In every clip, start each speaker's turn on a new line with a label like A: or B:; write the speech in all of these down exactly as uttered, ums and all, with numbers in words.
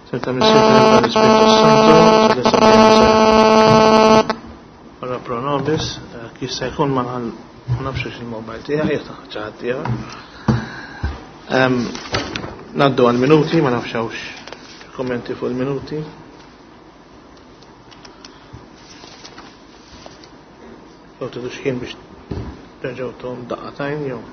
A: Senta Missier tal-Ispirtu Santu, Ora pro nobis, jista' jkun ma nafx il-mobile tiegħi, jekk ħadd ieħor. Naddu għal minuti, ma nafx hawnx kommenti fuq il-minuti. Jew tridu x'ħin biex terġgħu tuhom daqqatajn jew.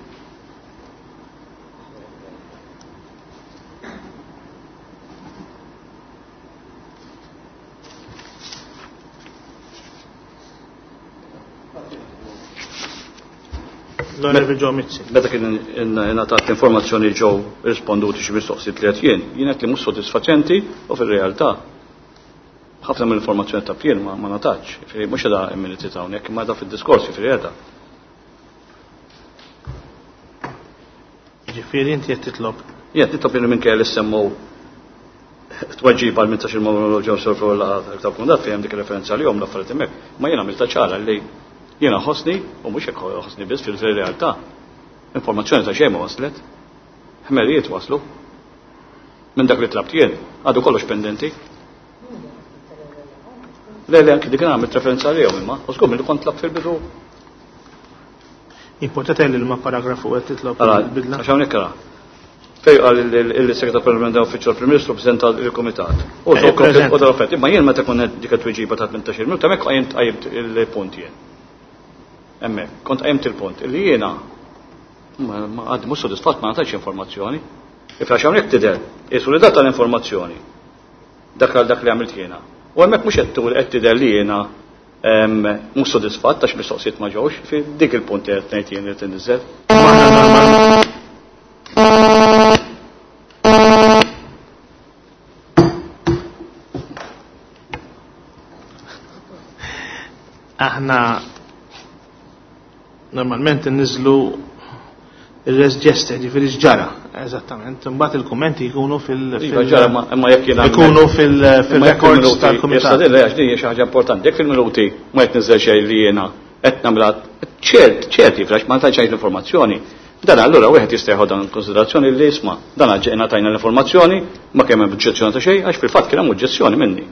A: L-Onorevoli Joe Mizzi.
B: Meta kien ingħatat l-informazzjoni ġew risponduti xi mistoqsijiet li qed jien, jien qed li mhux sodisfaċenti u fir-realtà ħafna mill-informazzjoni ta' jien ma ngħatatx. Jiġifieri mhux qiegħda il-minuti ta' hawnhekk imma qiegħda fid-diskors jiġifieri qiegħda.
A: Ġifieri inti qed titlob.
B: Jien qed nitlob li minkejja li semmu tweġiba għal mintax il-monolog ġew sorfu l-laqgħa tal-kundat fejn hemm dik ir-referenza li l-affarijiet hemmhekk, ma jien għamilta ċara li jiena ħossni, u mhux hekk ħossni biss fil-realtà. Informazzjoni ta' xejn ma waslet. Ħmerijiet waslu. Minn dak li tlabt jien, għadu kollox pendenti. Le, le, anki dik għamilt referenza għalihom imma, u żgur li kont tlabt fil-bidu.
A: Importanti li ma paragrafu qed titlob il-bidla.
B: Għax hawnhekk ara. Fej qal il-Segretar Parlamentari Uffiċċju tal-Prim Ministru preżenta il-Kumitat. U dawk imma jien meta kont dik it-tweġiba ta' tmintax-il minuta hemmhekk qajjimt qajjimt il-punt jien. Hemmhekk, kont qajjimt il-punt illi jiena ma għad mhux sodisfatt ma ngħatajx informazzjoni. Ifrax hawnhekk tidher, qisu li data l-informazzjoni. Dak għal dak li għamilt jiena. U hemmhekk mhux qed qed tidher li jiena mhux sodisfatt għax mistoqsijiet ma ġewx, fi dik il-punt qed ngħid jien li tinniżel.
A: Aħna normalment nniżlu il-res geste, ġifieri x'ġara, eżattament. Imbagħad il-kummenti jkunu fil-
B: Iva, ġara, imma jekk jiena
A: jkunu fil-records tal-kumitat.
B: Issa din għax din hija xi ħaġa importanti. Jekk fil-minuti ma qed niżel xejn li jiena qed nagħmilha ċert, ċert jifrax ma tgħidx l-informazzjoni. Dan allura wieħed jista' jieħu dan konsiderazzjoni li jisma' dan ġejna tajna l-informazzjoni ma kemm hemm oġġezzjoni ta' xejn għax fil-fatt kien hemm oġġezzjoni minni.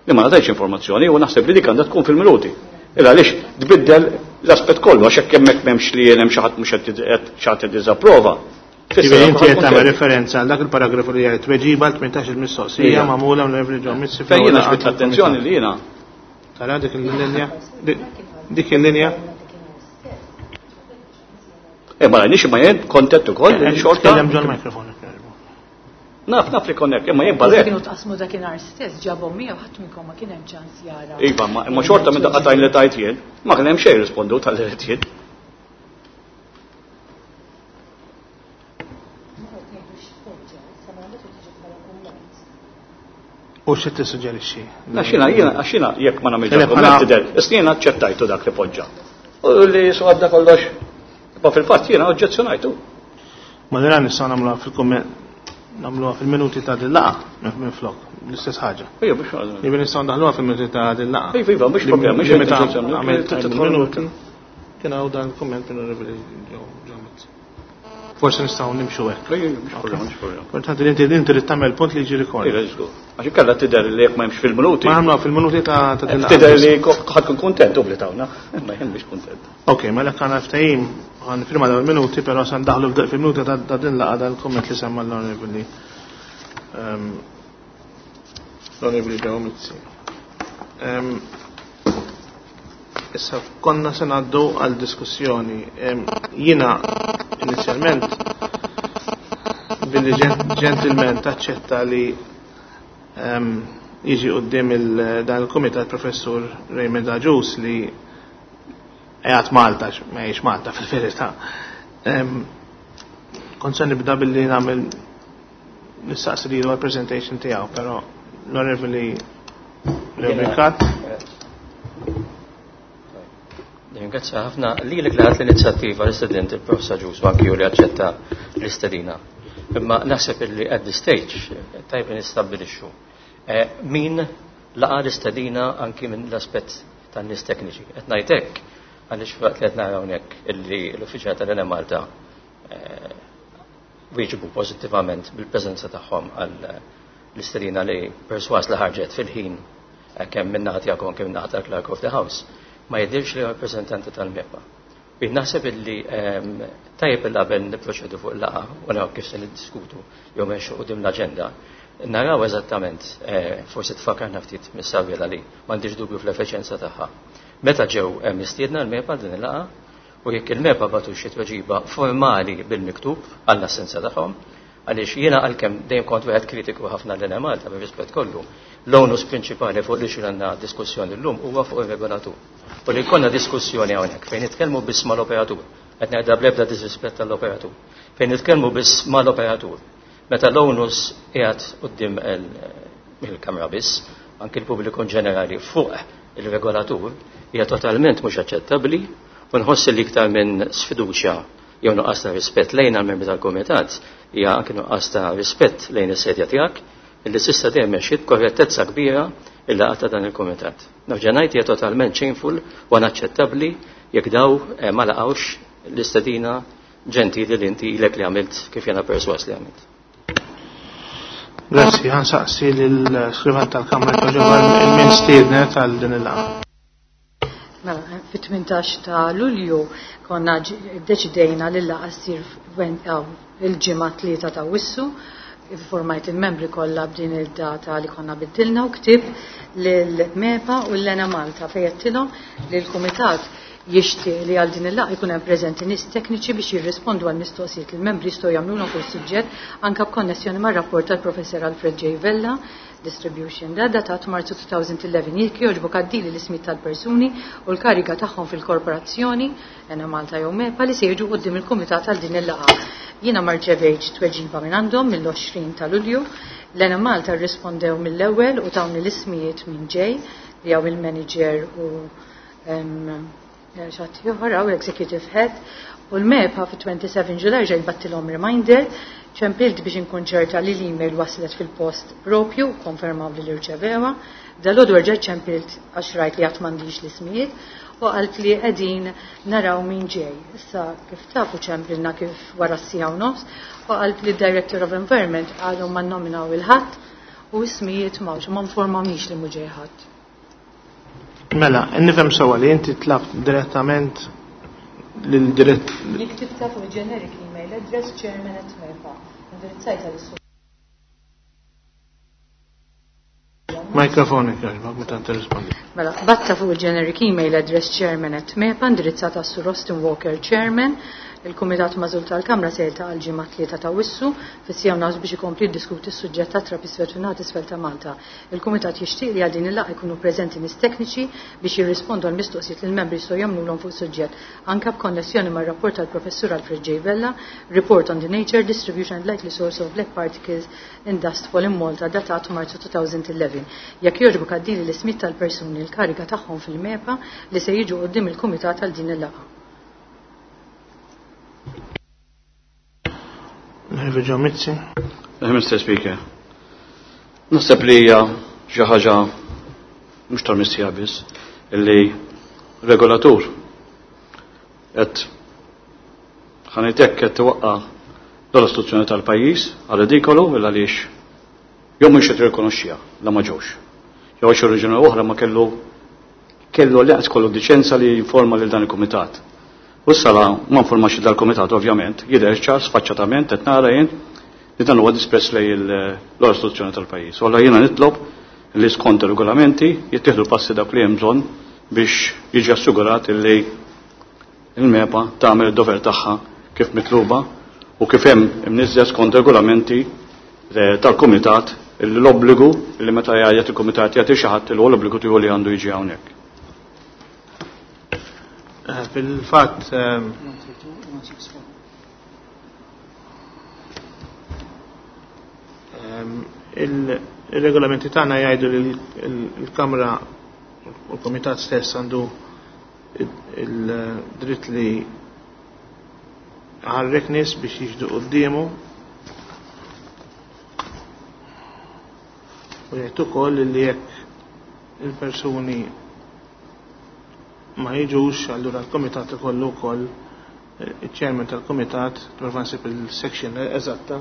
B: Li ma ngħatajx informazzjoni u naħseb li dik għandha tkun fil-minuti. Illa għaliex tbiddel l-aspett kollu għax hekk hemmhekk m'hemmx li jien hemm xi ħadd mhux qed xi ħadd jiddiżapprova.
A: Ġifieri inti qed tagħmel referenza għal dak il-paragrafu li jgħid tweġiba għal tmintax il-mistoqsija magħmula mill-Reverend John Mizzi.
B: Fejn jiena ġbidt l-attenzjoni li jiena.
A: Tara dik il-linja? Dik il-linja?
B: Eh, ma rajniex imma jien kontent ukoll li xorta.
A: Tkellem ġol mikrofon.
B: Naf, naf li konnek, imma jien barrek.
C: Kienu tqasmu dakinhar stess, ġabhom miegħu ħadd minnkom ma kien hemm ċans jara.
B: Iva, imma xorta minn daqqa tajn li tajt jien, ma kien hemm xejn rispondu tal-li jien.
A: U xi tissuġġerixxi?
B: Għax jiena, jiena, għax jiena jekk ma nagħmilx kumment tidher, issa jiena aċċettajtu dak li poġġa. U li su għadda kollox. Ma fil-fatt jiena oġġezzjonajtu.
A: Ma nara nistgħu nagħmluha fil-kumment nagħmluha fil-minuti ta' din laqgħa minn flok, l-istess ħaġa.
B: Ejja, biex nagħmlu.
A: Jiġifieri nistgħu ndaħluha fil-minuti ta' din laqgħa.
B: Iva, iva, mhux problema, mhux
A: meta
B: oġġezzjoni,
A: għamilt
B: tidħol
A: minuti. Kien hawn dan il-kumment minn Onorevoli Joe Mizzi. Forsi nistgħu nimxu hekk.
B: Ejja, mhux problema, mhux problema.
A: Importanti li inti inti trid tagħmel punt li jiġi rekord.
B: Ejja, żgur. Għax inkella tidher li jekk ma hemmx fil-minuti.
A: Ma nagħmluha fil-minuti ta' ta' din laqgħa.
B: Tidher li ħadd kun kuntent u bli tawna, imma jien mhux kuntent.
A: Ok, mela kan ftehim għan firma dawn il-minuti, però se ndaħlu fil-minuti ta' din laqgħa dan il-kumment li semma l-Onorevoli l-Onorevoli Joe Mizzi. Issa konna se ngħaddu għal diskussjoni. Jiena inizjalment billi ġentilment aċċetta li jiġi quddiem dan il-kumitat professur Raymond Agius li qiegħed Malta, ma jgħix Malta fil-verità. Kont se nibda billi nagħmel nistaqsi lilu għall-presentation tiegħu, però l-Onorevoli Rebecca.
D: Ringrazzja ħafna lilek li ħadt l-inizjattiva l-istudent il-Professor Agius u anki li aċċetta l-istedina. Imma naħseb illi at this stage tajb li nistabbilixxu min laqa l-istedina anki minn l-aspett tan-nies tekniċi. Qed ngħid hekk għaliex waqt li qed nara hawnhekk illi l-uffiċjal tal-Enemalta wieġbu pożittivament bil-preżenza tagħhom għal l-istedina li perswas li ħarġet fil-ħin kemm min-naħa tiegħek u anke min-naħa tal-Clerk of the House, ma jidhirx li rappreżentanti tal-MEPA. Jien naħseb illi tajjeb il qabel nipproċedu fuq il-laqgħa u naraw kif se niddiskutu jew mexxu quddiem l-aġenda. Naraw eżattament, forsi tfakarna ftit mis-Saviela li m'għandix dubju fl-effiċjenza tagħha. Meta ġew mistiedna l-MEPA din il-laqgħa u jekk il-MEPA batu xi tweġiba formali bil-miktub għall-assenza tagħhom, għaliex jiena għalkemm dejjem kont wieħed kritiku ħafna lil Malta bir-rispett kollu, l-onus prinċipali fuq li għandna diskussjoni llum huwa fuq ir-regolatur. U li jkollna diskussjoni hawnhekk fejn nitkellmu biss mal-operatur, qed ngħidha bl-ebda disrispett tal-operatur, fejn nitkellmu biss mal-operatur. Meta l-onus qiegħed quddiem il-kamra biss, anki l-pubbliku ġenerali fuq il-regolatur, hija totalment mhux aċċettabbli u nħoss li iktar minn sfiduċja jew nuqqas ta' rispett lejn għall-membri tal-kumitat, hija anke nuqqas ta' rispett lejn is-sedja tiegħek illi s'issa dejjem mexxiet b'korrettezza kbira il-laqgħa ta' dan il-kumitat. Nerġa' ngħid hija totalment shameful u inaċċettabbli jekk daw ma laqgħux l-istedina ġentili li inti ilek li għamilt kif jiena perswas li għamilt.
A: Grazzi, ħansaqsi lill-skrivan tal-Kamra ġewwa il-min stiednet għal din il-laqgħa.
C: Mela, fit-tmintax ta' Lulju konna deċidejna li l-laqgħa ssir il-ġimgħa tlieta ta' Wissu, informajt il-membri kollha b'din id-data li konna biddilna u ktib lill-MEPA u l-Lena Malta fejn għedtilhom li l-Kumitat jixtieq li għal din il-laqgħa jkun hemm preżenti nies tekniċi biex jirrispondu għal mistoqsijiet li l-membri jistgħu jagħmlulhom fuq is-suġġett anke b'konnessjoni mar-rapport tal-Professor Alfred J. Vella Distribution da datat Marzu two thousand eleven. Jekk jogħġbok għaddili l-ismijiet tal-persuni u l-kariga tagħhom fil-korporazzjoni Ena Malta jew MEPA li se jiġu quddiem il-kumitat għal din il-laqgħa. Jiena ma rċevejtx tweġiba minn għandhom mill-għoxrin ta' Lulju. L-Ena Malta rrispondew mill-ewwel u tawni l-ismijiet minn ġej li hawn il-manager u xi ħadd ieħor hawn l-executive head, u l-MEPA fit-twenty-seven July ġej bgħattilhom reminder, ċempilt biex inkun ċerta li l-email waslet fil-post propju, konfermaw li l-irċevewa. Dalgħodu rġajt ċempilt għax rajt li għad m'għandix l-ismijiet u qalt li qegħdin naraw min ġej. Issa kif tafu ċempilna kif wara s-siegħa u nofs u qalt li d-Director of Environment għadhom ma nominaw il-ħadd u ismijiet m'hawnx, ma informawnix li mhu ġej ħadd.
A: Mela, nifhem sewwa li inti tlabt direttament lil dirett
C: Jien ktibtha fuq generic email address chairman at MEPA. Indirizzajta lis
A: Mikrofon jogħġbok meta tirrispondi.
C: Mela, bgħattha fuq il-generic email address chairman at MEPA, indirizzata Sur Austin Walker Chairman. Il-Kumitat Magħżul tal-Kamra se jiltaqa' l-ġimgħa tlieta ta' Wissu fis-siegħa u nofs biex ikompli jiddiskuti s-suġġett ta' trab iswed fin-naħa t'isfel ta' Malta. Il-Kumitat jixtieq li għal din il-laqgħa jkunu preżenti nies tekniċi biex jirrispondu għal mistoqsijiet li l-membri jistgħu jagħmlulhom fuq suġġett anke b'konnessjoni mar-rapport tal-Professur Alfred J. Vella, Report on the Nature, Distribution and Likely Source of Black Particles in Dustfall in Malta, datat Marzu twenty eleven. Jekk jogħġbok għaddili l-ismijiet tal-persuni l-kariga tagħhom fil-MEPA li se jiġu quddiem il-Kumitat għal din il-laqgħa.
A: Onorevoli Joe Mizzi.
B: Mister Speaker, naħseb li hija xi ħaġa mhux tal-mistija biss illi regolatur qed ħanejtek qed twaqqa' l-istituzzjoni tal-pajjiż għal ridikolu il għaliex jew mhux qed jirrikonoxxiha la ma ġewx. Jew xi raġuni oħra ma kellu kellu li kollu diċenza li jinforma lil dan il-kumitat. U s-sala ma informax dal-kumitat ovvjament, jidher ċar sfaċċatament qed nara jien li dan huwa disprezz lejn l-istituzzjoni tal-pajjiż. U jiena nitlob li skont ir-regolamenti jittieħdu passi dak li hemm bżonn biex jiġi assigurat li il-MEPA tagħmel id-dover tagħha kif mitluba u kif hemm imniżżel skont regolamenti eh, tal-kumitat, l-obbligu li meta jgħid il-kumitat jagħti xi ħadd li huwa l-obbligu tiegħu li għandu jiġi hawnhekk.
A: Eh, fil-fatt ehm, ehm, il-regolamenti tagħna jgħidu li l-Kamra u l-Komitat stess għandu il-dritt li iħarrek nies biex jiġu quddiemu u jgħid ukoll li jekk il-persuni ma jiġux, allura l-komitat ikollu wkoll il-chairman tal-komitat, prova nsib il-section eżatta.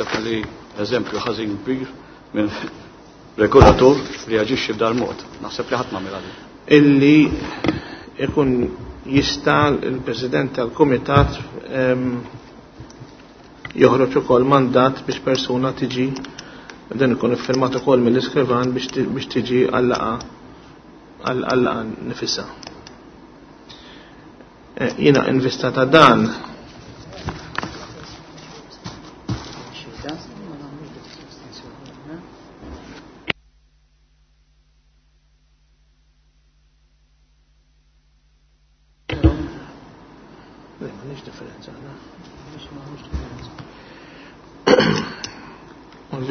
B: Naħseb li eżempju ħażin kbir minn regolatur li jaġixxi b'dal mod. Naħseb li ħadd m'għamilha din.
A: Illi ikun jista' l-President tal-Kumitat joħroġ ukoll mandat biex persuna tiġi, dan ikun iffirmat ukoll mill-iskrivan biex tiġi għal-laqgħa għal-laqgħa nifisha. Jiena invista ta' dan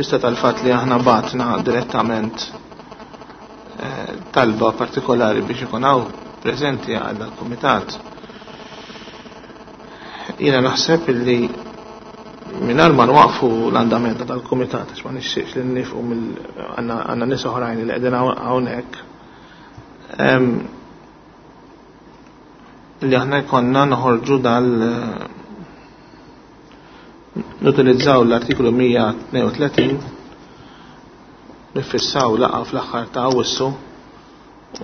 A: vista tal-fat li aħna batna direttament talba partikolari biex ikun hawn preżenti għal kumitat. Jiena naħseb illi mingħajr ma nwaqfu l-andament tal-kumitat, għax ma nixtieqx li nifqu għandna nies oħrajn li qegħdin hawnhekk, li aħna jkollna noħorġu dal nutilizzaw l-artikolu mija tnejn u tletin, nifissaw laqgħa fl-aħħar ta' Awwissu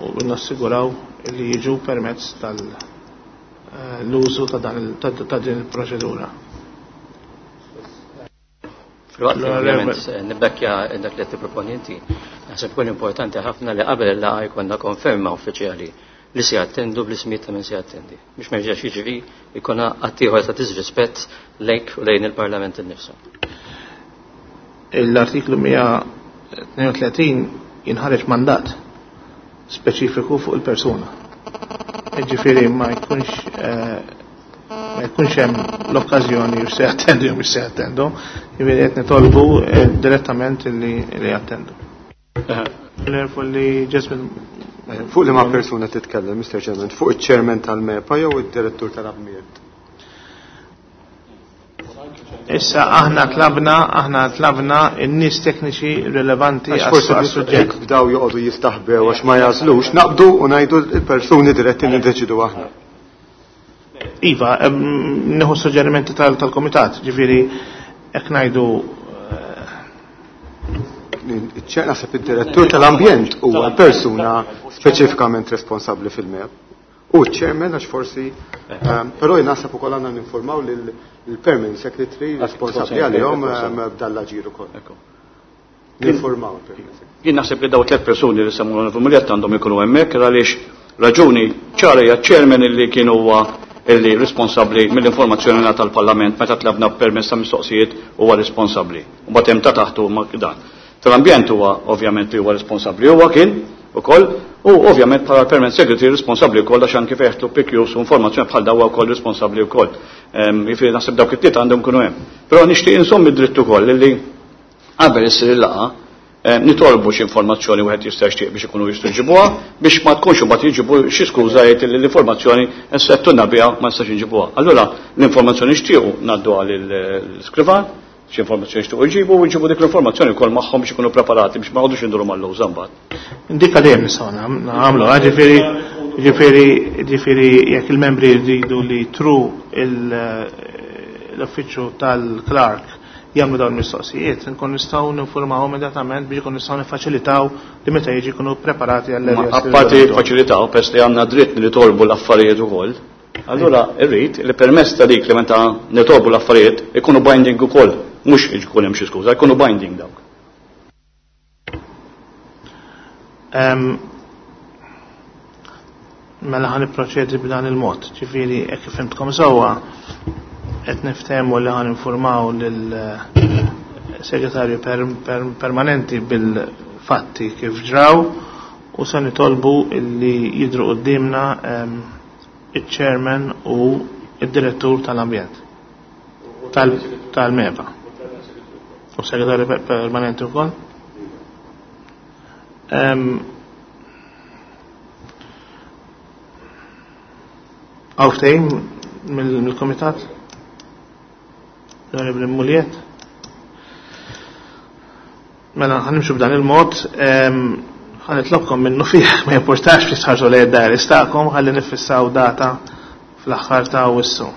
A: u nassiguraw li jiġu permezz tal-użu ta' din il-proċedura.
D: Filwaqt li ovvjament nibbekkja dak li qed tipproponi inti, naħseb ikun importanti ħafna li qabel il-laqgħa jkollna konferma uffiċjali li se jattendu bl-ismijiet ta' min se jattendi. Biex ma jerġax jiġri jkun att ieħor ta' disrispett lejk u lejn il-Parlament innifsu.
A: L-artiklu mija tnejn u tletin jinħareġ mandat speċifiku fuq il-persuna. Ġifieri ma jkunx, ma jkunx hemm l-okkażjoni biex se jattendu jew biex se jattendu, ġifieri qed nitolbu direttament li jattendu. Nerfu li Jasmine
E: Fuq li ma' persuna titkellem, Mister Chairman, fuq iċ-chairman tal-MEPA jew id-direttur tal-Abmiet?
A: Issa aħna tlabna, aħna tlabna n-nies tekniċi rilevanti
E: Għax forsi
A: għas-suġġett.
E: jekk bdaw joqogħdu jistaħbew għax ma jażlux, naqbdu u ngħidu l-persuni diretti li ndeċidu aħna.
A: Iva, em, nieħu suġġerimenti tal-, tal-komitat, ġifieri hekk ngħidu
E: Iċ-ċer naħseb id-direttur tal-ambjent huwa persuna speċifikament responsabbli fil-MEP. U ċ-chairman għax forsi, ehm, però naħseb ukoll għandna ninformaw lill-permanent secretary responsabbli għalihom, ehm, b'dal-aġir ukoll. Ninformaw il-permanent secretary.
B: Jien naħseb li daw tliet persuni li semmu l-Onorevoli għandhom ikunu hemmhekk għaliex raġuni ċara hija ċ-chairman illi kien huwa illi responsabbli mill-informazzjoni ngħata tal-Parlament meta tlabna permezz ta' mistoqsijiet huwa responsabbli. U mbagħad hemm ta' taħtu ma' dan. Tal-ambjent huwa ovvjament li huwa responsabbli huwa kien ukoll u ovvjament bħala permanent secretary responsabbli wkoll għax anke fejn jeħtlu P Qs u informazzjoni bħal daw wkoll responsabbli wkoll. Ehm, jiġifieri naħseb dawk it-tlieta għandhom ikunu hemm. Però nixtieq insomm id-dritt ukoll illi qabel issir il-laqgħa, ehm, nitolbu xi informazzjoni wieħed jista' jixtieq biex ikunu jistgħu jġibuha biex ma tkunx imbagħad jiġibu xi skuża jgħid li l-informazzjoni nssettunna biha ma nistax inġibuha. Allura l-informazzjoni nixtiequ ngħadduha lill-iskrivan, xi informazzjoni xtiequ jġibu u jġibu dik l-informazzjoni wkoll magħhom biex ikunu preparati biex ma jqogħdux induru mal-lewża mbagħad.
A: Indika dejjem nistgħu nagħmlu, ġifieri, ġifieri, ġifieri jekk il-membri jridu li tru l-uffiċċju tal-Clark jagħmlu dawn il-mistoqsijiet, nkun nistgħu ninformawhom immedjatament biex ikun nistgħu niffaċilitaw li meta jiġi jkunu preparati għall
B: Ma apparti faċilitaw, pers li għandna dritt li nitolbu l-affarijiet ukoll. Allura irrid li permezz ta' dik li meta nitolbu l-affarijiet ikunu binding ukoll, mhux ikun hemm xi skuża, ikunu binding dawk.
A: Ehm, mela ħan nipproċedi b'dan il-mod, ġifieri hekk kif fhimtkom sewwa qed niftehmu li ħan informaw lill-segretarju per-, per-, permanenti bil-fatti kif ġraw u se nitolbu li jidhru quddiemna, ehm, iċ-chairman u id-direttur tal-ambjent tal-, tal-MEPA. U segretarju per-, permanenti wkoll. Ehm, Hawn ftehim mill-, mill-komitat? L-Onorevoli Mugliett? Mela, ħanimxu b'dan il-mod, ehm, ħanitlobkom minnu fih, ma jimportax fi sħarġu lejn id-dar istakom, ħalli nifissaw data fl-aħħar ta' Awwissu.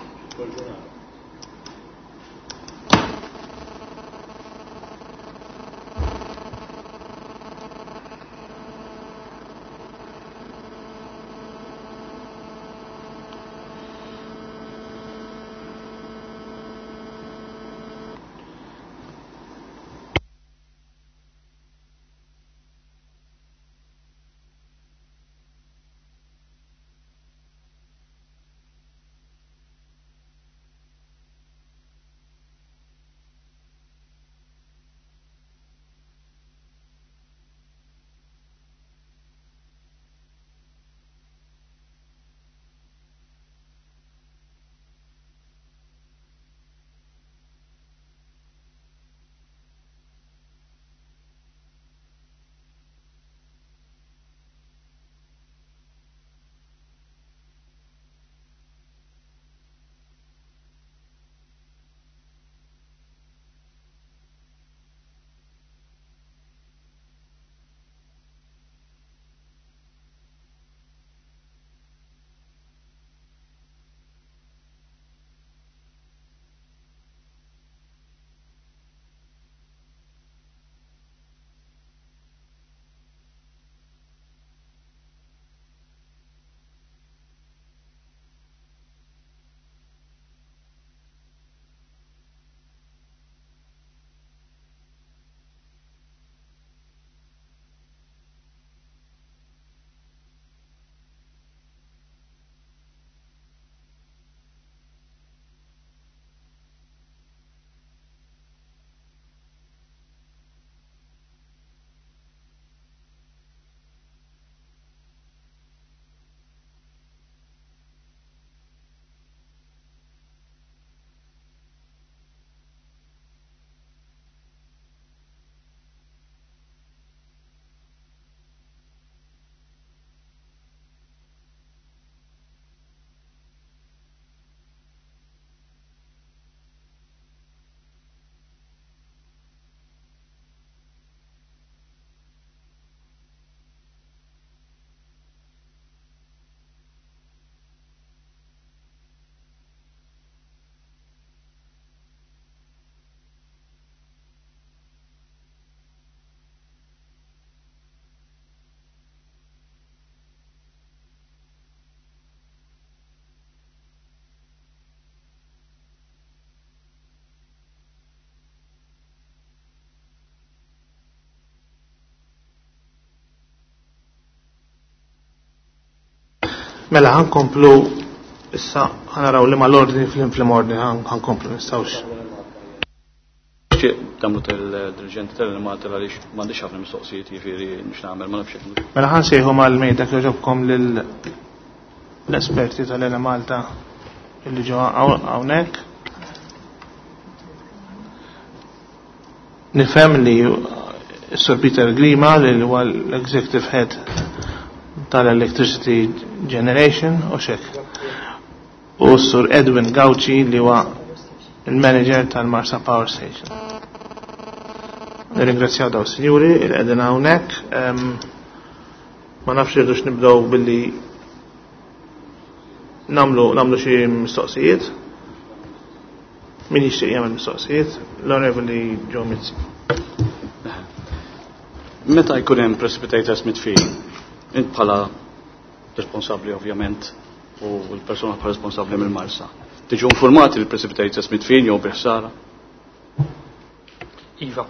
A: Mela ħankomplu issa ħanaraw li mal-ordni fl-ordni ħankomplu nistgħux.
B: Damlu tal-dirigenti tal-Malta għaliex m'għandix ħafna mistoqsijiet, jiġifieri nix nagħmel ma nafx.
A: Mela ħansejħu mal-mejda jogħġobkom lill-esperti tal-Enemalta illi ġew hawnhekk. Nifhem li Sir Peter Grima li huwa l-Executive Head tal-Electricity Generation u xek. U Sur Edwin Gauci li huwa il-manager tal-Marsa Power Station. Nirringrazzjaw daw sinjuri il qegħdin hawnhekk. Ma nafx irridux nibdew billi namlu namlu xi mistoqsijiet. Min jixtieq jagħmel mistoqsijiet? L-Onorevoli Joe Mizzi.
B: Meta jkun hemm precipitators mitfin, int bħala responsabbli ovvjament u l-persuna bħala responsabbli mill-Marsa. Tiġu informati li precipitators mitfin jew bi ħsara?
F: Iva.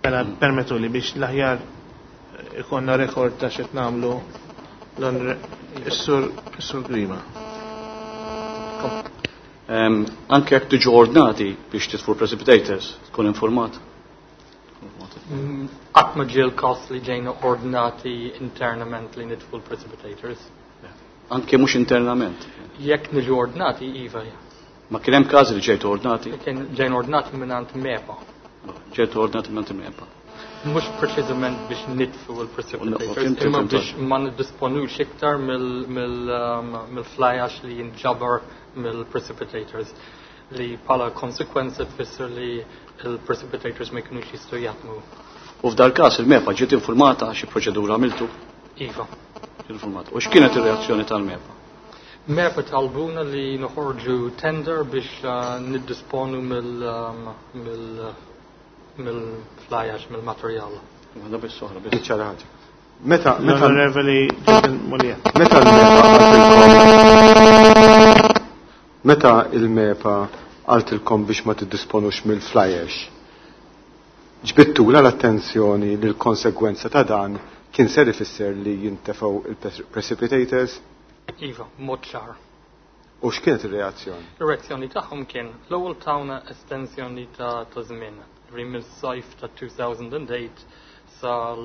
A: Mela permettu li biex l-aħjar ikonna rekord ta' xed nagħmlu is-sur Grima.
B: Anke jekk tiġu ordnati biex titfu precipitators, tkun informat?
F: Qatt ma ġie l-każ li ġejna ordnati internament li nitfu l-precipitators.
B: Anke mhux internament?
F: Jekk niġu ordnati, iva.
B: Ma kien hemm każi li ġejtu ordnati?
F: Kien ġejna ordnati mingħand MEPA.
B: Ġejtu ordnati mingħand MEPA.
F: Mhux preċiżament biex nitfu l-precipitators, imma biex ma niddisponux iktar mill-fly ash li jinġabar mill-precipitators, li bħala konsekwenza tfisser li il-precipitators ma jkunux jistgħu jaħdmu.
B: U f'dal każ il-MEPA ġiet informata xi proċedura għamiltu?
F: Iva.
B: Ġiet informata. U x'kienet ir-reazzjoni tal-MEPA?
F: MEPA talbuna li noħorġu tender biex niddisponu mill-fly ash, mill-materjal.
B: Waħda biss oħra biss.
E: Niċċara ħaġa. Meta, meta
A: L-Onorevoli Jason Mulia.
E: Meta l-MEPA qaltilkom meta il-MEPA qaltilkom biex ma tiddisponux mill-fly ash, ġbittula l-attenzjoni li l-konsegwenza ta' dan kien ser ifisser li jintefgħu il-precipitators?
F: Iva, mod ċar.
E: U x'kienet ir-reazzjoni?
F: Ir-reazzjoni tagħhom kien l-ewwel tawna estensjoni ta' ta' żmien, ġifieri mill-sajf ta' two thousand and eight sal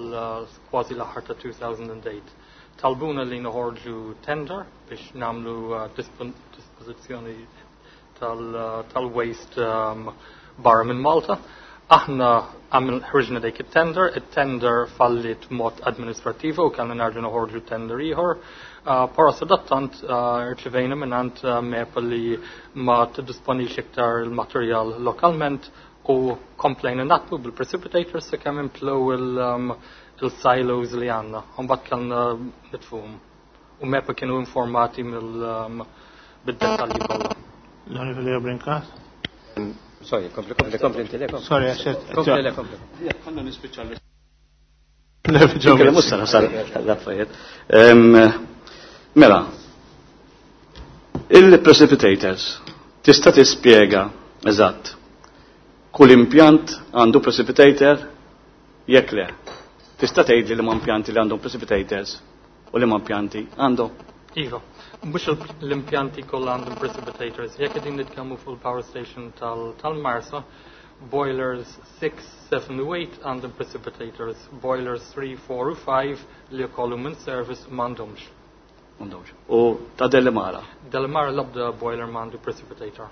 F: kważi l-aħħar ta' two thousand and eight. Talbuna li noħorġu tender biex nagħmlu, uh, dispon-, dispożizzjoni tal-, tal-waste, um, barra minn Malta. Aħna għamil ħriġna dik it-tender, it-tender fallit mod administrativo u kellna nerġgħu noħorġu tender ieħor. Uh, Però sadattant, uh, rċevejna mingħand, uh, MEPA li ma tiddisponix iktar il-materjal lokalment u komplejna naħdmu bil-precipitators sakemm imtlew il-, um, il-silos li għandna. U mbagħad kellna nitfuhom. U MEPA kienu informati mill-, um, bid-dettalji kollha.
A: L-Onorevoli Brincat?
D: Sorry, kompli, kompli, kompli, inti le, kompli.
A: Sorry, għaxet.
D: Kompli, le, kompli.
B: Għanna nispiċċa l-
A: L-Onorevoli
B: Kella mhux sara sar l-affarijiet. Em, mela, il-precipitators, tista' tispjega eżatt kull impjant għandu precipitator jekk le. Tista' tgħidli li ma impjanti li għandhom precipitators u li ma impjanti għandhom?
F: Iva, mhux l-impjanti kollha għandhom precipitators. Jekk qegħdin nitkellmu fuq il-power station tal-, tal-Marsa, boilers six, seven u eight għandhom precipitators, boilers three, four u five li jkollhom in service m'għandhomx.
B: M'għandhomx. U ta' Delimara?
F: Delimara l-ebda boiler m'għandu precipitator.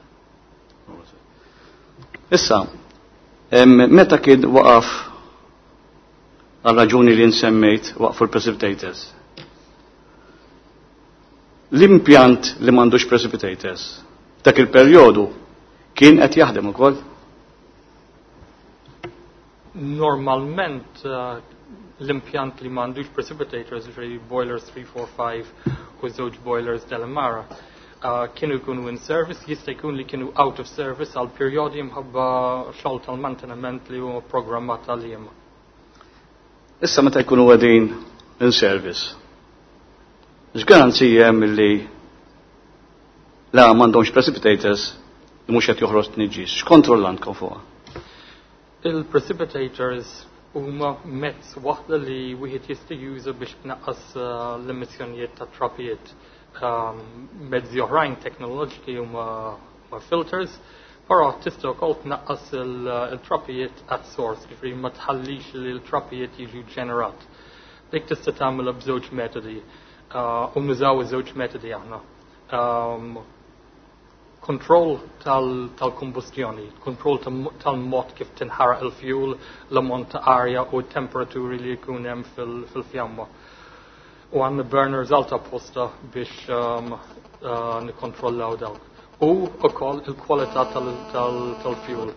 B: Issa, em, meta kien waqaf għal raġuni li nsemmejt waqfu l-precipitators? L-impjant li m'għandux precipitators dak il-perjodu kien qed jaħdem ukoll?
F: Normalment, eh, l-impjant li m'għandux precipitators, ġifieri boilers three, four, five u żewġ boilers Delimara, eh, kienu jkunu in service, jista' jkun li kienu out of service għal perjodi mħabba xogħol tal-manteniment li huwa programmat għalihom.
B: Issa meta jkunu qegħdin in service, x'garanzija hemm li la m'għandhomx precipitators li mhux qed joħroġ tniġġis? X'kontroll għandkom fuqha?
F: Il-precipitators huma mezz waħda li wieħed jista' juża biex tnaqqas, eh, l-emissjonijiet ta' trapijiet. Um, mezzi oħrajn teknoloġiki huma filters, però tista' wkoll tnaqqas il-trapijiet at source, jiġifieri ma tħallix li l-trapijiet jiġu ġenerat. Dik tista' tagħmilha b'żewġ metodi, uh, u nużaw iż-żewġ metodi aħna. Um, kontroll tal-kombustjoni, kontroll tal-mod kif tinħaraq il-fuel, l-ammont ta' arja u t-temperaturi li jkun hemm fil-fjamma. U għandna burners alta apposta biex um, uh, nikkontrollaw dawk. U wkoll il-kwalità tal-fuel.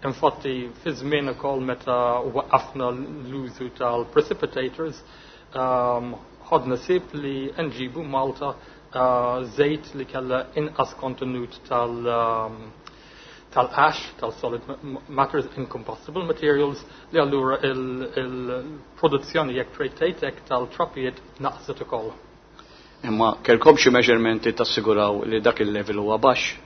F: Infatti, fi żmien ukoll meta waqafna l-użu tal-precipitators, um, ħadna ħsieb li nġibu Malta uh, żejt li kellha inqas kontenut tal- um, tal-ash, tal-solid matters, incombustible materials, li allura il-produzzjoni jekk tgħid tal-trapijiet naqset ukoll.
B: Imma kellkom xi measurementi tassiguraw li dak il-level huwa baxx?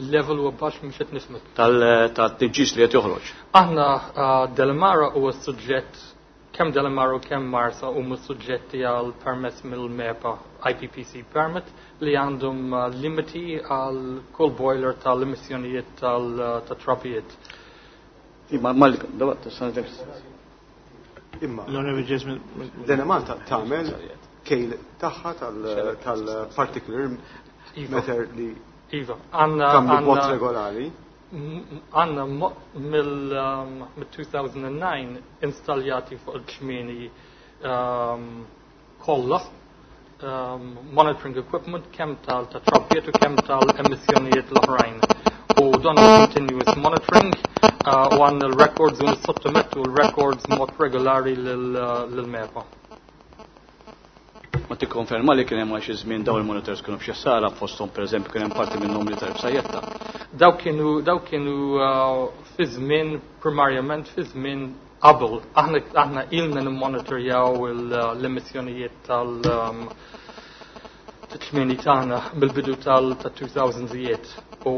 F: Il-level huwa baxx mhux qed nifhmek.
B: Tal-tniġġis li qed joħroġ.
F: Aħna uh, Delimara huwa suġġett, kemm Delimara u kemm Marsa huma suġġetti għal permess mill-MEPA I P P C permit li għandhom uh, limiti għal kull boiler tal-emissjonijiet tal-trapijiet.
B: Imma mal
E: Imma
A: L-Onorevoli Jason.
E: l-Enemalta tagħmel kejl tagħha tal-particular
F: Iva,
E: matter li
F: Iva, għandna
E: tagħmlu b'mod
F: għandna
E: regolari.
F: għandna mill-elfejn u disgħa installjati fuq il-ċmieni um, kollha um, monitoring equipment kemm tal ta' trabijiet u kemm tal-emissjonijiet l-oħrajn. U dan huwa continuous monitoring uh, u għandna l-records u nissottomettu l-records mod regolari lil-MEPA.
B: Ma tikkonferma li kien hemm xi żmien dawn il-monitors kienu b'xi ħsara, fosthom pereżempju kien hemm parti minnhom li tarb sajjetta?
F: Daw kienu daw kienu uh, fi żmien, primarjament fi żmien qabel. Aħna aħna ilna nimmonitorjaw l-emissjonijiet tal um, ċmieni tagħna mill-bidu tal-elfejnijiet u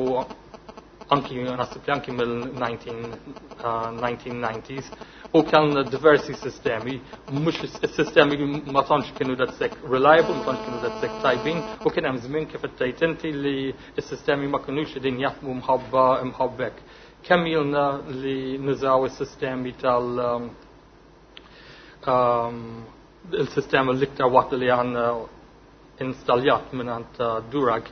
F: anki naħseb li anki mill-elf disa' mija u disgħin u kellna diversi sistemi, mhux is-sistemi ma tantx kienu daqshekk reliable, ma tantx kienu daqshekk tajbin, u kien hemm żmien kif qed inti li s-sistemi ma kinux qegħdin jaħdmu mħabba mħabbek. Kemm ilna li nużaw is-sistemi tal um, um, il-sistema l-iktar waħda li għandna installjat minn għand uh, Durag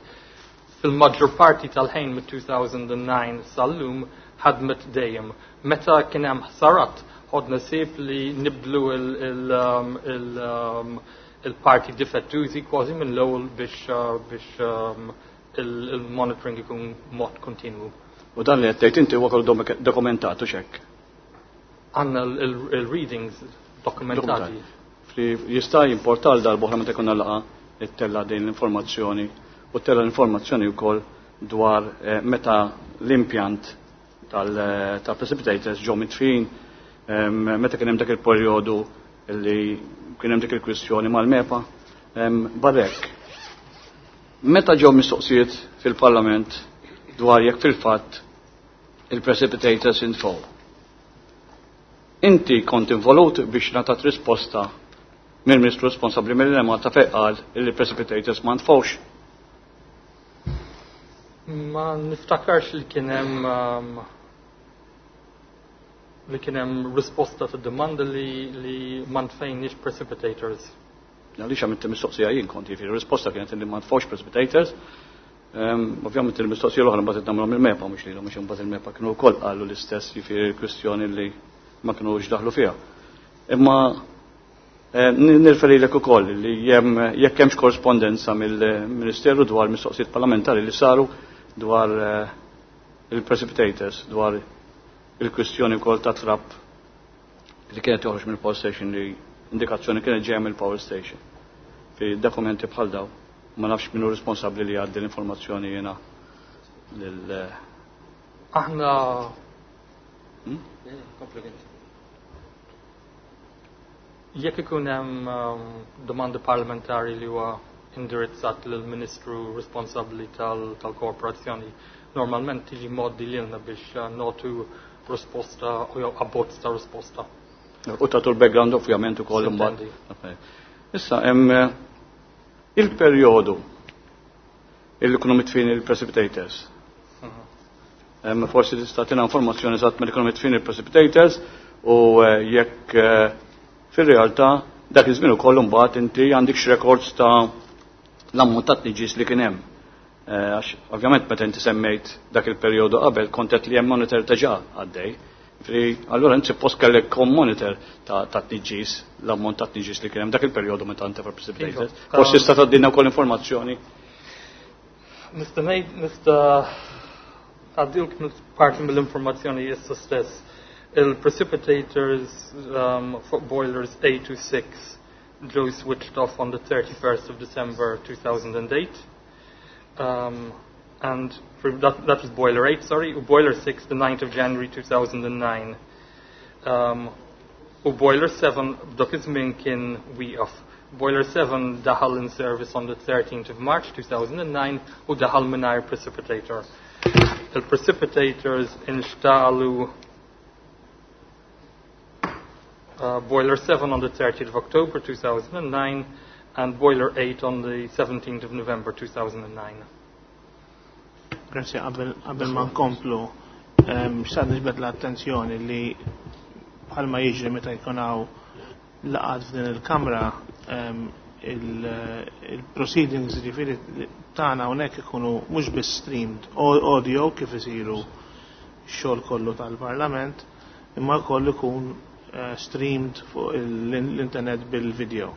F: fil-maġġor parti tal-ħin mit-elfejn u disgħa sal-lum ħadmet dejjem. Meta kien hemm ħsarat, ħodna ħsieb li nibdlu um, um, il-parti difettużi kważi minn l-ewwel biex uh, biex um, il-monitoring ikun mod kontinwu.
B: U dan li qed tgħid inti huwa kollu dokumentat u xekk?
F: Għandna il-readings dokumentati.
B: Li jista' jimporta għal darba meta jkollna laqgħa ittella' din l-informazzjoni u ttella' l-informazzjoni wkoll dwar eh, meta l-impjant tal-precipitators ġew mitfin, meta kien hemm dak il-perjodu li kien hemm dik il-kwistjoni mal-MEPA. Barrek, meta ġew mistoqsijiet fil-Parlament dwar jekk fil-fatt il-precipitators intfew, inti kont involut biex ngħatat risposta mill-Ministru responsabbli mill-Enemalta fejn qal li precipitators ma ntfewx?
F: Ma niftakarx li kien hemm um, li kien hemm risposta ta' domanda li, li ma ntfejniex precipitators.
B: Għaliex għamilt mistoqsija jien kont, jiġifieri risposta kienet li ma ntfewx precipitators. Um, ovvjament il-mistoqsija l-oħra mbagħad nagħmluhom il-MEPA, mhux lilhom, mhux imbagħad il-MEPA kienu wkoll qalu l-istess, jiġifieri kwistjoni li ma kinux daħlu fiha. Imma eh, nirreferilek ukoll li jem jekk hemmx korrespondenza mill-Ministeru dwar mistoqsijiet parlamentari li saru dwar eh, il-precipitators, dwar il-kwistjoni wkoll ta' trap li kienet joħroġ mill-power station, li indikazzjoni kienet ġejja mill-power station. Fi dokumenti bħal daw, ma nafx minnu responsabbli li jgħaddi l-informazzjoni jiena lil
F: Aħna
B: Hmm?
F: Jekk ikun hemm um, domanda parlamentari li huwa indirizzat lill-Ministru responsabbli tal-korporazzjoni, normalment tiġi mgħoddi lilna biex uh, nagħtu risposta u jew abbozz ta' risposta.
B: U tagħtu l-background ovvjament ukoll imbagħad.
F: Sintendi.
B: Issa hemm eh, Il-perjodu illi kunu mitfin il-precipitators. Mhm. Forsi tista' tina informazzjoni eżatt meta kienu mitfin il-precipitators u eh, jekk eh, fir-realtà dak iż-żmien ukoll imbagħad inti għandek records ta' l-ammont ta' tniġis li kien hemm. Eh, għax ovvjament meta inti semmejt dak il-perjodu qabel kont qed li hemm monitor diġà għaddej. Allura inti suppost kellek kom monitor ta' tniġis, l-ammont ta' tniġis li kien hemm dak il-perjodu meta inti precipitated. Iva. Forsi tista' tgħaddilna wkoll informazzjoni.
F: Nista' ngħid nista' għaddilk parti mill-informazzjoni issa stess. Il-precipitators um, fuq boilers eight to six ġew switched off on the thirty-first of December two thousand eight. Um, and for that, that was boiler eight, sorry, u boiler six, the ninth of January two thousand nine. Um, u boiler seven, dak iż-żmien kien wieqaf. Boiler seven daħal in service on the thirteenth of March two thousand nine u daħal mingħajr precipitator. Il-precipitators instalu, uh, boiler seven on the thirtieth of October two thousand nine and boiler eight on the seventeenth of November two thousand nine.
A: Grazie, qabel, qabel ma nkomplu, ehm, xtaqt niġbed l-attenzjoni li bħalma jiġri meta jkun hawn laqgħat f'din il-kamra, ehm, il-, il-proceedings ġifieri tagħna hawnhekk ikunu mhux biss streamed audio kif isiru x-xogħol kollu tal-Parlament, imma wkoll ikun, eh, streamed fuq l-internet bil-video.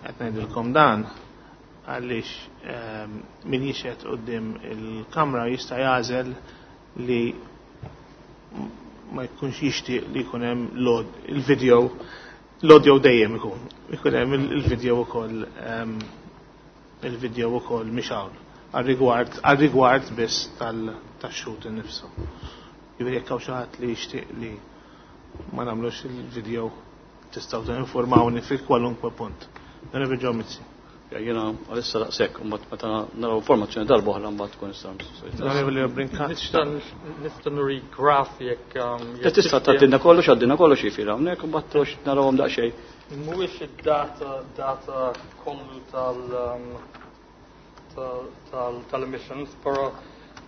A: Qed ngħidilkom dan għaliex, ehm, min jixhed quddiem il-kamra jista' jagħżel li ma jkunx jixtieq li jkun hemm il-video, l-audio dejjem ikun, ikun hemm il-video ukoll, ehm, il-video ukoll mixgħul għal-rigward, għal-rigward biss tal-, tax-xhud innifsu. Jiġifieri jekk hawn xi ħadd li jixtieq li ma nagħmlux il-video tistgħu tinformawni fi kwalunkwe punt. Onorevoli Joe Mizzi.
B: Ja, jiena għalissa daqshekk, u mbagħad meta naraw informazzjoni darba oħra mbagħad tkun nistgħu nistgħu.
A: Onorevoli Brincat,
F: Nista' nista' nuri graf jekk, um,
B: jekk Tista' tgħaddilna kollox, għaddilna kollox jifieri hawnhekk u mbagħad tox narawhom daqsxejn.
F: Mhuwiex id-data, data kollu tal, um, tal, tal, tal-emissions, però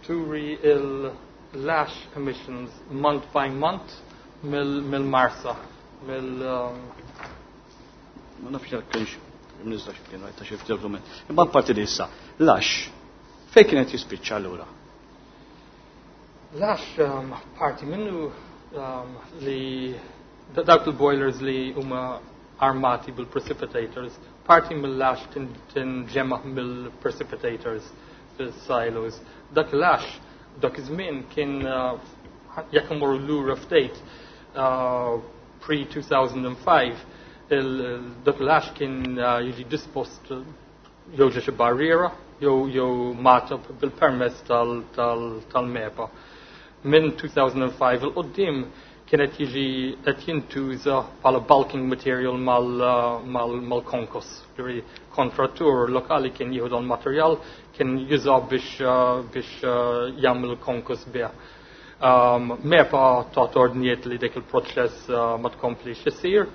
F: turi il-lash emissions month by month mill-, mill-Marsa, mill, um,
B: Ma nafx jekk kienx imniżla xi kien ta' xi ftit dokument. Imma parti li issa, lax, fejn kienet jispiċċa allura?
F: Lax, um, parti minnu, um, li da-, dawk il-boilers li huma armati bil-precipitators, parti mill-lax tin-, tinġema' mill-precipitators fil-silos. Dak lax, dak iż-żmien kien, uh, jekk imorru lura ftit, uh, pre two thousand and five, il-, dak lax kien, uh, jiġi dispost jew ġie xi barriera jew, jew matab bil-permess tal-, tal-, tal-MEPA. Minn two thousand and five il-qoddim kienet jiġi qed jintuża bħala bulking material mal-, uh, mal-, mal-konkos. Ġifieri kontrattur lokali kien jieħu dan materjal kien juża biex, uh, biex, uh, jagħmel konkos bih. Um, MEPA tat ordnijiet li dik il-proċess, uh, ma tkomplix isir.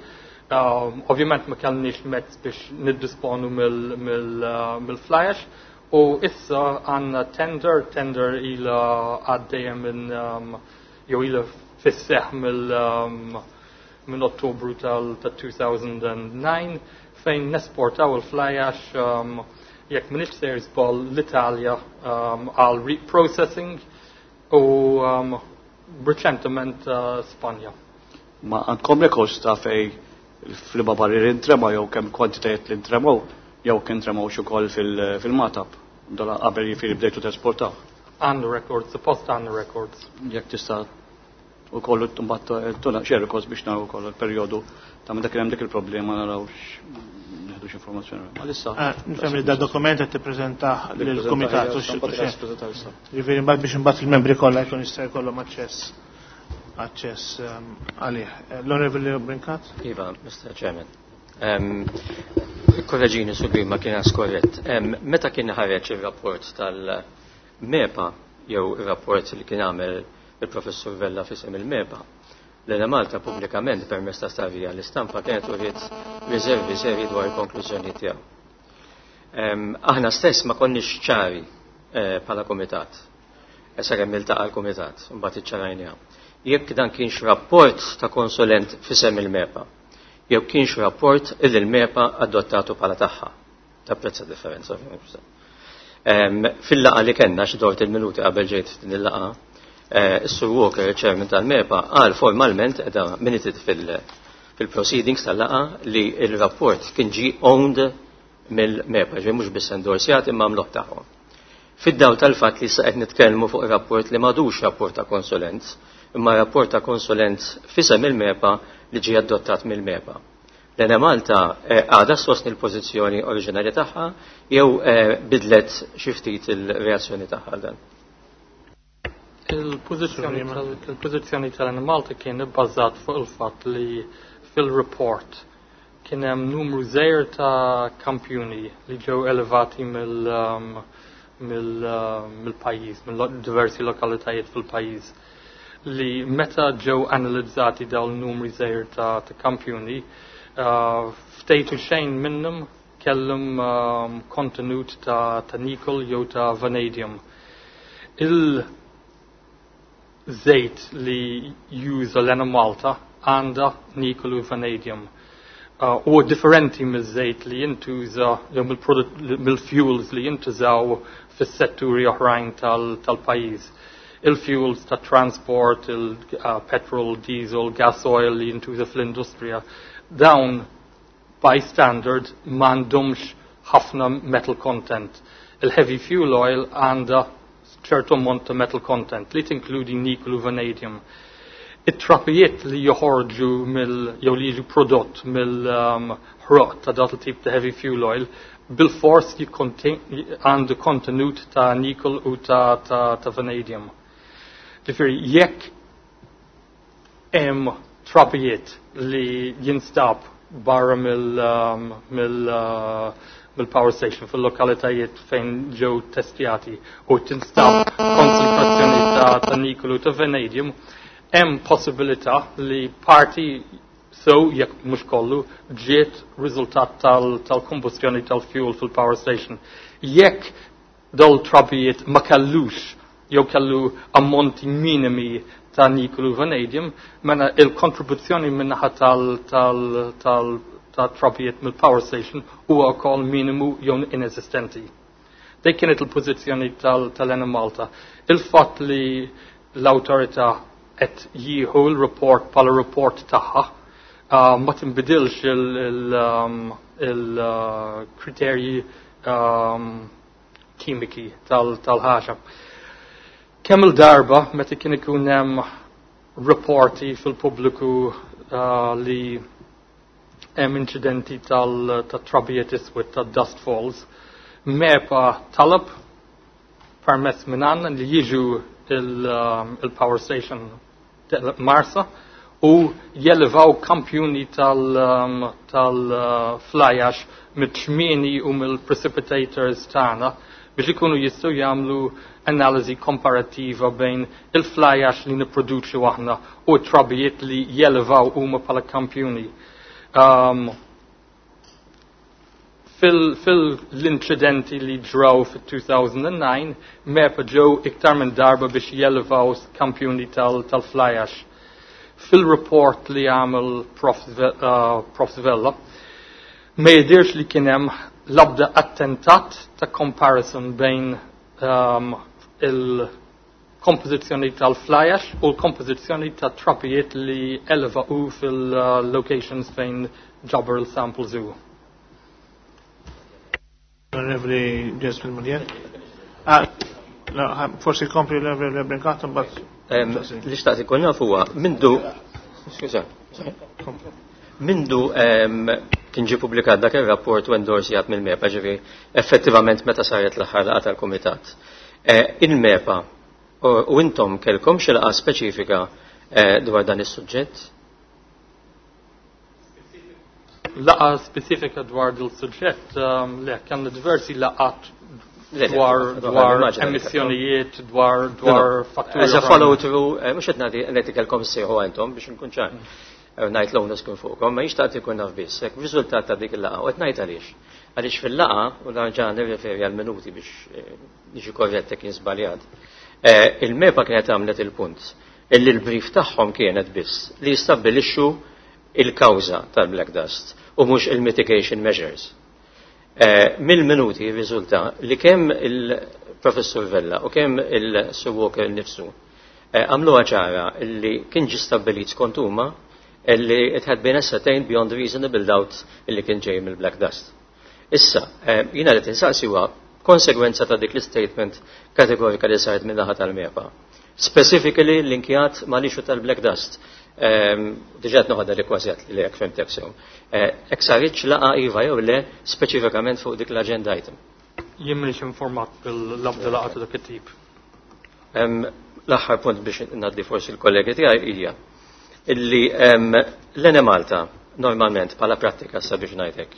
F: Um, ovvjament ma kellniex mezz biex niddisponu mill-, mill-, uh, mill-fly ash u issa għandna tender, tender ila għaddejja minn, um, jew ila fis-seħ mill, um, minn Ottobru tal-, ta' two thousand and nine fejn nesportaw il-fly ash, um, jekk m'iniex sejr żball l-Italja, um, għal reprocessing u, um, reċentement, uh, Spanja.
B: Ma għandkom rekords ta' fej fl-liema barrier intrema jew kemm kwantitajiet li ntremaw jew kien tremaw xi wkoll fil-, fil-matab dola qabel jifieri bdejtu tesportaw.
F: Għandu records, suppost għandu records.
B: Jekk tista' ukoll mbagħad tuna xi records biex naraw ukoll il-perjodu ta' meta kien hemm dik il-problema naraw nieħdu xi informazzjoni. Għalissa.
A: Ah, nifhem li da dokument qed tippreżentah
B: Li
A: lill-kumitat
B: ppreżentah,
A: u xi
B: ija,
A: xi.
B: stampa issa.
A: Jiġifieri mbagħad biex imbagħad il-membri kollha jkun jista' jkollhom aċċess, aċċess, ehm, għalih. Eh, L-Onorevoli Brincat?
D: Iva, Mister Chairman. Ehm, Korreġini su ma kien skorrett. Ehm, meta kien ħareġ ir-rapport tal-MEPA jew ir-rapport li kien għamel il-Professur Vella fisem il-MEPA, l-Enemalta pubblikament permezz ta' starija l-istampa kienet uriet riservi seri dwar il-konklużjoni tiegħu. Aħna stess ma konniex ċari bħala komitat. Sakemm iltaqa' l-kumitat, mbagħad iċċarajniha. Jekk dan kienx rapport ta' konsulent f'isem il-MEPA, jew kienx rapport illi l-MEPA adottatu bħala tagħha. Tapprezza differenza. Fil-laqgħa li kellna xi dort il-minuti qabel ġejt din il-laqgħa, is-Sur Walker, il-chairman tal-MEPA, qal formalment qiegħda minuted fil-proceedings tal-laqgħa li il-rapport kien ġie owned mill-MEPA, ġej mhux biss endorsjat imma għamluh tagħhom. Fid-dawl tal-fatt li issa qed nitkellmu fuq rapport li m'għadux rapport ta' konsulent, imma rapport ta' konsulent f'isem il-MEPA li ġie adottat mill-MEPA. L-Enemalta għadha ssostni l-pożizzjoni oriġinali tagħha jew bidlet xi ftit il-reazzjoni tagħha għal dan?
F: Il-pożizzjoni tal-Enemalta kien ibbażat fuq il-fatt li fil-report kien hemm numru żgħir ta' kampjuni li ġew elevati mill mill-pajjiż, mill diversi lokalitajiet fil-pajjiż, li meta ġew analizzati dawn numri żgħir ta' kampjuni, ftejtu xejn minnhom kellhom kontenut ta' ta' nickel jew ta' vanadium. Il-żejt li juża l-Enemalta għandha nickel u vanadium. U differenti miż-żejt li jintuża jew mill-fuels li jintużaw fis-setturi oħrajn tal-pajjiż. Il-fuels ta' transport, il-petrol, diesel, gas oil li jintuża fl-industrija, dawn by standard m'għandhomx ħafna metal content. Il-heavy fuel oil għandha ċertu ammont ta' metal content li tinkludi nickel u vanadium. It-trapijiet li joħorġu mill jew li jiġu prodott mill-ħroq ta' dat il-tip ta' heavy fuel oil bil-fors għandu kontenut ta' nickel u ta', ta, ta' vanadium. Ġifieri, jekk hemm trapijiet li jinstab barra mill, um, mill, uh, mill-power station fil-lokalitajiet fejn ġew testjati u tinstab konċentrazzjoni ta', ta' nickel u ta' vanadium, hemm possibilità li parti so jekk mhux kollu ġiet riżultat tal-kombustjoni tal tal-fuel fil-power station. Jekk dol trabijiet ma kellux jew kellu ammonti minimi ta' nickel u vanadium, mela il-kontribuzzjoni minnaħa tal, tal, tal, ta' trabijiet mill-power station huwa wkoll minimu jew inesistenti. Dik kienet il-pożizzjoni tal-Enemalta. Il-fatt li l-awtorità qed jieħu l-report bħala report tagħha uh, ma tinbidilx il-kriterji um, kimiki tal-ħaġa. Kemm il-darba meta kien ikun hemm rapporti fil-pubbliku uh, li hemm inċidenti tal-trabijiet iswed tad-dust falls, MEPA talab permess minn għandna li jiġu il-power station Marsa u jelevaw kampjuni tal-fly ash mit-ċmieni u mill-precipitators tagħna biex ikunu jistgħu jagħmlu analiżi komparattiva bejn il-fly ash li nipproduċu aħna u trabijiet li jelevaw huma bħala kampjuni. Um, Fil-inċidenti li ġraw fil-two thousand and nine, MEPA ġew iktar minn darba biex jelevaw kampjuni tal-fly ash. Fil-report li għamel Prof uh, Vella, ma jidirx li kien hemm l-abda attentat ta' comparison bejn um, il-kompożizzjoni tal-fly ash u l-kompożizzjoni ta' trapijiet li eleva u fil-locations fejn ġabar il-samples u.
A: Onorevoli Jesmond Muglier. Ah, no, forsi kompli l-Onorevoli Brincat, but
D: Li xtaqt ikun naf huwa mindu, skuża, mindu kien ġie pubblikat dak ir-rapport u endorsjat mill-MEPA, ġifieri effettivament meta saret l-aħħar laqgħa tal-kumitat. Il-MEPA u intom kellkom xi laqgħa speċifika dwar dan is-suġġett?
F: Laqgħa speċifika dwar dil-suġġett, le, kellna diversi laqgħat dwar dwar emissjonijiet, dwar dwar fatturi.
D: As a follow through, mhux qed nagħti qed ikelkom sejħu intom biex nkun ċar. Ngħid l-onus kien fuqkom, ma jixtaq ikun naf biss, hekk riżultat ta' dik il-laqgħa u qed ngħid għaliex. Għaliex fil-laqgħa, u nerġa' nirreferi għal minuti biex niġi korrett jekk jien żbaljat, il-MEPA kienet għamlet il-punt illi l-brief tagħhom kienet biss li jistabbilixxu il-kawża tal-black dust u mhux il-mitigation measures. Mill-minuti riżulta li kemm il-Professur Vella u kemm il-Sir Walker nifsu għamluha ċara li kien ġie stabbilit skont huma illi it had been ascertained beyond reasonable doubt illi kien ġej mill-black dust. Issa, jiena li tinsaqsi huwa konsegwenza ta' dik l-statement kategorika li saret minn naħa tal-MEPA. Specifically linkjat ma' l-issue tal-black dust. Diġà qed noħodha li kważi għedt li jekk fhimtek sew. Hekk saritx laqgħa iva jew le speċifikament fuq dik l-agenda item.
F: Jien m'iniex informat bil-labda laqgħa ta' dak it-tip.
D: L-aħħar punt biex ngħaddi forsi l-kollegi tiegħi hija illi l-Enemalta normalment bħala prattika sabiex ngħidlek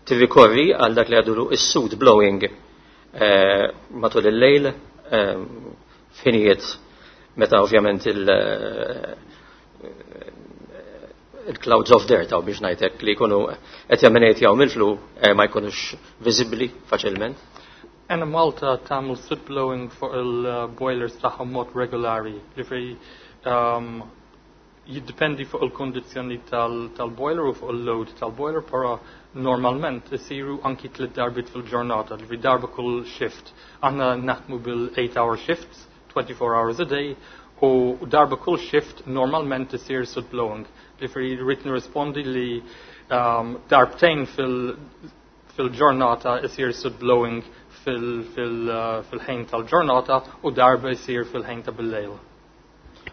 D: tirrikorri għal dak li għadulu is-soot blowing matul il-lejl f'ħinijiet meta ovvjament il-clouds of dirt għaw biex ngħidlek li jkunu qed jemenejtjaw mill-flu ma jkunux viżibbli faċilment.
F: Enemalta tagħmel soot blowing fuq il-boilers tagħhom mod regolari, ġifieri jiddependi fuq il-kondizzjoni tal-boiler u fuq il-load tal-boiler, però normalment isiru anki tliet darbiet fil-ġurnata, ġifieri darba kull shift. Aħna naħdmu bil-eight hour shifts, twenty-four hours a day, u darba kull shift normalment isir soot blowing. Ġifieri rrid nirrispondi li darbtejn fil-ġurnata isir soot blowing fil-ħin tal-ġurnata u darba isir fil-ħin ta' bil-lejl.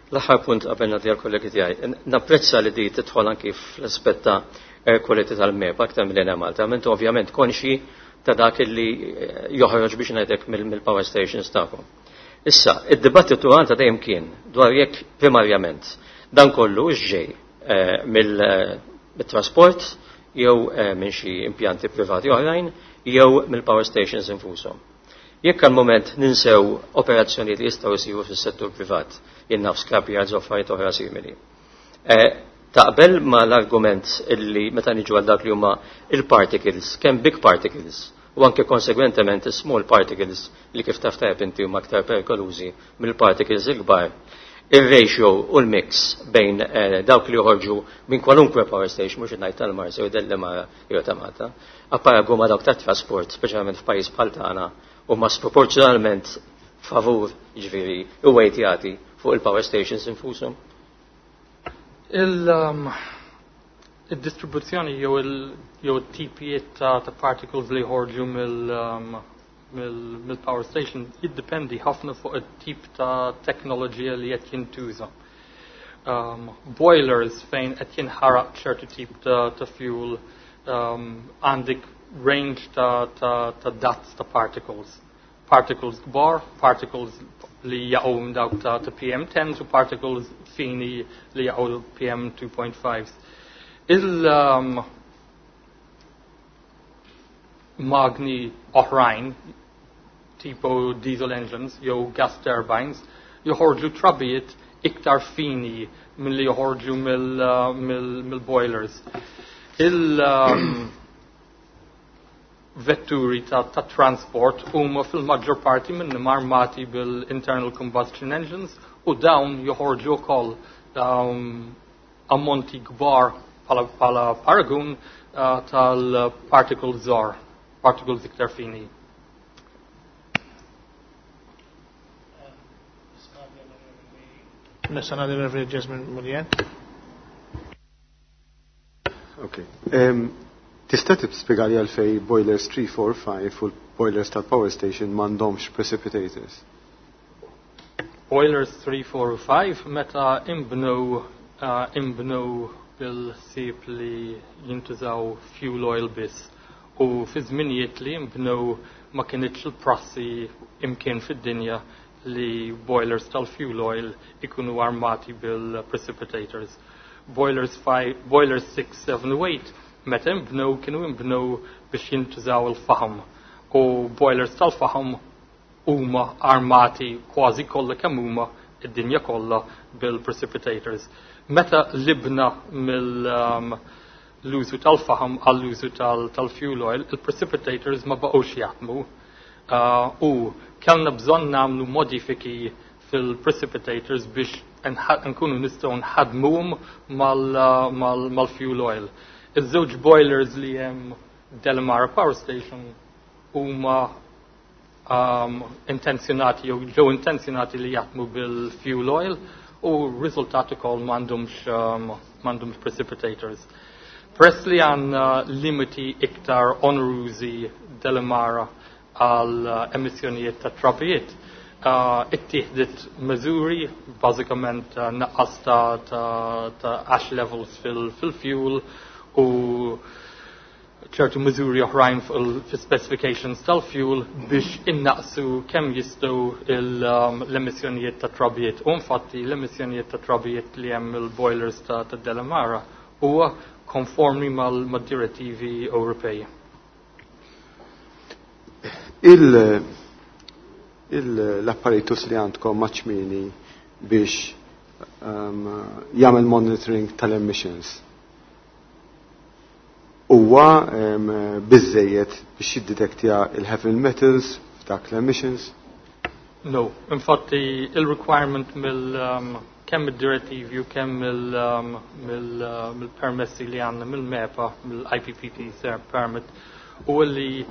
D: L-aħħar punt qabel nagħti għall-kollegi tiegħi. Napprezza li di tidħol anki fl-aspett ta' air quality tal-MEPA aktar mill-Enemalta, intom ovvjament konxi ta' dak li joħroġ biex ngħidlek mill-power stations tagħkom. Issa, id-dibattitu għandha dejjem kien dwar jekk primarjament dan kollu ġej mill-trasport jew minn xi impjanti privati oħrajn jew mill-power stations infushom. Jekk għal moment ninsew operazzjonijiet li jistgħu jsiru fis-settur privat, jien naf scrapyards u affarijiet oħra simili. Taqbel ma l-argument illi meta niġu għal dak li huma il-particles, kemm big particles u anke konsegwentement small particles li kif taf tajjeb inti huma aktar perikolużi mill-particles il-kbar, il-ratio u l-mix bejn dawk li joħorġu minn kwalunkwe power station, mhux ngħid tal-Marsa jew Delimara jew ta' Malta, apparagu ma' dawk tat-trasport, speċjalment f'pajjiż bħal tagħna, huma sproporzjonalment favur, jiġifieri, u weight jagħti fuq il-power stations infushom.
F: Il-distribuzzjoni jew il-tipijiet ta' particles li jħorġu mill-power station jiddependi ħafna fuq it-tip ta' teknoloġija li qed jintuża. Boilers fejn qed jinħaraq ċertu tip ta' fuel għandek range ta' dats ta' particles. Particles kbar, particles li jaqgħu minn dawk ta' P M tens u particles fini li jaqgħu P M two point fives. Il-magni oħrajn, tipo diesel engines jew gas turbines, joħorġu trabijiet iktar fini milli joħorġu mill-boilers. Il-vetturi ta' transport huma fil-maġġor parti minnhom armati bil-internal combustion engines u dawn joħorġu wkoll ammonti kbar bħala paragun tal-particles żgħar, particles iktar fini.
A: Nista' ngħaddi l-Reverend Jesmond Mullian.
E: Okay. Tista' tispjegali għalfej boilers three, four, five u l-boilers tal-power station m'għandhomx precipitators?
F: Boilers three, four, five meta imbnu, imbnu bil-sib li jintużaw fuel oil biss u fi żminijiet li imbnu ma kienitx il-prassi imkien fid-dinja li boilers tal-fuel oil ikunu armati bil-precipitators. Boilers five, boilers six, seven u eight meta imbnu kienu imbnu biex jintużaw il-faham u boilers tal-faham huma armati kważi kollha kemm huma id-dinja kollha bil-precipitators. Meta libna mill, um, l-użu tal-faħam għall-użu tal-fuel oil, il-precipitators ma baqgħux jaħdmu uh, u kellna bżonn nagħmlu modifiki fil-precipitators biex nkunu nistgħu nħadmuhom mal-fuel oil. Iż-żewġ boilers li hemm Delimara Power Station huma um, intenzjonati jew ġew intenzjonati li jaħdmu bil-fuel oil u riżultat ukoll m'għandhomx um, m'għandhomx precipitators. Peress li għandna limiti iktar onerużi Delimara għal uh, emissjonijiet ta' trabijiet, uh, ittieħdet miżuri, bażikament uh, naqqas ta', ta, ta' ash levels fil-fuel u ċertu miżuri oħrajn fil-specifications tal-fuel biex innaqsu kemm jistgħu um, l-emissjonijiet ta' trabijiet. U infatti l-emissjonijiet ta' trabijiet li hemm il-boilers ta', ta' Delimara huwa konformi mal-direttivi Ewropej.
E: Il- l-apparatus li għandkom maċ-ċmieni biex um, jagħmel monitoring tal-emissions huwa um, biżejjed biex jiddetektja il-heavy metals f'dak l-emissions?
F: No, infatti il-requirement mill um, kemm id-direttivi u kemm mill-permessi li għandna mill-MEPA, mill-I P P T permit, u li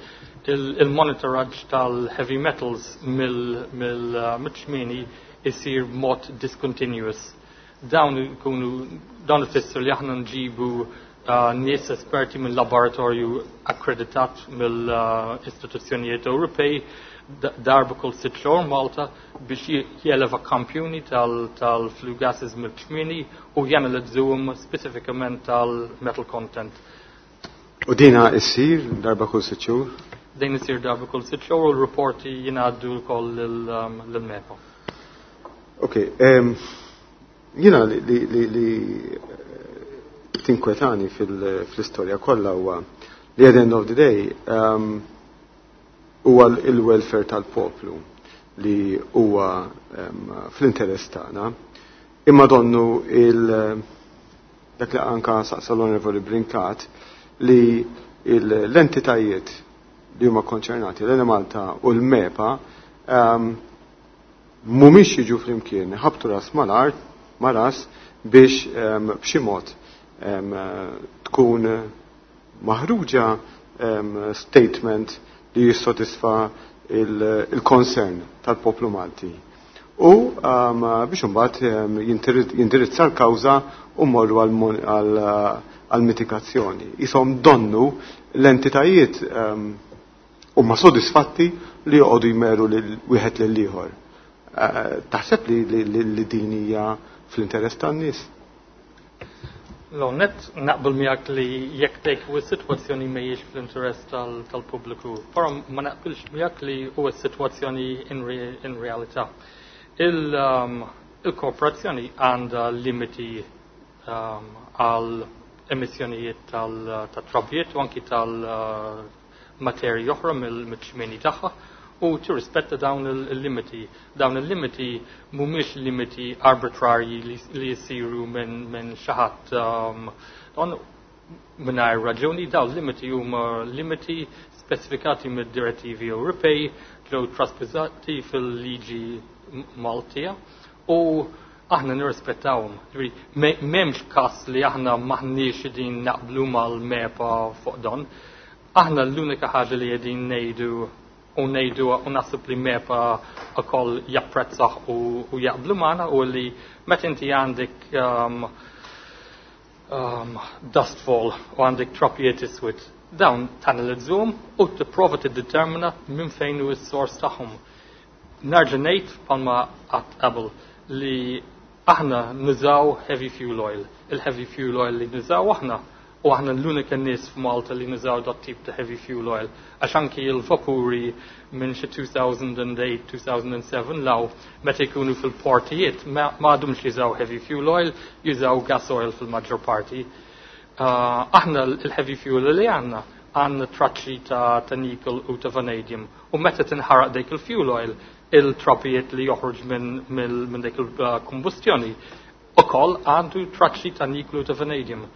F: il-monitoraġġ tal-heavy metals mill-ċmieni isir mod discontinuous. Dawn ikunu dawn ifisser li aħna nġibu uh, nies esperti mill laboratorju akkreditat mill-istituzzjonijiet Ewropej darba kull sitt xhur Malta biex jeleva kampjuni tal-flue gases mill-ċmieni u janalizzawhom specifikament tal-metal content.
E: U dina issir darba kull sitt xhur?
F: Din isir darba kull sitt xhur u l-rapporti jingħaddu wkoll lill-MEPA.
E: Ok, jiena li li li tinkwetani fil-istorja kollha huwa li at the end of the day um, huwa il-welfare tal-poplu li huwa um, fl-interess tagħna. Imma donnu il dak li anka saqsa l-Onorevoli Brincat li l-entitajiet li huma konċernati, l-Enemalta u l-MEPA, um, mhumiex jiġu flimkien, ħabtu ras mal-art, ma ras biex um, b'xi mod um, tkun maħruġa um, statement li jissodisfa il-concern tal-poplu Malti. U um, biex imbagħad um, jindirizza l-kawża u morru għal mitigazzjoni. Isom donnu l-entitajiet um, huma sodisfatti li joqogħdu jmeru lil wieħed lil ieħor. Uh, taħseb li, li, li din hija fl-interess tan-nies?
F: L-għonet naqbel miegħek li jekk dik u s-sitwazzjoni mhijiex fl-interess tal-pubbliku, però ma naqbilx miegħek li huwa s-sitwazzjoni in, re, in realtà. Um, il-korporazzjoni għandha limiti um, għal emissjonijiet tal-trabijiet u anki tal-materji oħra mill-ċmieni tagħha u tirrispetta dawn il-limiti. Dawn il-limiti mhumiex limiti arbitrarji li jisiru minn min xi ħadd um, mingħajr raġuni, dawn limiti huma limiti specifikati mid-direttivi Ewropej, ġew traspożati fil-liġi Maltija u aħna nirrispettawhom. M'hemmx każ li aħna m'aħniex din naqblu mal-MEPA fuq dan. Aħna l-unika ħaġa li qegħdin ngħidu u ngħidu u naħseb li MEPA ukoll japprezzaħ u, u jaqblu magħna u li meta inti għandek um, um, dust fall u għandek trapijiet iswed, dawn tanalizzahom u tipprova tiddetermina minn fejn hu s-sors tagħhom. Nerġa' ngħid bħalma għedt qabel li aħna nużaw heavy fuel oil. Il-heavy fuel oil li nużaw aħna, u aħna l-unika nies f'Malta li nużaw dat tip ta' heavy fuel oil. Għax anki il-vapuri minn xi elfejn u tmienja, elfejn u sebgħa law meta jkunu fil-portijiet ma għadhomx jużaw heavy fuel oil, jużaw gas oil fil-maġġor parti. Uh, aħna il-heavy fuel li għandna għandna traċċi ta', ta nickel u ta' vanadium. U meta tinħaraq dik il-fuel oil, il-trapijiet li joħroġ minn min, min dik il-kombustjoni ukoll għandu traċċi ta' nickel u ta' vanadium.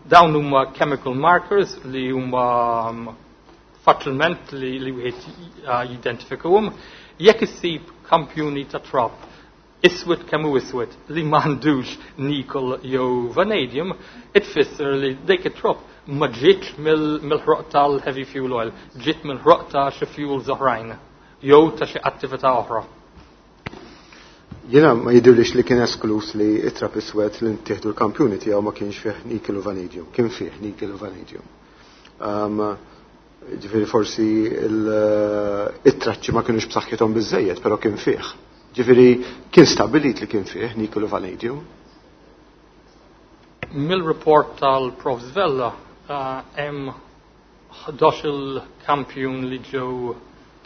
F: Dawn huma chemical markers li huma um, faċilment li, li wieħed uh, jidentifikahom. Jekk issib kampjuni ta' trap iswed kemm hu iswed li m'għandux nickel jew vanadium, itfisser li dik it-trap ma ġietx mill-ħroq tal-heavy fuel oil, ġiet mill-ħroq ta' xi fuels oħrajn jew ta' xi attività oħra.
E: Jiena ma jidhirlix li kien esklus li it-trap iswed li ntieħdu l-kampjuni tiegħu ma kienx fih nickel u vanadium, kien fih nickel u vanadium. Um, ġifieri forsi it-traċċi ma kienux b'saħħithom biżejjed, però kien fih. Ġifieri kien stabilit li kien fih nickel u vanadium.
F: Mill-report tal-Prof Vella hemm ħdax-il kampjun li ġew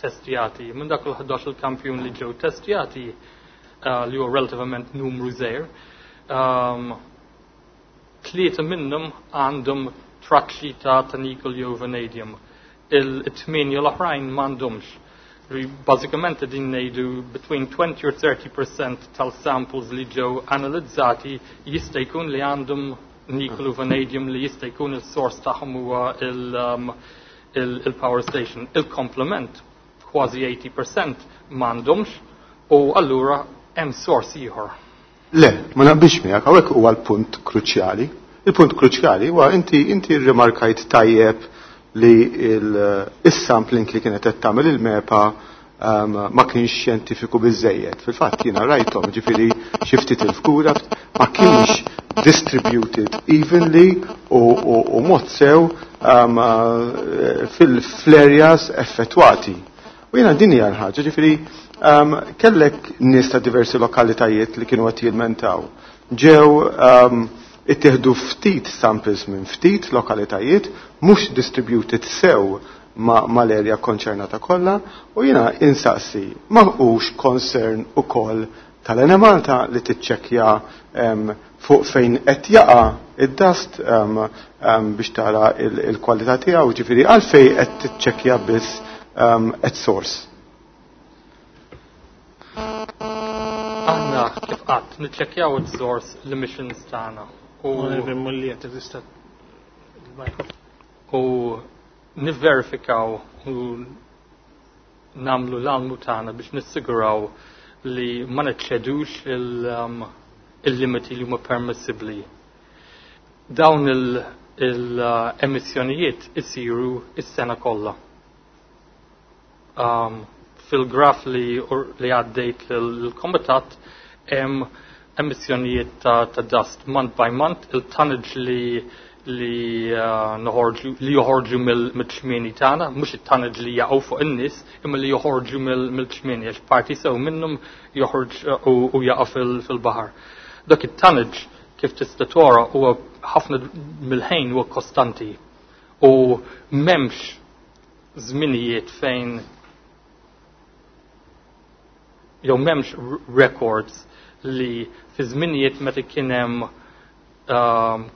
F: testjati. Minn dak il-ħdax-il kampjun li ġew testjati, uh, li huwa relativament numru żgħir, um, tlieta minnhom għandhom traċċi ta' ta' nickel jew vanadium. Il-tmienja l-oħrajn m'għandhomx. Bażikament din ngħidu between twenty or thirty percent tal-samples li ġew analizzati jista' jkun li għandhom nickel u vanadium li jista' jkun il-source tagħhom huwa um, il-power station. Il-komplement, kważi eighty percent, m'għandhomx u allura hemm source ieħor.
E: Le, ma naqbilx miegħek, hawnhekk huwa l-punt kruċjali. Il-punt kruċjali huwa inti inti rrimarkajt tajjeb li il-sampling li kienet qed tagħmel il-MEPA um, ma kienx xjentifiku biżejjed. Fil-fatt jiena rajthom, ġifieri xi ftit il-fkura ma kienx distributed evenly u, u, u mod sew um, uh, fil-areas effettwati. U jiena din hija l-ħaġa, ġifieri um, kellek nies ta' diversi lokalitajiet li kienu qed jilmentaw. Ġew um, ittieħdu ftit samples minn ftit lokalitajiet, mhux distributed sew ma mal-area konċernata kollha, u jiena insaqsi ma hux concern ukoll tal-Enemalta li tiċċekkja um, fuq fejn qed jaqa' id-dust um, um, biex tara il-kwalità tiegħu, ġifieri għalfejn qed tiċċekkja biss um, at source?
F: Aħna kif qatt niċċekkjaw it-source l-emissions tagħna.
A: U
F: u nivverifikaw u namlu l-almu tagħna biex nissiguraw li ma neċċedux um, il-limiti li huma permissibbli. Dawn il-emissjonijiet isiru is-sena kollha. Um, fil-graf li, li għaddejt l-komitat hemm emissjonijiet ta', ta dust month by month, il-tonnage li li uh, noħorġu li joħorġu mill-ċmieni tagħna, mhux it-tonnage li jaqgħu fuq in-nies, imma li joħorġu mill-ċmieni għax parti sew minnhom joħorġ uh, u jaqa' fil-baħar. Dak it-tonnage, kif tista' tora, huwa ħafna mill-ħin huwa kostanti u m'hemmx żminijiet fejn jew m'hemmx records li fi żminijiet meta kien hemm um,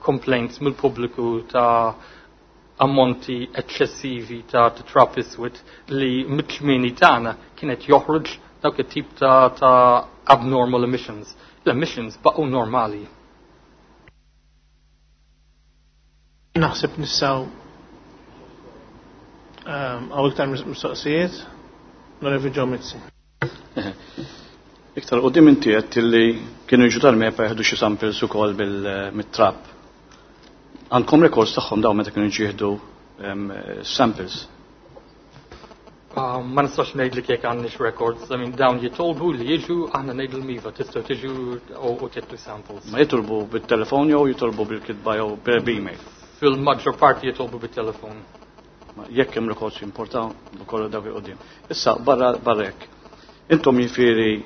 F: complaints mill-pubbliku ta' ammonti eċċessivi ta' trap iswed li mit-ċmieni tagħna kienet joħroġ dawk it-tip ta', ta abnormal emissions. L-emissions baqgħu normali.
A: Naħseb nistgħu um, hawn iktar mistoqsijiet, Onorevoli Joe Mizzi.
B: Iktar qudiem inti qed li kienu jiġu tal-MEPA jieħdu xi samples ukoll bil-trap. Għandkom records tagħhom dawn meta kienu jieħdu samples?
F: Uh, ma nistax ngħidlek jekk għandniex records, I mean, dawn jitolbu li jiġu, aħna ngħidu iva, tistgħu tiġu u tieħdu samples.
B: Ma jitolbu bit-telefon jew jitolbu bil-kitba jew bil-email?
F: Fil-maġġor parti jitolbu bit-telefon.
B: Jekk hemm records jimporta ukoll dak il-qudiem. Issa barra barra hekk. Intom jifieri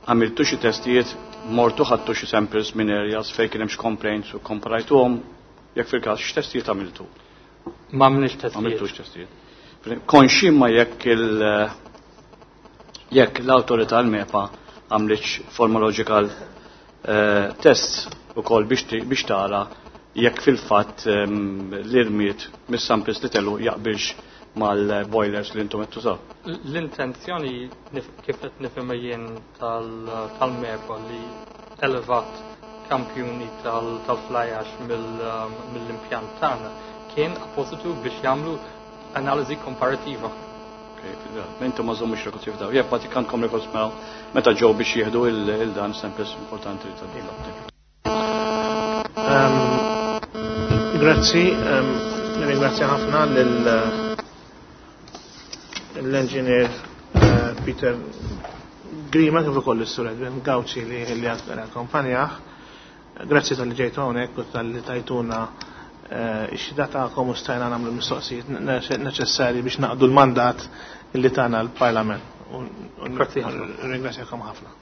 B: għamiltu xi testijiet, mortu ħadtu xi samples minn areas fejn kien hemm xi complaints u komparajtuhom, jekk fil-każ x'testijiet għamiltu?
F: Ma għamilniex testijiet.
B: Għamiltux testijiet. Konxi ma jekk il jekk l-awtorità l-MEPA għamlitx morphological uh, tests ukoll biex biex tara jekk fil-fatt um, l-irmiet mis-samples li tellu jaqbilx mal-boilers li intom qed tużaw.
F: L-intenzjoni kif qed nifhimha jien tal-MEPA li elevat kampjuni tal-fly ash mill-impjant tagħna kien appositu biex jagħmlu analiżi komparativa.
B: Intom ma żommux records jifdaw. Jekk bagħti għandkom records meta ġew biex jieħdu il-dan samples importanti li tal.
A: Grazzi, ringrazzja ħafna lill-engineer Peter Grima kif ukoll is-Sur Edwin Gauci li akkompanjah. Grazzi tal-li ġejtu hawnhekk u tal-li tajtuna ix-xhieda tagħkom u stajna nagħmlu mistoqsijiet neċessarji biex naqdu l-mandat li tagħna l-Parlament.
F: Grazzi ħafna.
A: Ringrazzjakom ħafna.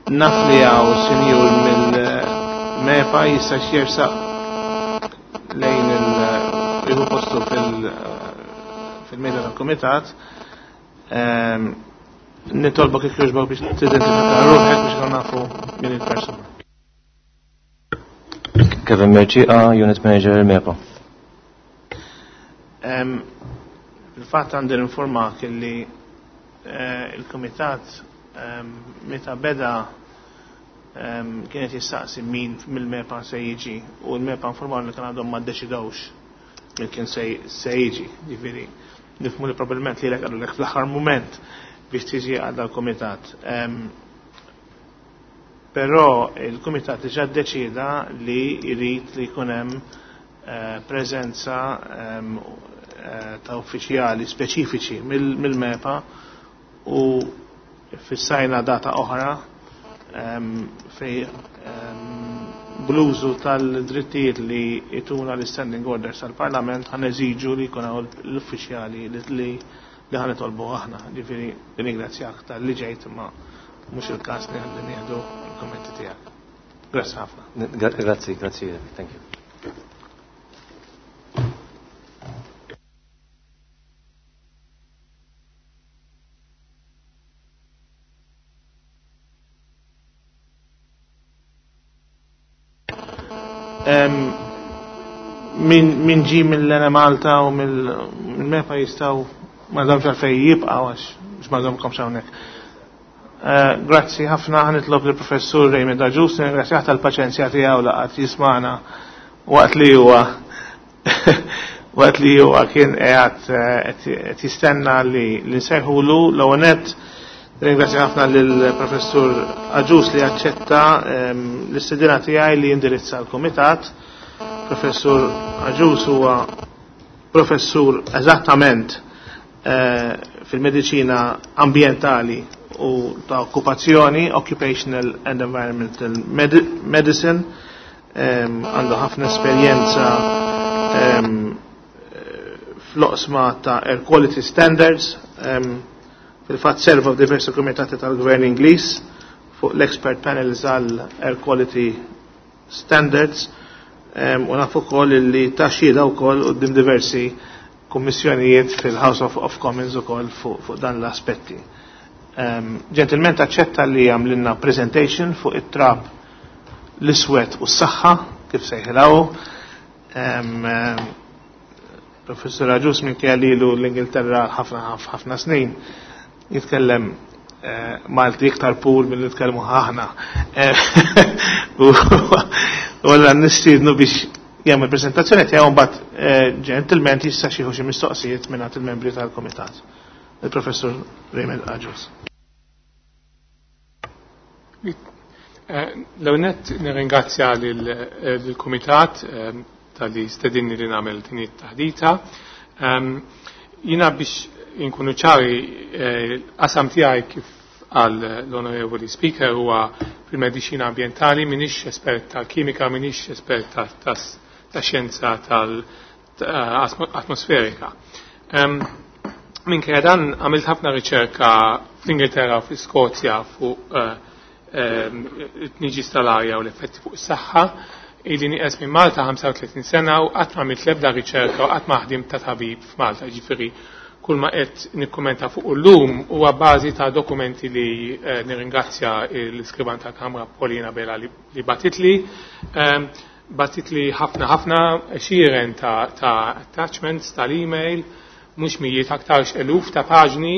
A: Naf li għaw sinjur mill-MEPA jista' jersaq lejn il-jieħu postu fil-mejda tal-komitat. Nitolbok jekk jogħġbok biex tidentifika ruħek biex nkunu nafu min il-persuna.
G: Kevin Mercieca, Unit Manager MEPA.
A: Fil-fatt għandi informak illi il-komitat meta beda kienet jistaqsi min mill-MEPA se jiġi u l-MEPA informaw li kien għadhom ma ddeċidewx min kien se jiġi. Ġifieri nifhmu li probabbilment lilek qalulek fl-aħħar mument biex tiġi għal dal-kumitat. Però il-kumitat diġà ddeċida li jrid li jkun hemm preżenza ta' uffiċjali speċifiċi mill-MEPA u fissajna data oħra fej bl-użu tal-drittijiet li jtuna l-standing orders tal-Parlament ħan eżiġu li jkun hawn l-uffiċjali li ħan nitolbu aħna. Ġifieri ringrazzjak tal-li ġejt ma mhux il-każ li nieħdu l-kummenti tiegħek. Grazzi ħafna.
G: Grazzi, grazzi, thank you.
A: Min ġi mill-Enemalta u mill-MEPA jistaw ma domx għalfej jibqaw għax ma domkomx hawnhekk. Grazzi ħafna, ħanitlob lill-Professur Raymond Agius, ringrazzjah tal-paċenzja tiegħu laqgħet jismana waqt li huwa waqt li huwa kien qiegħed qed jistenna li nsejħulu. L-ewwel nett ringrazzja ħafna lill-Professur Agius li aċċetta l-istedina tiegħi li jindirizza l-Kumitat. Professur Agius huwa professur eżattament fil-mediċina ambientali u ta' okkupazzjoni, Occupational and Environmental Medicine, għandu ħafna esperjenza fl-oqsma ta' Air Quality Standards, fil-fatt serva f'diversi komitati tal-Gvern Ingliż fuq l-expert panels għal Air Quality Standards, u naf ukoll li ta' xhieda wkoll quddiem diversi kummissjonijiet fil-House of, of Commons ukoll fuq fu dan l-aspetti. Ġentilment aċċetta li għamlilna presentation fuq it-trab l-iswed u s-saħħa kif sejħilaw. Professur Agius minn lilu l-Ingilterra ħafna ħafna snin jitkellem Malti iktar pur mill nitkellmu aħna. U għalla nistiednu biex jagħmel prezentazzjoni tiegħu mbagħad ġentilment jista' xi xi mistoqsijiet mingħand il-membri tal-kumitat. Il-Professur Raymond Agius.
H: L-ewwel nirringrazzja lill-Kumitat tal-li stedinni li nagħmel din it-taħdita. Jiena biex inkunu ċari, qasam tiegħi kif għal l-Onorevoli Speaker huwa fil-mediċina ambientali, minix espert tal-kimika, minix espert ta' xjenza tal-atmosferika. Minkejja dan għamilt ħafna riċerka fl-Ingilterra u fl-Iskozja fuq it-tniġis tal-arja u l-effetti fuq is-saħħa. Ili nieqes minn Malta ħamsa u tletin sena u qatt ma għamilt l-ebda riċerka u qatt ma ħdimt ta' tabib f'Malta, ġifieri Kull ma qed nikkumenta fuq illum huwa bażi ta' dokumenti li eh, nirringrazzja l-iskrivan tal-Kamra Paulina Bella li, li batitli. Um, batitli ħafna ħafna xiren ta', ta attachments tal-email, mhux mijiet aktarx eluf ta' paġni.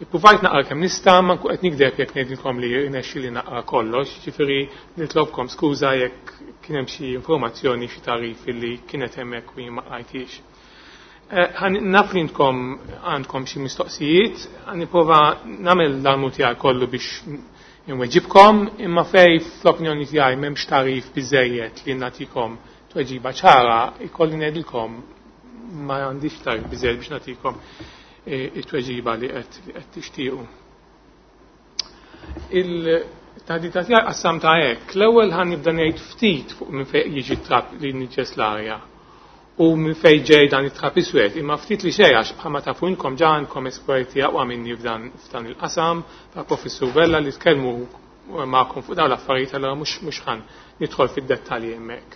H: Ippruvajt naqra kemm nista', ma nkun qed nikdeb jekk ngħidilkom li rnexxi li naqra kollox, ġifieri nitlobkom skuża jekk kien hemm xi informazzjoni, xi tagħrif li kienet hemmhekk u jien ma qrajtix. Eh, naf li intkom għandkom xi mistoqsijiet, nipprova nagħmel l-almu tiegħi kollu biex inweġibkom, imma fej fl-opinjoni tiegħi m'hemmx tagħrif biżejjed li nagħtikom tweġiba ċara, ikolli ngħidilkom ma għandix tagħrif biżejjed biex nagħtikom eh, it-tweġiba li qed tixtiequ. Il-taħdita tiegħi qassamtha hekk. L-ewwel ħa nibda ngħid ftit fuq minn fejn jiġi trab li niġġes l-arja u minn fejn ġej dan it-trab iswed, imma ftit li xejn għax bħalma tafu inkom ġa għandkom esperti aqwa minni f'dan f'dan il-qasam, ta' Professur Vella li tkellmu magħkom fuq dawn l-affarijiet, allura mhux mhux ħan nidħol fid-dettalji hemmhekk.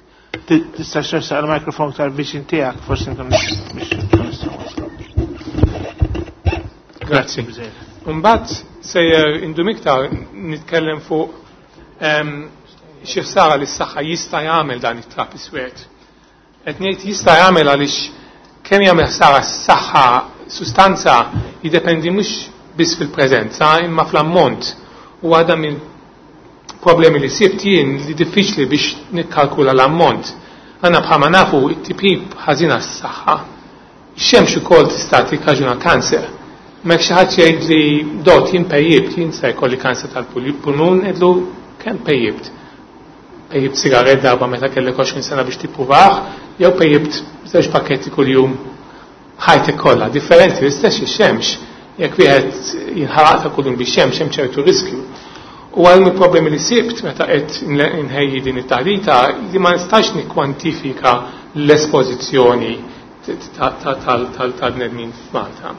A: Tista' xersaq il-mikrofon tal-viċin tiegħek, forsi nkun biex
H: Grazzi. Mbagħad sejjer indum iktar nitkellem fuq xi ħsara li s-saħħa jista' jagħmel dan it-trab iswed. Qed ngħid jista' jagħmel għaliex kemm jagħmel ħsara s-saħħa sustanza jiddependi mhux biss fil-preżenza imma fl-ammont. U għadha minn problemi li sibt jien li diffiċli biex nikkalkula l-ammont. Għandna bħalma nafu it-tipjip ħażina s-saħħa. Ix-xemx ukoll tista' tikkaġuna kanser. Mek xi ħadd jgħid li dot jien pejjibt, jien se jkolli kanser tal-pulmun, ngħidlu kemm pejjibt? Pejjibt sigaret darba meta kellek għoxrin sena biex tippruvah, jew pejjibt żewġ pakketti kuljum ħajtek kollha. Differenti l-istess ix-xemx. Jekk wieħed jinħaraq ta' kuljum bix-xemx hemm ċertu riskju. U għal problemi li sibt meta qed nħejji din it-taħdita li ma nistax nikkwantifika l-espożizzjoni tal-bnedmin f'Malta.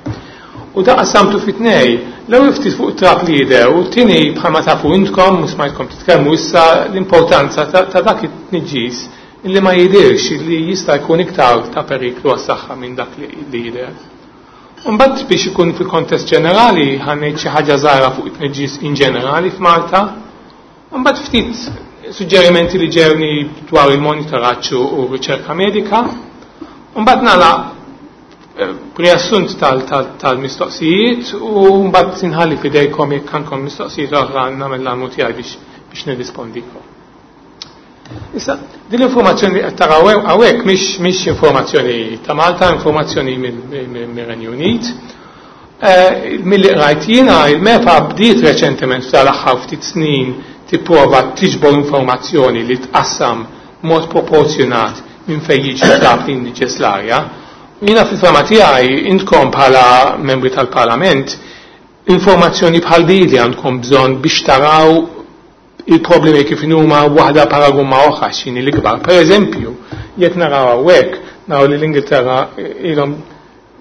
H: U da qassamtu fit-tnej, l-ewwel ftit fuq trab li jidher u t-tieni bħalma tafu intkom u smajtkom titkellmu issa l-importanza ta' dak it-tniġġis illi ma jidirx, illi jista' jkun iktar ta' periklu għas-saħħa minn dak li jidher. Mbagħad biex ikun fil-kontest ġenerali ħa ngħid xi ħaġa żgħira fuq it-tniġġis in ġenerali f'Malta. Mbagħad ftit suġġerimenti li ġewni dwar il-monitoraġġ u riċerka medika. Mbagħad nagħlaq riassunt tal-mistoqsijiet u mbagħad inħalli f'idejkom jekk għandkom mistoqsijiet oħra nagħmel l-almu tiegħi biex biex nirrispondikom. Issa, din l-informazzjoni qed taraw hawnhekk mhix mhix informazzjoni ta' Malta, informazzjoni mir-Renju Unit. Milli qrajt jiena il-MEPA bdiet reċentement f'tal-aħħar ftit snin tipprova tiġbor informazzjoni li tqassam mod proporzjonat minn fejn jiġi trab li jniġġes l-arja. Jiena fil-fama tiegħi intkom bħala membri tal-Parlament informazzjoni bħal din li għandkom bżonn biex taraw il-problemi kif huma waħda paragun ma' oħra x'inhi l-ikbar. Per eżempju, jekk naraw hawnhekk, naraw li l-Ingilterra ilhom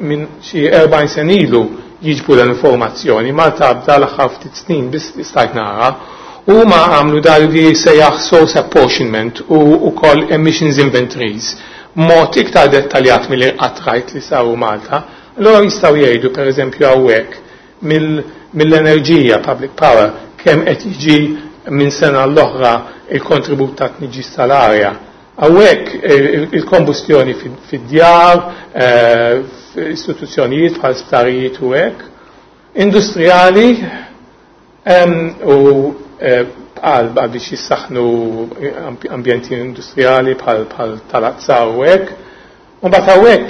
H: minn xi erbgħin sen ilu jiġbu l-informazzjoni, Malta bda l-aħħar ftit snin biss stajt nara, u huma għamlu dan li sejjaħ source apportionment u wkoll emissions inventories mod iktar dettaljat mill qatt rajt li saru Malta. Allora jistgħu jgħidu per eżempju hawnhekk mill-enerġija public power kemm qed jiġi minn sena l-oħra il-kontribut ta' tniġġis tal-arja. Hawnhekk il-kombustjoni fid-djar, istituzzjonijiet bħal sptarijiet u hekk, industrijali u għal biex jissaħnu ambjenti industrijali bħal tal-azza u hekk. U mbagħad hawnhekk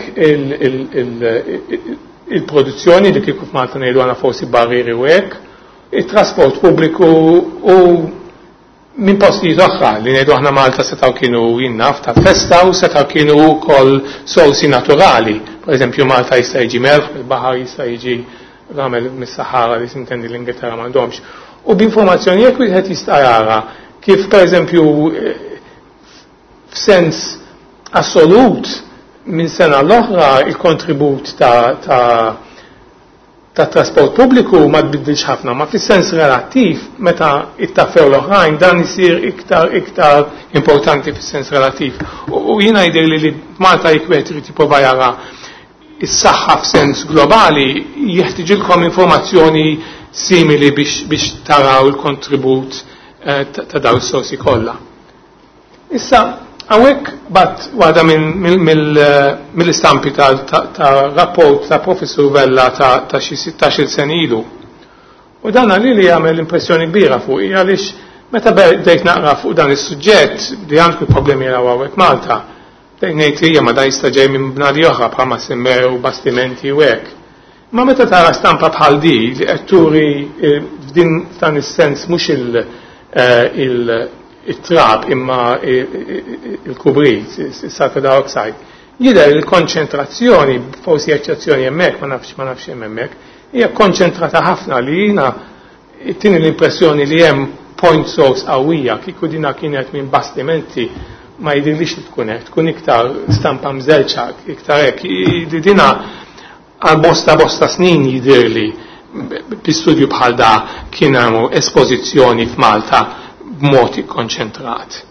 H: il-produzzjoni li kieku f'Malta ngħidu għandna forsi barrieri u hekk, it-trasport pubbliku u minn postijiet oħra li ngħidu aħna Malta setgħu kienu jinnaf ta' festa u setgħu kienu wkoll sorsi naturali. Per eżempju Malta jista' jiġi melħ, il-baħar jista' jiġi ramel mis-Sahara li sintendi l-Ingilterra m'għandhomx. U b'informazzjoni jekk wieħed jista' jara kif per eżempju f'sens assolut minn sena l-oħra il-kontribut ta' ta' ta' trasport pubbliku ma tbiddilx ħafna, ma fis-sens relattiv meta ittaffew l-oħrajn dan isir iktar iktar importanti fis-sens relattiv. U jiena jidher li Malta jekk wieħed irid jipprova jara Is-saħħa f'sens globali jeħtiġilkom informazzjoni simili biex, biex taraw il-kontribut eh, ta' dawn is-sorsi kollha. Issa, hawnhekk bat waħda mill-istampi ta' rapport ta' Professur Vella ta' xi sittax-il sena ilu. U dan li li jagħmel impressjoni kbira fuq għaliex meta bdejt naqra fuq dan is-suġġett li għandku problemi għaw hawnhekk Malta, bdejt ngħid hija ma dan jista' ġej minn bnadi oħra bħalma semmew bastimenti u hekk. Ma meta tara stampa bħal di li qed turi f'din f'dan is-sens mhux il-trab imma il-kubrit, il-sulfur dioxide, jidher il-konċentrazzjoni, forsi eċċezzjoni hemmhekk, ma nafx ma nafx hemm hemmhekk, hija konċentrata ħafna li jiena tini l-impressjoni li hemm point source qawwija, kieku dina kienet minn bastimenti ma jidirlix li tkun hekk, tkun iktar stampa mżelċa, iktar hekk. Li dina għal bosta bosta snin jidirli bi studju bħal da kien hemm espożizzjoni f'Malta b'mod ikkonċentrat.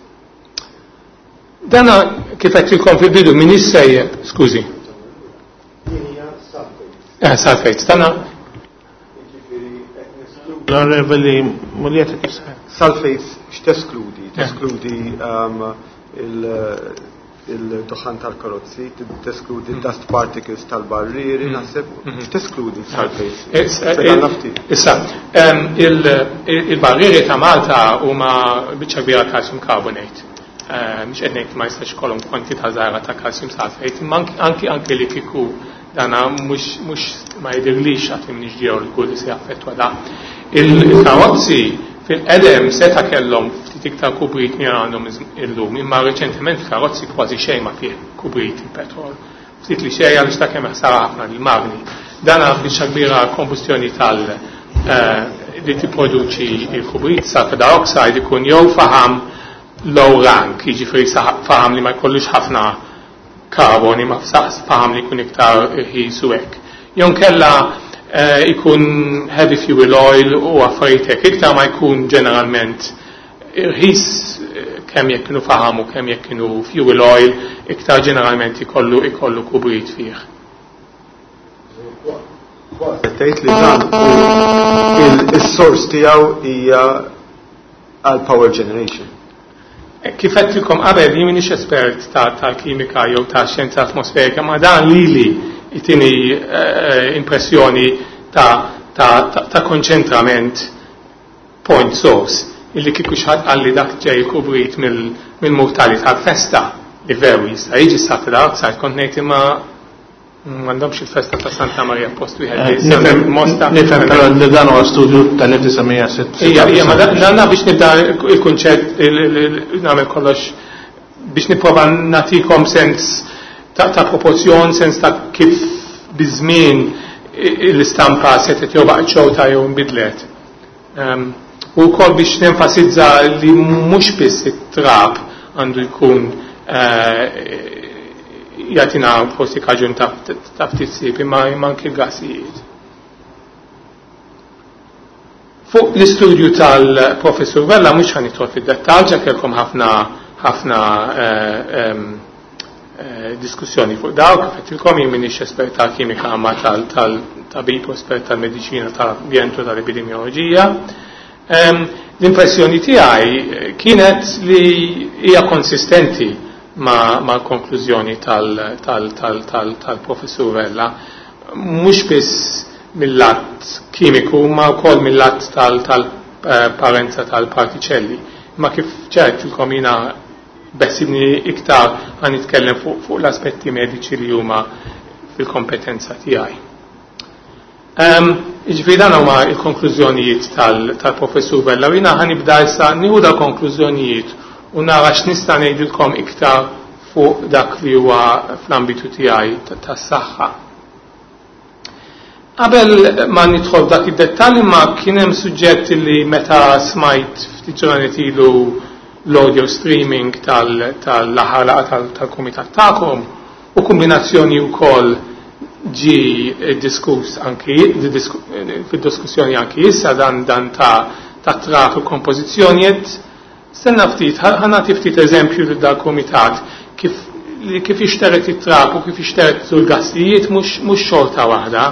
H: Dana kif qed fil-bidu min issejjer, skużi. Eh, sulfates, dana
A: L-Onorevoli Muglietta kif
E: Sulfates x'teskludi? Teskludi il-duħan tal-karozzi, teskludi dust particles tal-barrieri, naħseb, x'teskludi sulfates?
H: Issa, il-barrieri ta' Malta huma biċċa kbira calcium carbonate. Mhux qed ngħid ma jistax ikollhom kwantità żgħira ta' calcium sulfate, imma anki anki li kieku dana mhux mhux ma jidhirlix għad li m'iniex ġeologu li se jaffettwa da. Il-karozzi fil-qedem seta kellhom ftit iktar kubrit minn għandhom illum, imma reċentement karozzi kważi xejn ma fih kubrit il-petrol. Ftit li xejn għaliex ta' kemm ħsara ħafna lill-magni. Dana biċċa kbira kombustjoni tal li tipproduċi il-kubrit, sulfur dioxide ikun jew faham low rank, jiġifieri faham li ma jkollux ħafna karboni, ma faham li jkun iktar irħis u hekk. Jew kella ikun heavy fuel oil u affarijiet hekk, iktar ma jkun ġeneralment irħis kemm jekk kienu faham u kemm jekk kienu fuel oil, iktar ġeneralment ikollu ikollu kubrit fih.
E: Tgħid li dan is-source tiegħu hija għal power generation.
H: Kif għedtilkom qabel, jien m'iniex espert tal-kimika jew ta' xjenza atmosferika, ma dan lili jtini impressjoni ta' konċentrament point source, illi kieku xi ħadd qalli dak ġej kubrit mill-murtali tal-festa, li veru jista' jiġi sulfur dioxide, kont ngħid imma m'għandhomx il-festa ta' Santa Maria post wieħed.
A: Nifhem, nifhem, però li dan huwa studju tal-elf disa' mija sitta.
H: Ija, ija, ma dan biex nibda il-kunċett nagħmel kollox biex nipprova nagħtikom sens ta' proporzjon, sens ta' kif biż-żmien l-istampa setgħet jew baqgħet xorta jew nbidlet. U wkoll biex nenfasizza li mhux biss it-trab għandu jkun jagħtina forsi kaġun ta' ftit ħsieb, imma anki l-gassijiet. Fuq l-istudju tal-Professur Vella mhux ħa nidħol fid-dettall, ġa kellkom ħafna ħafna diskussjoni fuq dawk, kif għedtilkom jien m'iniex espert tal-kimika ma tal-tabib u espert tal-mediċina tal-ambjent u tal-epidemioloġija. L-impressjoni tiegħi kienet li hija konsistenti ma' mal-konklużjoni tal-Professur Vella, mhux biss mill-lat kimiku, ma wkoll mill-lat tal-parenza tal-partiċelli. Ma kif ċertilkom jiena besibni iktar għan nitkellem fuq fu l-aspetti mediċi li huma fil-kompetenza tiegħi. Jiġifieri dan huma l-konklużjonijiet tal-Professur Vella u jiena ħanibda issa nieħu dal-konklużjonijiet u nara x'nista' ngħidilkom iktar fuq dak li huwa fl-ambitu tiegħi tas-saħħa. Qabel ma nidħol dak id-dettalji ma kien hemm suġġett li meta smajt ftit ġranet ilu l-audio streaming tal-aħħar laqgħa tal-kumitat tagħkom u kombinazzjoni wkoll ġi diskuss anki fid-diskussjoni anki issa dan dan ta' ta' traf u kompożizzjonijiet. Stenna ftit, ħa nagħti ftit eżempju lil dal-kumitat kif li kif jixteret it-trab u kif jixteret l-gassijiet mhux xorta waħda.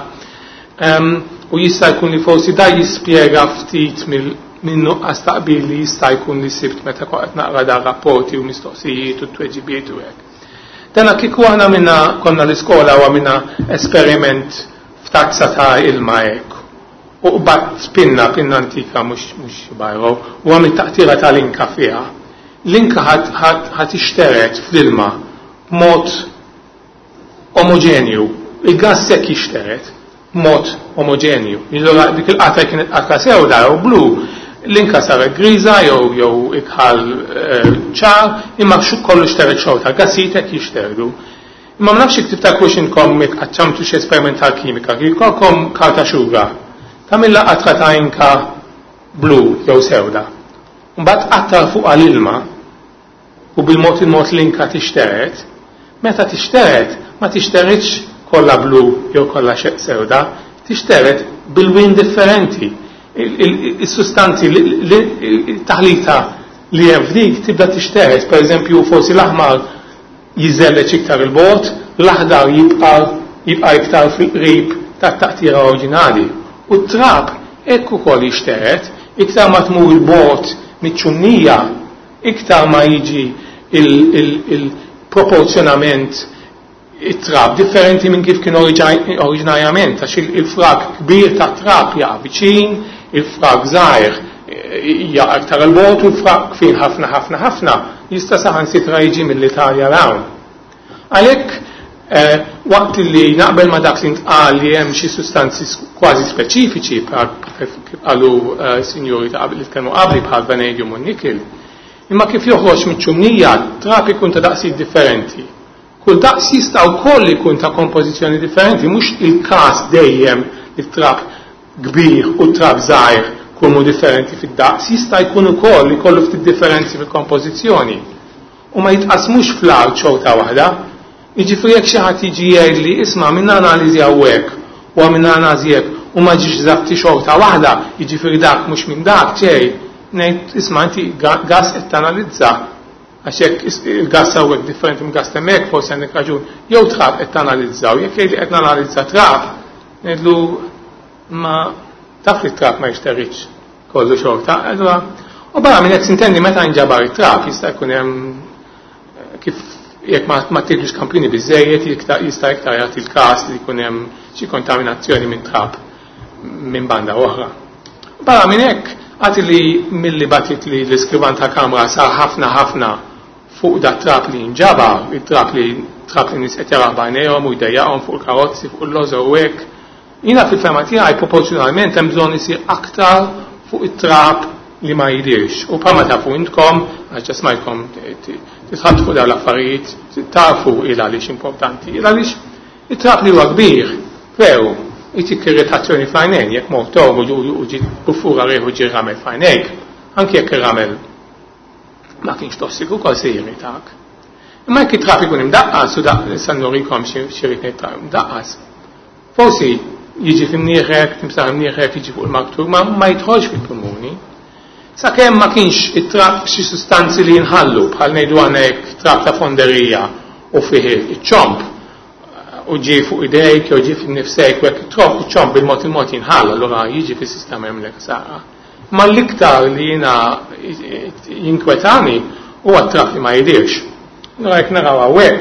H: U jista' jkun li forsi da jispjega ftit minn nuqqas taqbil li jista' jkun li sibt meta qed naqra dar rapporti u mistoqsijiet u tweġibiet u hekk. Dana kieku aħna minna konna l-iskola u għamilna esperiment f'tazza ta' ilma hekk. U qbadt pinna, pinna antika mhux bajro, u għamil taqtira tal-inka fiha. L-inka ħat ixteret fl-ilma b'mod omogenju. Il-gas sekk jixteret b'mod omogenju. Allura dik il-qatra kienet qatra sewda jew blu, l-inka saret griża jew jew ikħal ċar, imma kollu xteret xorta, gassijiet hekk jixterdu. Imma ma nafx jekk tiftakrux inkom jekk qaċċamtu xi esperiment tal-kimika, kif jkollkom karta xuga, tagħmilha qatra ta' inka blu jew sewda. Mbagħad qattar fuq l-ilma u bil-mod il-mod l-inka tixteret, meta tixteret ma tixteritx kollha blu jew kollha sewda, tixteret bil-win differenti. Il-sustanzi, il-taħlita li hemm f'dik tibda tixteret, per eżempju forsi l-aħmar jiżelleġ iktar il-bogħod, l-aħdar jibqa' jibqa' iktar fil-qrib tat-taqtira oriġinali. U t-trab hekk ukoll jixteret, iktar ma tmur il-bogħod miċ-ċumnija, iktar ma jiġi il-proporzjonament it-trab differenti minn kif kien oriġinarjament, għax il-frak kbir ta' trab jaqa' viċin, il-frak żgħir jaqa' iktar il-bogħod u l-frak kbir ħafna ħafna ħafna jista' saħansitra jiġi mill-Italja l-hawn. Għalhekk waqt li naqbel ma dak li ntqal li hemm xi sustanzi kważi speċifiċi bħal kif qalu sinjuri ta' qabel li tkellmu qabli bħal vanadium u nikil, imma kif joħroġ miċ-ċumnija trab ikun ta' daqsijiet differenti. Kull daqs jista' wkoll ikun ta' kompożizzjoni differenti, mhux il-każ dejjem li trab kbir u trab żgħir kunu differenti fid-daqs, jista' jkun ukoll li jkollu ftit differenzi fil-kompożizzjoni. U ma jitqasmux fl-art xorta waħda. Jiġifieri jekk xi ħadd jiġi jgħidli isma' minna analiżi hawnhekk u għamilna analiżi hekk u ma ġiex eżatti xorta waħda, jiġifieri dak mhux minn dak ġej, ngħid isma' inti gas qed tanalizza. Għax jekk il-gas hawnhekk differenti minn gas hemmhekk forsi għandek raġun, jew trab qed tanalizzaw, jekk jgħidli qed nanalizza trab, ngħidlu ma taf li trab ma jixterriċ kollu xorta. Allura, u barra minn hekk sintendi meta nġabar it-trab jista' jkun hemm kif jekk ma tieħdux kampjuni biżejjed jista' iktar jagħti l-każ li jkun hemm xi kontaminazzjoni minn trab minn banda oħra. Barra minn hekk għad li milli batit li l-iskrivan ta' kamra sar ħafna ħafna fuq da trab li nġabar, it-trab li trab li nies qed jaraw b'għajnejhom u jdejjaqhom fuq il-karozzi, fuq il-lożor u hekk. Jiena fil-fehma tiegħi proporzjonalment hemm bżonn isir aktar fuq it-trab li ma jidirx. U bħalma tafu intkom, għax ġa smajtkom titħaddtu fuq dawn l-affarijiet, tafu il għaliex importanti, il għaliex it-trab li huwa kbir, veru, jtik irritazzjoni fl-għajnejn, jekk mort tormu u ġiet buffura rieħu ġie ramel f'għajnejk, anke jekk ir-ramel ma kienx tossiku wkoll se jirritak. Imma jekk it-trab ikun imdaqqas, u daq issa nurikom xi rid ngħid imdaqqas, forsi jiġi f'imnieħrek, timsaħ imnieħrek, jiġi fuq il-maktur, ma, ma jidħolx fil-pulmuni. Sakemm ma kienx it-trab xi sustanzi li jinħallu, bħal ngħidu aħna jekk trab ta' fonderija u fih iċ-ċomp, u ġie fuq idejk jew ġie f'nifsek u hekk iċ-ċomp bil-mod il-mod jinħall, allura jiġi fis-sistema jagħmlek ħsara. Ma l-iktar li jiena jinkwetani huwa t-trab li ma jidirx. Allura jekk naraw hawnhekk,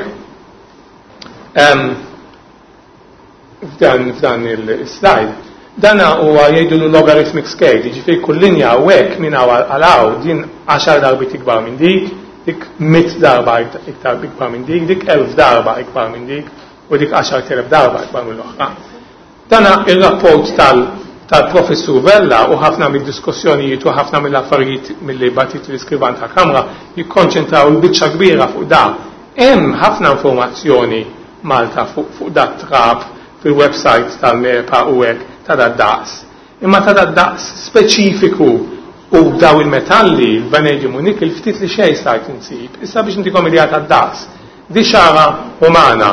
H: f'dan, f'dan il-slide, dana huwa jgħidulu logarithmic scale, jiġifieri kull linja hawnhekk minn hawn għal hawn din għaxar darbiet ikbar minn dik, dik mitt darba iktar ikbar minn dik, dik elf darba ikbar minn dik, u dik għaxar telef darba ikbar mill-oħra. Dana il-rapport tal, tal-professur Vella u ħafna mid-diskussjonijiet u ħafna mill-affarijiet milli batit l-iskrivan ta' kamra jikkonċentraw il-biċċa kbira fuq da. Hemm ħafna informazzjoni Malta fuq, fuq dat trab fil-website tal-MEPA u hekk ta' dat daqs. Imma ta' dat daqs speċifiku u daw il-metalli, il-vanadium u nikkel, ftit li xejn stajt insib. Issa biex intikom idea ta' daqs. Di xara umana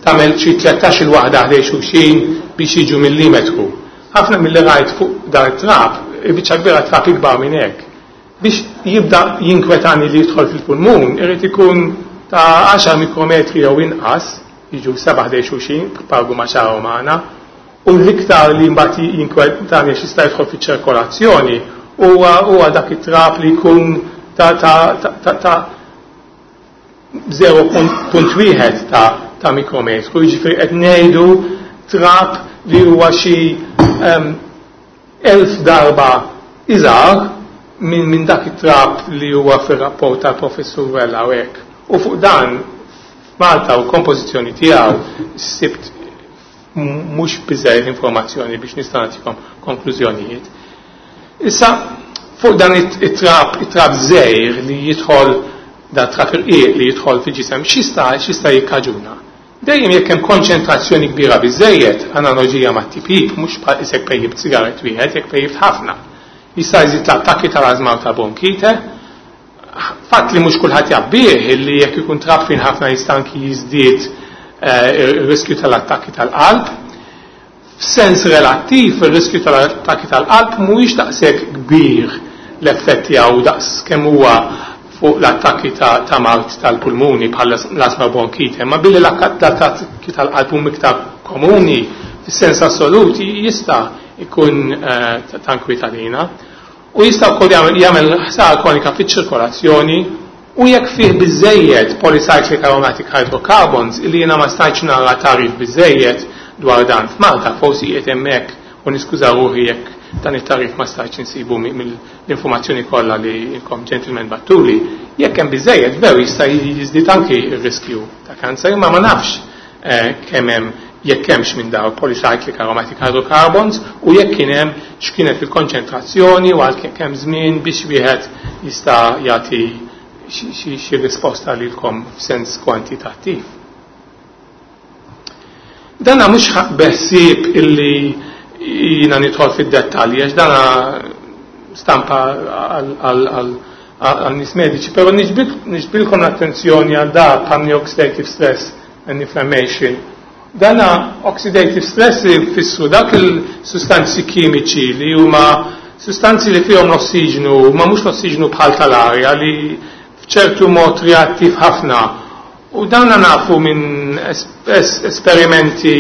H: tagħmel xi tlettax il waħda ħdej xulxin biex jiġu millimetru. Ħafna milli rajt fuq dar it-trab, il-biċċa kbira trab ikbar minn hekk. Biex jibda jinkwetani li jidħol fil-pulmun, irid ikun ta' għaxar mikrometri jew inqas, jiġu seba' ħdejn xulxin, pargu ma' xagħar umana, u l-iktar li mbagħad jinkwetani għax jista' jidħol fiċ-ċirkolazzjoni huwa huwa dak it-trab li jkun ta' ta' ta' ta' zero punt wieħed ta' ta' mikrometru, jiġifieri qed ngħidu trab li huwa xi elf darba iżgħar minn min dak it-trab li huwa fir-rapport tal-professur Vella u hekk. U fuq dan f'Malta u kompożizzjoni tiegħu sibt mhux biżejjed informazzjoni biex nista' nagħtikom konklużjonijiet. Issa fuq dan it-trab it-trab żgħir li jidħol da trab irqiq li jidħol fil-ġisem x'jista' x'jista' jikkaġuna. Dejjem jekk hemm konċentrazzjoni kbira biżejjed, analoġija mat-tipjip, mhux bħal isek pejjibt sigaret wieħed, jekk pejjibt ħafna. Jista' jżid l-attakki tal-ażma u ta' bronkite. Fatt li mhux kulħadd jabbih li jekk ikun trab fin ħafna jista' anki jiżdied ir-riskju tal-attakki tal-qalb. F'sens relattiv, ir-riskju tal-attakki tal-qalb mhuwiex daqshekk kbir l-effett tiegħu daqs kemm huwa fuq l-attakki ta', ta mard tal-pulmuni bħal l-asma bronkite, ma billi l-attakki tal-qalb huma iktar komuni fis-sens assolut jista' ikun ta' nkwiet għalina. U jista' wkoll jagħmel ħsara kronika fiċ-ċirkolazzjoni u jekk fih biżejjed polycyclic aromatic hydrocarbons illi jiena ma stajtx nara tagħrif biżejjed dwar dan f'Malta, forsi qiegħed hemmhekk u niskuża ruħi jekk dan it-tagħrif ma stajtx insibu mill-informazzjoni kollha li inkom gentlemen battuli, jekk hemm biżejjed veru jista' jiżdied anki r-riskju ta' kanser, imma ma nafx kemm hemm jekk hemmx minn dawn polycyclic aromatic hydrocarbons u jekk kien hemm x'kienet il-konċentrazzjoni u għal kemm żmien biex wieħed jista' jagħti xi risposta lilkom f'sens kwantitattiv. Dana mhux beħsieb illi jiena nidħol fid-dettalji għax dana stampa għal nies mediċi, però niġbidilkom l-attenzjoni għal da bħal oxidative stress and inflammation. Dana oxidative stress jfissru dak il-sustanzi kimiċi li huma sustanzi li fihom l-ossiġnu, ma mhux l-ossiġnu bħal tal-arja li f'ċertu mod reattiv ħafna. U dawna nafu minn esperimenti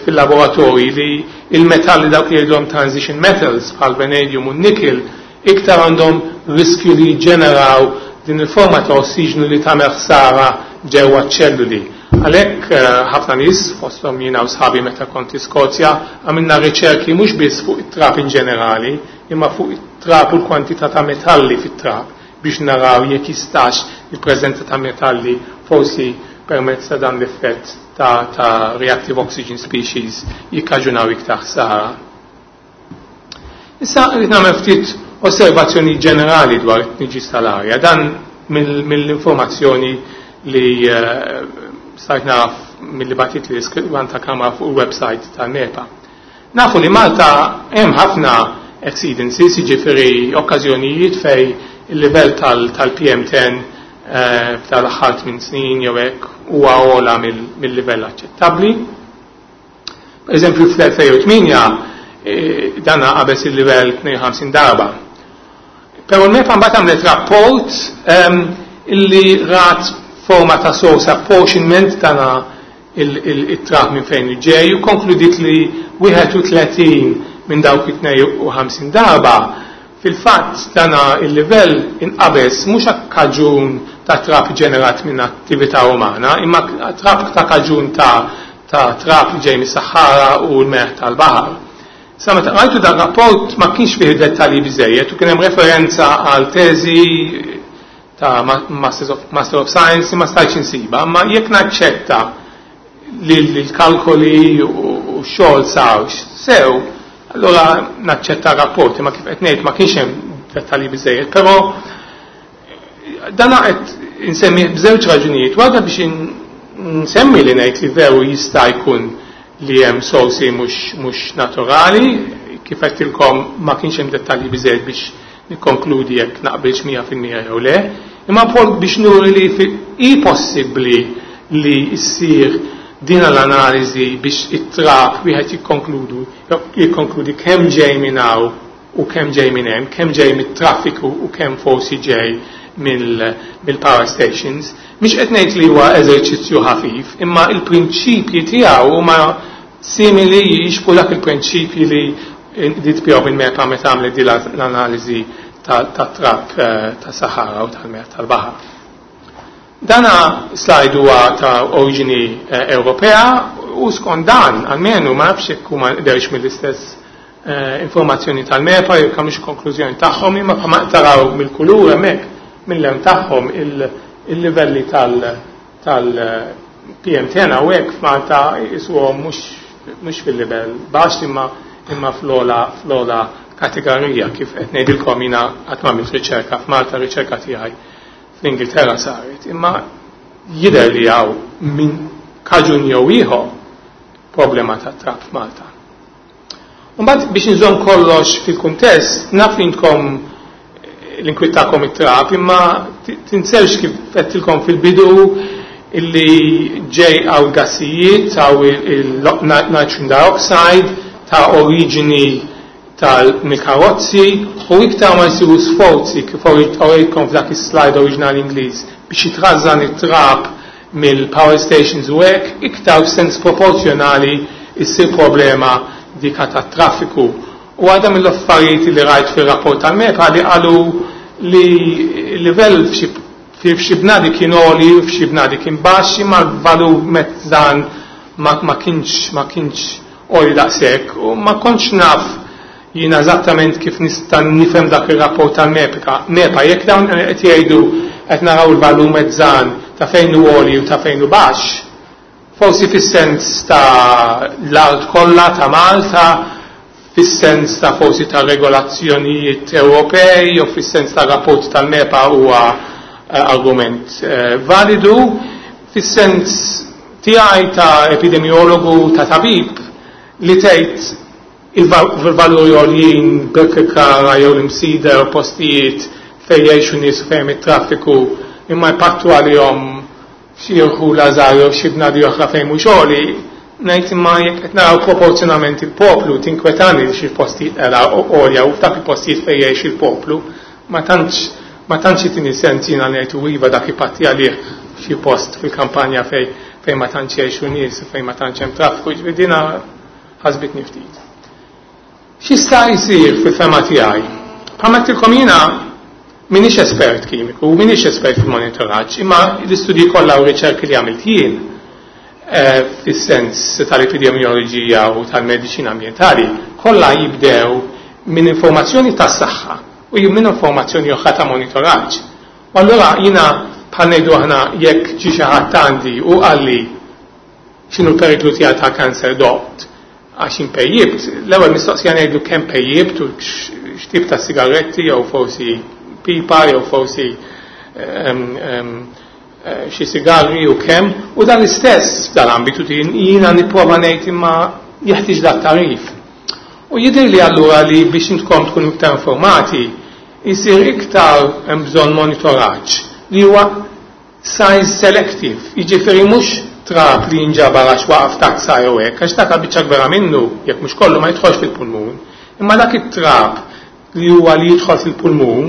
H: fil-laboratorji li il-metalli dawk li jgħidulhom transition metals bħal vanadium u nickel iktar għandhom riskju li jġeneraw din il-forma ta' ossiġnu li tagħmel ħsara ġewwa ċ-ċelluli. Għalhekk ħafna nies, fosthom jiena u sħabi meta kont Iskozja, għamilna riċerki mhux biss fuq it-trab in ġenerali, imma fuq it-trab u l-kwantità ta' metalli fit-trab biex naraw jekk jistax il-preżenza ta' metalli forsi permezz ta' dan l-effett ta', ta reactive oxygen species jikkaġunaw iktar ħsara. Issa rrid nagħmel ftit osservazzjoni ġenerali dwar it-tniġġis tal-arja. Dan mill-informazzjoni li stajt naf mill-li batit li iskrivan ta' kamra fuq il-website tal-MEPA. Nafu li Malta hemm ħafna exceedances, jiġifieri okkażjonijiet fej il-livell tal-P M ten tal-aħħar tmien snin jew hekk huwa ogħla mill-livell aċċettabbli. Per eżempju fl-elfejn u tmienja dan qabeż il-livell tnejn u ħamsin darba. Però l-MEPA mbagħad għamlet rapport illi rat forma ta' source apportionment tana il-trab minn fejn ġej u konkludiet li wieħed u tletin minn dawk it-tnejn u ħamsin darba fil-fatt dana il-livell inqabeż mhux kaġun ta' trab ġenerat minn attività umana, imma trab ta' kaġun ta', ta' trab li ġej mis-Saħara u l-meħ tal-baħar. Sa meta qrajtu dan rapport ma kienx fih dettalji biżejjed u kien hemm referenza għal teżi ta' Masters of, Master of Science ma stajtx insiba, imma jekk naċċetta li l-kalkoli u x-xogħol sar sew, allora naċċetta rapporti, ma kif qed ngħid ma kienx hemm dettalji biżejjed, però dan qed insemmi b'żewġ raġunijiet. Waħda biex nsemmi li ngħid li veru jista' jkun li hemm sorsi mhux, mhux naturali, kif qedtilkom ma kienx hemm dettalji biżejjed biex nikkonkludi jekk naqbilx mija fil-mija jew le, imma wkoll biex nuri li hi possibbli li ssir din l-analiżi biex it-trab wieħed jikkonkludu, jikkonkludi kemm ġej minn hawn u kemm ġej minn hemm, kemm ġej mit-traffiku u kemm forsi ġej mill-power stations. Mhix qed ngħid li huwa eżerċizzju ħafif, imma il-prinċipji tiegħu huma simili jixbhu dak il-prinċipji li dit bihom il-MEPA meta għamlet di l-analiżi tat-trab ta' Sahara u tal-mer tal-baħar. Dana slide huwa ta' oriġini Ewropea u skont dan, almenu ma nafx jekk huma derx mill-istess informazzjoni tal-MEPA jew kemm konklużjoni tagħhom, imma bħalma taraw mill-kulur hemmhekk mill-lewn tagħhom il-livelli tal-P M ten hawnhekk f'Malta jisuhom mhux fil-livell baxx imma imma fl-ola fl-ola kategorija. Kif qed ngħidilkom jiena qatt ma għamilt riċerka f'Malta, riċerka tiegħi fl-Ingilterra saret, imma jidher li hawn minn kaġun jew ieħor problema ta' trab f'Malta. Mbagħad biex inżomm kollox fil-kuntest, naf li intkom l-inkwittakom it-trab, imma tinsewx kif għedtilkom fil-bidu illi ġej għaw gassijiet, għaw il-nitrogen dioxide ta' oriġini tal-karozzi, u iktar ma jsiru sforzi kif orejtkom f'dak is-slide oriġinali Ingliż biex jitrażżan it-trab mill-power stations u hekk, iktar f'sens proporzjonali issir problema dika tat-traffiku. U għadha mill-affarijiet li rajt fir-rapport tal-MEPA li qalu li l-livell f'xi bnadi kien għoli u f'xi bnadi kien baxx, imma l-valur mezzan ma kienx ma kienx għoli daqshekk, u ma kontx naf jiena eżattament kif nista' nifhem dak ir-rapport tal-MEPA. MEPA jekk dawn qed jgħidu qed naraw il-valur mezzan ta' fejn hu għoli u ta' fejn hu baxx, forsi fis-sens ta' l-art kollha ta' Malta, fis-sens ta' forsi ta' regolazzjonijiet Ewropej jew fis-sens ta' rapport tal-MEPA huwa argument validu, fis-sens tiegħi ta' epidemiologu ta' tabib li tgħid il-valuri għoljin Birkirkara jew l-Imsida jew postijiet fejn jgħixu nies u fejn it-traffiku imma jpattu għalihom xi rħula żgħar jew xi bnadi oħra fejn mhux għoli, ngħid imma jekk qed naraw proporzjonament il-poplu tinkwetani li xi postijiet għolja u f'dak il-postijiet fejn jgħix il-poplu ma tantx ma tantx itini sens jiena ngħid u iva dak ipatti għalih f'xi post fil-kampanja fejn fejn ma tantx jgħixu nies u fejn ma tantx hemm traffiku, jiġifieri dina ħasbitni ftit. X'jista' jsir fil-fema tiegħi? Bħalma għedtilkom jiena m'iniex espert kimiku, m'iniex espert fil-monitoraġġ, imma l-istudji kollha u riċerki li għamilt jien fis-sens tal-epidemioloġija u tal-mediċina ambjentali kollha jibdew minn informazzjoni tas-saħħa u minn informazzjoni oħra ta' monitoraġġ. U allura jiena bħal ngħidu aħna jekk ġie xi ħadd għandi u qalli x'inhu l-periklu tiegħi ta' kanser dot għax impejjibt, l-ewwel mistoqsija ngħidlu kemm pejjibt u x'tip ta' sigaretti jew forsi pipa jew forsi xi sigarri u kemm, u dan l-istess f'dal-ambitu jiena nipprova ngħid imma jeħtieġ dat tarif. U jidher li allura li biex intkom tkunu iktar informati jsir iktar hemm bżonn monitoraġġ li huwa size selective, jiġifieri mhux trab li jinġabar għax waqaf tazza jew hekk, għax dak biċċa kbira minnu, jekk mhux kollu ma jidħolx fil-pulmun, imma dak it-trab li huwa li jidħol fil-pulmun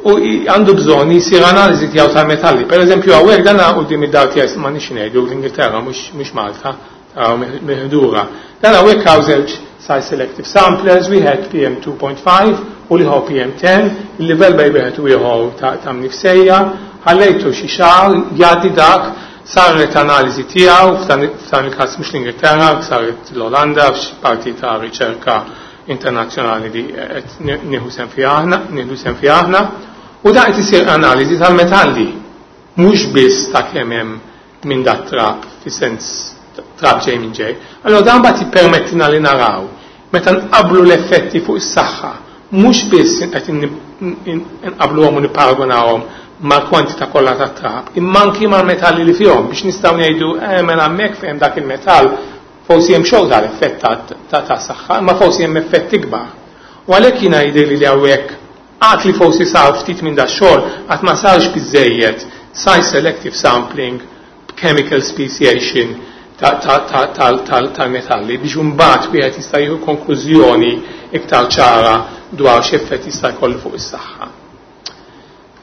H: u għandu bżonn jisir analiżi tiegħu tal-metalli. Per eżempju hawnhekk dan quddiem id-dar tiegħi ma nix ngħidu l-Ingilterra mhux Malta, taraw miħdura. Dan hawnhekk hawn żewġ size selective samplers, wieħed P M two point five u l-ieħor P M ten, il-livell bejn wieħed u ieħor ta' mnifsejja, ħallejtu xi xahar jgħaddi dak, saret analiżi tiegħu f'dan il-każ mhux l-Ingilterra, saret l-Olanda f'xi parti ta' riċerka internazzjonali li qed nieħu sehem fiha aħna, nieħdu sehem fiha aħna, u dan qed isir analiżi tal-metalli, mhux biss ta' kemm hemm minn dat trab fis-sens trab ġej minn ġej. Allora dan mbagħad jippermettina li naraw meta nqablu l-effetti fuq is-saħħa, mhux biss qed nqabluhom u nipparagunawhom mal-kwantità kollha tat-trab, imma anki mal-metalli li fihom biex nistgħu ngħidu eh, mela hemmhekk fejn dak il-metall forsi hemm xogħol tal-effett ta' ta' saħħa, imma forsi hemm effett ikbar. U għalhekk jiena jidhirli li hawnhekk għad li forsi sar ftit minn dax-xogħol qatt ma sarx biżejjed size selective sampling, chemical speciation tal-metalli biex imbagħad wieħed jista' jieħu konklużjoni iktar ċara dwar x'effett jista' jkollu fuq is-saħħa.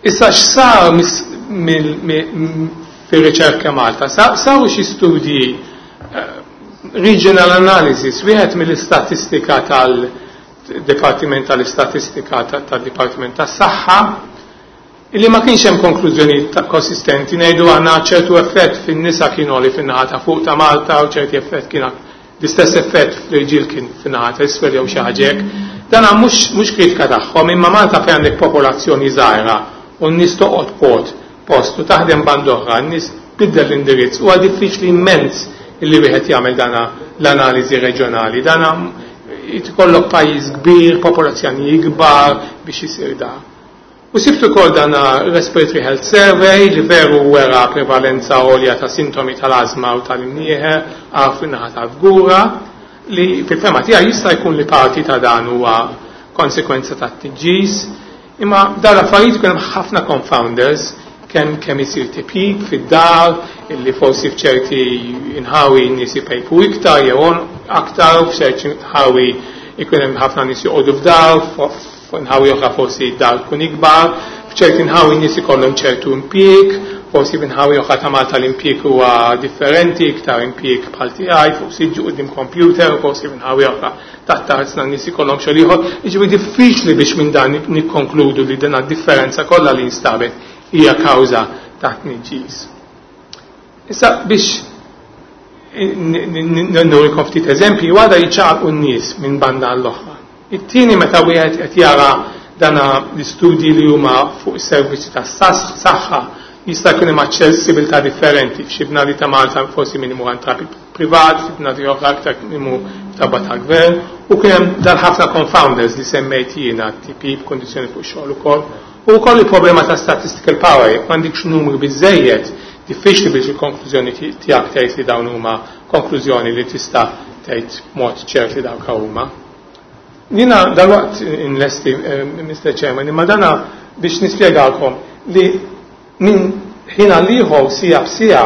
H: Issa x'sar fir-riċerka Malta? Saru xi studji regional analysis, wieħed mill-istatistika tal-Dipartiment tal-Istatistika tad-Dipartiment tas-Saħħa, illi ma kienx hemm konklużjoni konsistenti. Ngħidu għandna ċertu effett fin-nisa kien għoli fin-naħa ta' fuq ta' Malta u ċerti effett kien l-istess effett fl-irġiel kien fin-naħa ta' isfel jew xi ħaġa hekk. Dan mhux mhux kritika tagħhom, imma Malta fejn għandek popolazzjoni żgħira u n-nies toqgħod pot post u taħdem band oħra, n-nies tbiddel l-indirizz, huwa diffiċli immens illi wieħed jagħmel dana l-analiżi reġjonali. Dana jkollok pajjiż kbir, popolazzjoni kbar biex isir da. U sibtu ukoll dana Respiratory Health Survey li veru wera prevalenza għolja ta' sintomi tal-azma u tal-imnieħer għaf fin-naħa tal-Fgura, li fil-fema tiegħi jista' jkun li parti ta' dan huwa konsekwenza ta' tniġġis, imma dan l-affarijiet ikun hemm ħafna confounders, kemm kemm isir tipjip fid-dar, illi forsi f'ċerti inħawi nies ipejpu iktar jew aktar, f'ċerti inħawi ikun hemm ħafna nies joqogħdu f'dar, f'inħawi oħra forsi d-dar tkun ikbar, f'ċerti inħawi nies ikollhom ċertu impjieg, forsi f'inħawi oħra ta' Malta l-impjieg huwa differenti, iktar impjieg bħal tiegħi fuq siġġu quddiem computer, forsi f'inħawi oħra taħt tarzna nies ikollhom xogħol ieħor. Jiġifieri diffiċli biex minn dan nikkonkludu li din differenza kollha li instabet hija kawża ta' tniġġis. Issa biex nurikom ftit eżempji, għada jiċċaqalqu n-nies minn banda għall-oħra. It-tieni, meta wieħed qed jara dana l-istudji li huma fuq is-servizzi tas-saħħa, jista' jkun hemm aċċessibilità differenti. F'xi bnadi ta' Malta forsi min imur għand tabib privat, f'xi bnadi oħra aktar imur f'tabba tal-gvern, u kien hemm dan ħafna confounders li semmejt jiena, tipjip, kondizzjoni fuq xogħol ukoll. U wkoll il-problema ta' statistical power, jekk m'għandikx numru biżejjed, diffiċli biex il-konklużjoni tiegħek tgħid li dawn huma konklużjoni li tista' tgħid mod ċert li dawk huma. Jiena dalwaqt inlesti, Mister Chairman, imma dana biex nispjegalkom li minn ħin għal ieħor sija b'sija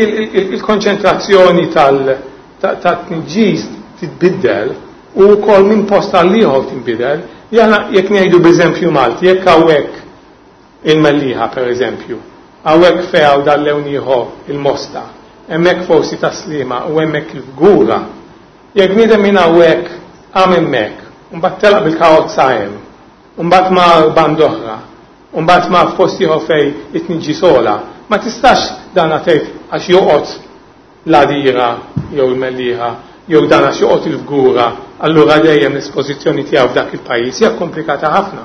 H: il-konċentrazzjoni tat-tniġġis titbiddel u wkoll minn post għal ieħor tinbidel. Jana jekk ngħidu b'eżempju Malti, jekk hawnhekk il-Mellieħa pereżempju, hawnhekk fejn hawn dal-lewn ieħor il-Mosta, hemmhekk forsi Tas-Sliema u hemmhekk il-Fgura, jekk bniedem minn hawnhekk qam hemmhekk, u mbagħad telaq bil-karozza hemm, u mbagħad mar band oħra, u mbagħad mar f'post ieħor fejn it-tniġġis ogħla, ma tistax dana tgħid għax joqgħod l-Għadira jew il-Mellieħa jew dan għax joqgħod il-Fgura, allura dejjem l-espożizzjoni tiegħu f'dak il-pajjiż hija komplikata ħafna.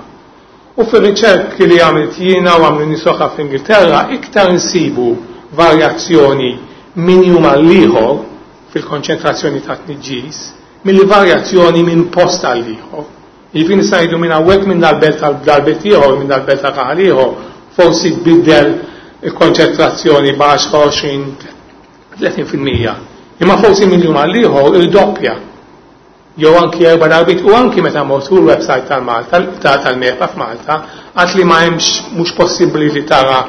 H: U fir-riċerki li għamilt jiena u għamlu nies oħra fl-Ingilterra, iktar insibu varjazzjoni minn jum għal ieħor fil-konċentrazzjoni ta' tniġġis milli varjazzjoni minn post għal ieħor. Jiġifieri nista' ngħidu minn hawnhekk minn dal-belt għal dal-belt ieħor, minn dal-belt għal raħal ieħor, forsi tbiddel il-konċentrazzjoni b'għaxra, għoxrin, tletin fil-mija. Imma forsi minn jum għal ieħor irdoppja. Jew anki erba' darbiet, u anki meta mort fuq il-website tal-Malta, tal-MEPA f'Malta, għad li ma hemmx, mhux possibbli li tara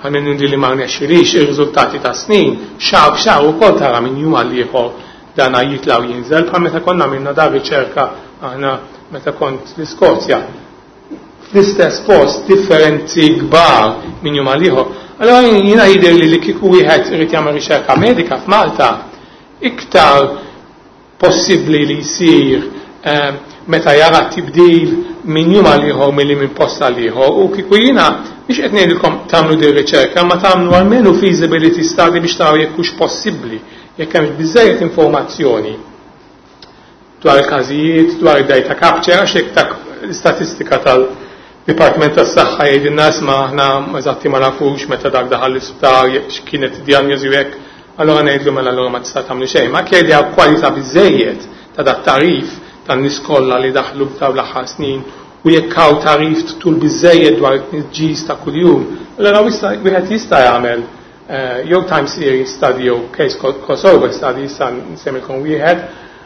H: għal li ma rnexxilix ir-riżultati ta' snin, xahar b'xahar ukoll tara minn jum għal ieħor dana jitla' u jinżel, bħal meta konna għamilna da riċerka aħna meta kont l-Iskozja. Fl-istess post differenzi kbar minn jum għal ieħor. Allora jiena jidher li li kieku wieħed irid jagħmel riċerka medika f'Malta, iktar possibbli li jsir, eh, meta jara tibdil minn jum għal ieħor milli minn post għal ieħor. U kieku jiena biex qed ngħidilkom tagħmlu din riċerka, ma tagħmlu almenu feasibility study biex taraw jekk hux possibbli, jekk hemmx biżejjed informazzjoni dwar il-każijiet, dwar id-data capture, għax jekk dak l-istatistika tal-Dipartiment tas-Saħħa jgħidilna isma' aħna eżatti ma nafux meta dak daħal l-isptar, jekk x'kienet id-dijanjosi u hekk, allora ngħidlu mela allura ma tista' tagħmlu xejn. Ma jekk jgħidha kwalità biżejjed ta' dat tarif tan-nies kollha li daħlu f'dawn l-aħħar snin u jekk hawn tarif tul biżejjed dwar it-tniġġis ta' kuljum, allora wieħed jista' jagħmel, eh, jew time series study jew case crossover study, issa nsemmilkom wieħed,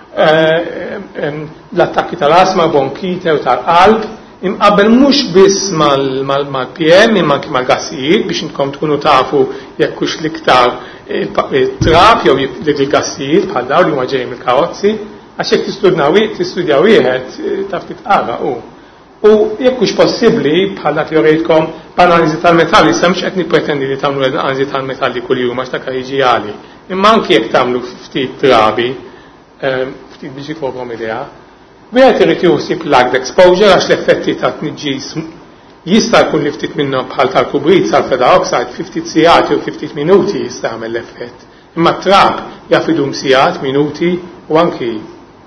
H: eh, em, l-attakki tal-asma, bronkite u tal-qalb, imqabbel mhux biss mal-, mal-, mal-P M imma anki mal-gassijiet biex intkom tkunu tafu jekk hux l-iktar il-trab jew il-gassijiet bħal dawn li huma ġejjin mill-karozzi, għax jekk tistudna wi-, tistudja wieħed taf titqara u. U jekk hux possibbli, bħal dak li urejtkom b'analiżi tal-metalli, issa mhux qed nippretendi li tagħmlu analiżi tal-metalli kuljum għax dak jiġi għali. Imma anki jekk tagħmlu ftit drabi, ehm, ftit biex ikolkom idea, wieħed irid juħsib lagged exposure għax l-effetti ta' tniġġis jista' jkun li ftit minnhom bħal tal-kubrit, sulfur dioxide, fi ftit sigħat jew fi ftit minuti jista' jagħmel l-effett. Imma t-trab jaf idum sigħat, minuti u anki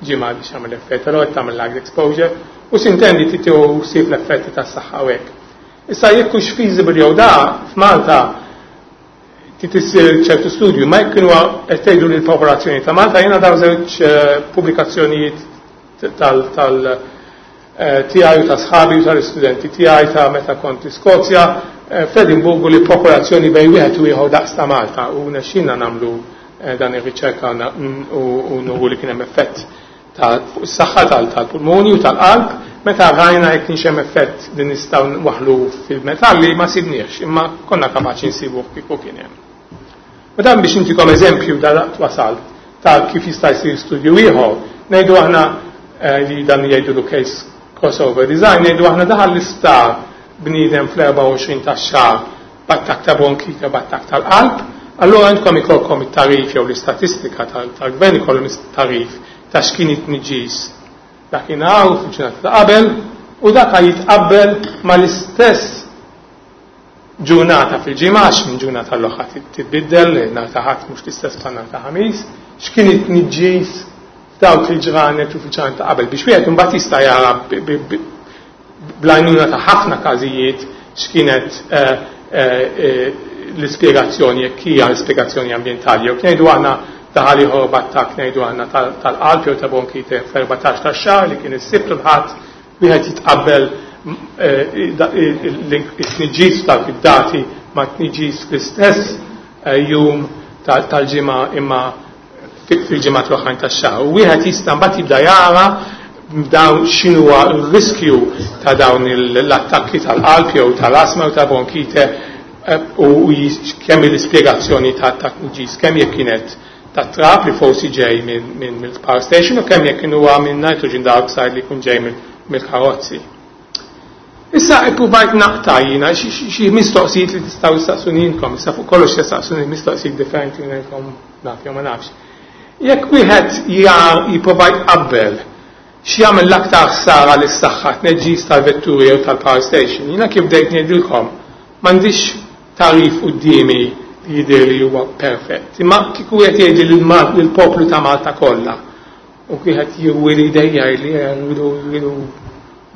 H: ġimgħa biex jagħmel effett, allura qed tagħmel lagged exposure u sintendi trid tieħu ħsieb l-effetti tas-saħħa u hekk. Issa jekk hux feasible jew da f'Malta trid issir ċertu studju, ma jekk kienu qed tgħidu lill-popolazzjoni ta' Malta, jiena daw żewġ pubblikazzjonijiet tal tal tiegħi u ta' sħabi u tal-istudenti tiegħi ta' meta kont l-Iskozja f'Edinburgu li popolazzjoni bejn wieħed u ieħor daqs ta' Malta u nexxinna nagħmlu dan ir-riċerka u nuru li kien hemm effett ta' fuq is-saħħa tal-pulmoni u tal-qalb. Meta rajna jekk kienx hemm effett li nistgħu nwaħħlu fil-metalli ma sibniex, imma konna kapaċi nsibuh kieku kien hemm. U dan biex intikom eżempju da wasal ta' kif jista' jsir studju ieħor, ngħidu aħna li dan jgħidu case crossover design, ngħidu aħna daħal l-isptar bniedem fl-erbgħa u għoxrin tax-xahar b'attakk ta' bronkite, b'attakk tal-qalb, allura għandkom ikolkom it-tarif jew l-istatistika tal-gvern ikollhom it-tarif ta' x'kien it-tniġġis dakinhar u fil-ġurnata ta' qabel, u dak jitqabbel mal-istess ġurnata fil-ġimgħa, għax minn ġurnata l-oħra titbiddel, nhar ta' Ħadd mhux l-istess bħal nhar ta' Ħamis, x'kien it-tniġġis f'dawk il-ġranet u fil-ġranet ta' qabel biex wieħed imbagħad jista' jara bl-għajnuna ta' ħafna każijiet x'kienet l-ispjegazzjoni, jekk hija l-ispjegazzjoni ambjentali. Jew ngħidu aħna daħal ieħor b'attakk ngħidu aħna tal-qalb jew ta' bronkite fl-erbatax tax-xahar li kien is-Sibt u l-Ħadd, wieħed jitqabbel it-tniġġis tal-dati ma' tniġġis fl-istess jum tal-ġimgħa imma fil-ġimgħat l-oħrajn tax-xahar. U wieħed jista' mbagħad jibda jara dawn x'inhuwa r-riskju ta' dawn l-attakki tal-qalb jew tal-asma jew ta' bronkite u kemm l-ispjegazzjoni ta' tniġġis, kemm jekk kienet ta' trab li forsi ġej minn mill-power station u kemm jekk huwa minn nitrogen dioxide li jkun ġej mill-karozzi. Issa ippruvajt naqta' jiena xi mistoqsijiet li tistgħu tistaqsuni intom, issa fuq kollox tistaqsuni mistoqsijiet differenti minn ngħidilkom naf jew ma nafx. Jekk wieħed jipprova jqabbel x'jagħmel l-aktar ħsara lis-saħħa tneġġis tal-vetturi jew tal-power station, jiena kif bdejt ngħidilkom m'għandix tarif quddiemi li jidher li huwa perfett. Imma kieku wieħed jgħid lill-poplu ta' Malta kollha u wieħed jirwi li jdejja li jridu jridu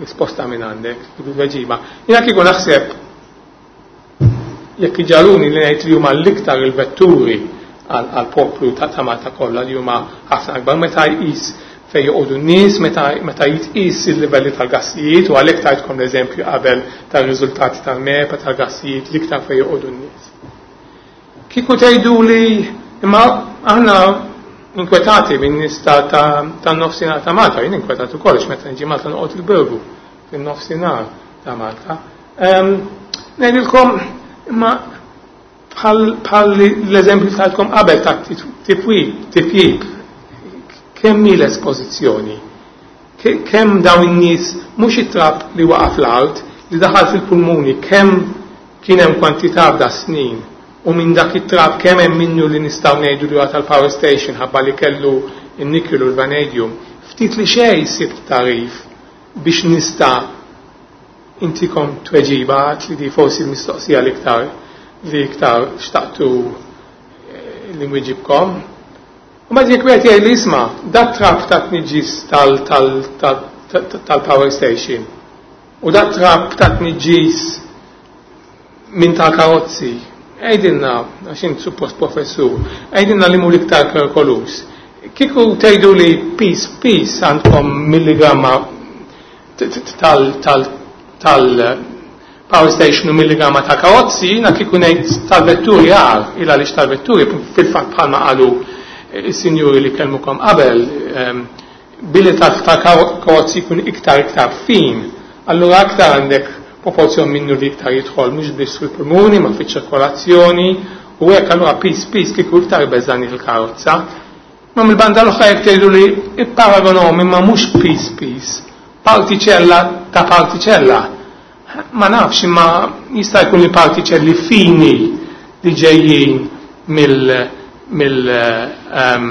H: risposta minn għandek, jridu tweġiba. Jiena kieku naħseb jekk iġaluni li ngħid li huma l-iktar il-vetturi għall-poplu ta' Malta kollha li huma ħafna akbar meta jqis fejn joqogħdu n-nies, meta jitqis il-livelli tal-gassijiet, u għalhekk tajtkom l-eżempju qabel tar-riżultati tal-MEPA tal-gassijiet l-iktar fejn joqogħdu n-nies. Kieku tgħidu li imma aħna inkwetati minn nies tan-nofsinhar ta' Malta, jien inkwetat ukoll għax meta niġi Malta noqgħod il-Birgu fin-nofsinhar ta' Malta. Ngħidilkom imma bħal l-eżempju tajtkom qabel ta' tipjib, kemm hi l-espożizzjoni, kemm dawn in-nies mhux it-trab li waqa' fl-art li daħal fil-pulmuni, kemm kien hemm kwantità f'da snin, u minn dak it-trab kemm hemm minnu li nistgħu ngħidu li huwa tal-power station ħabba li kellu n-nikkel u l-vanadium. Ftit li xejn sibt tarif biex nista' intikom tweġiba li di forsi l-mistoqsija l-iktar li iktar xtaqtu li nwiġibkom. U ma jekk wieħed jgħid li isma' dat trab ta' tniġġis tal-power station u dat trab ta' tniġġis minn tal-karozzi, għidilna, għax int suppost professur, għidilna li mhu l-iktar perikoluż. Kieku tgħidu li pis pis għandkom milligramma tal-power station u milligramma ta' karozzi, jiena kieku ngħid tal-vetturi għar, il għaliex tal-vetturi fil-fatt bħalma qalu is-sinjuri li kellmukom qabel, billi tal-karozzi jkun iktar iktar fin, allura aktar għandek proporzjon minnu li iktar jidħol mhux biss fil-pulmuni ma fiċ-ċirkolazzjoni, u hekk allura pis pis kieku iktar beżani fil-karozza. Ma mill-banda l-oħra jekk tgħidu li ipparagonhom imma mhux pis pis, Partiċella ta' partiċella. Ma nafx, imma jista' jkun li partiċelli fini li ġejjin mill mill um,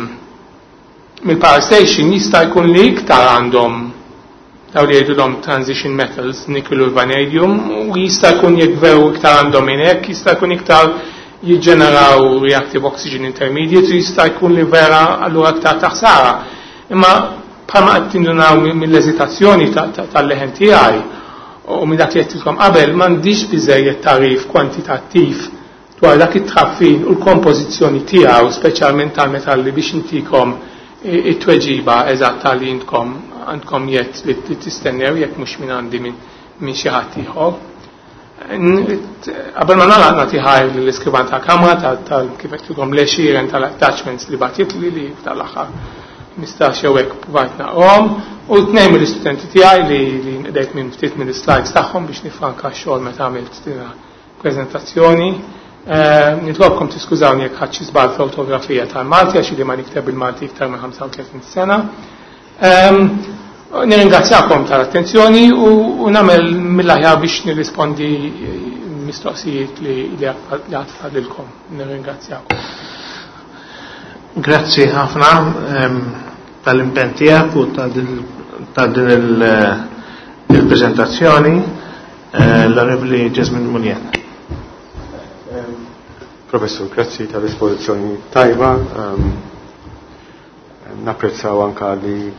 H: mill-power station jista' jkun li iktar għandhom daw li jgħidulhom transition metals, nickel u vanadium, u jista' jkun jekk veru iktar għandhom minn hekk, jista' jkun iktar jiġġeneraw reactive oxygen intermediates, u jista' jkun li vera allura iktar taħsara. Imma bħalma qed tindunaw mill-eżitazzjoni tal-leħen tiegħi u minn dak li għedtilkom qabel, m'għandix biżejjed tagħrif kwantitattiv dwar dak it-traffin u l-kompożizzjoni tiegħu, speċjalment tal-metalli, biex intikom it-tweġiba eżatta li intkom għandkom jett li tistennew, jekk mhux minn għandi minn xi ħadd ieħor. Qabel ma nagħlaq nagħti ħajr lill-iskrivan tal-Kamra tal kif qedtilkom l-għexieren tal-attachments li bagħtitli li tal-aħħar mistax jew hekk provajt naqrahom, u tnejn mill-istudenti tiegħi li li nqdejt minn ftit mill-slides tagħhom biex nifranka x-xogħol meta għamilt din preżentazzjoni. Nitlobkom tiskużawni jekk ħadd xi żball fl-ortografija tal-Malti, għax li ma nikteb bil-Malti iktar minn ħamsa u tletin sena. Nirringrazzjakom tal-attenzjoni u nagħmel mill-aħjar biex nirrispondi mistoqsijiet li għad fadilkom. Nirringrazzjakom.
A: Grazzi ħafna tal-impenn tiegħek u ta' din il-preżentazzjoni, l-Onorevoli Jesmond Munier.
E: Professor, grazzi tal-esposizzjoni tajba. Napprezzaw anka li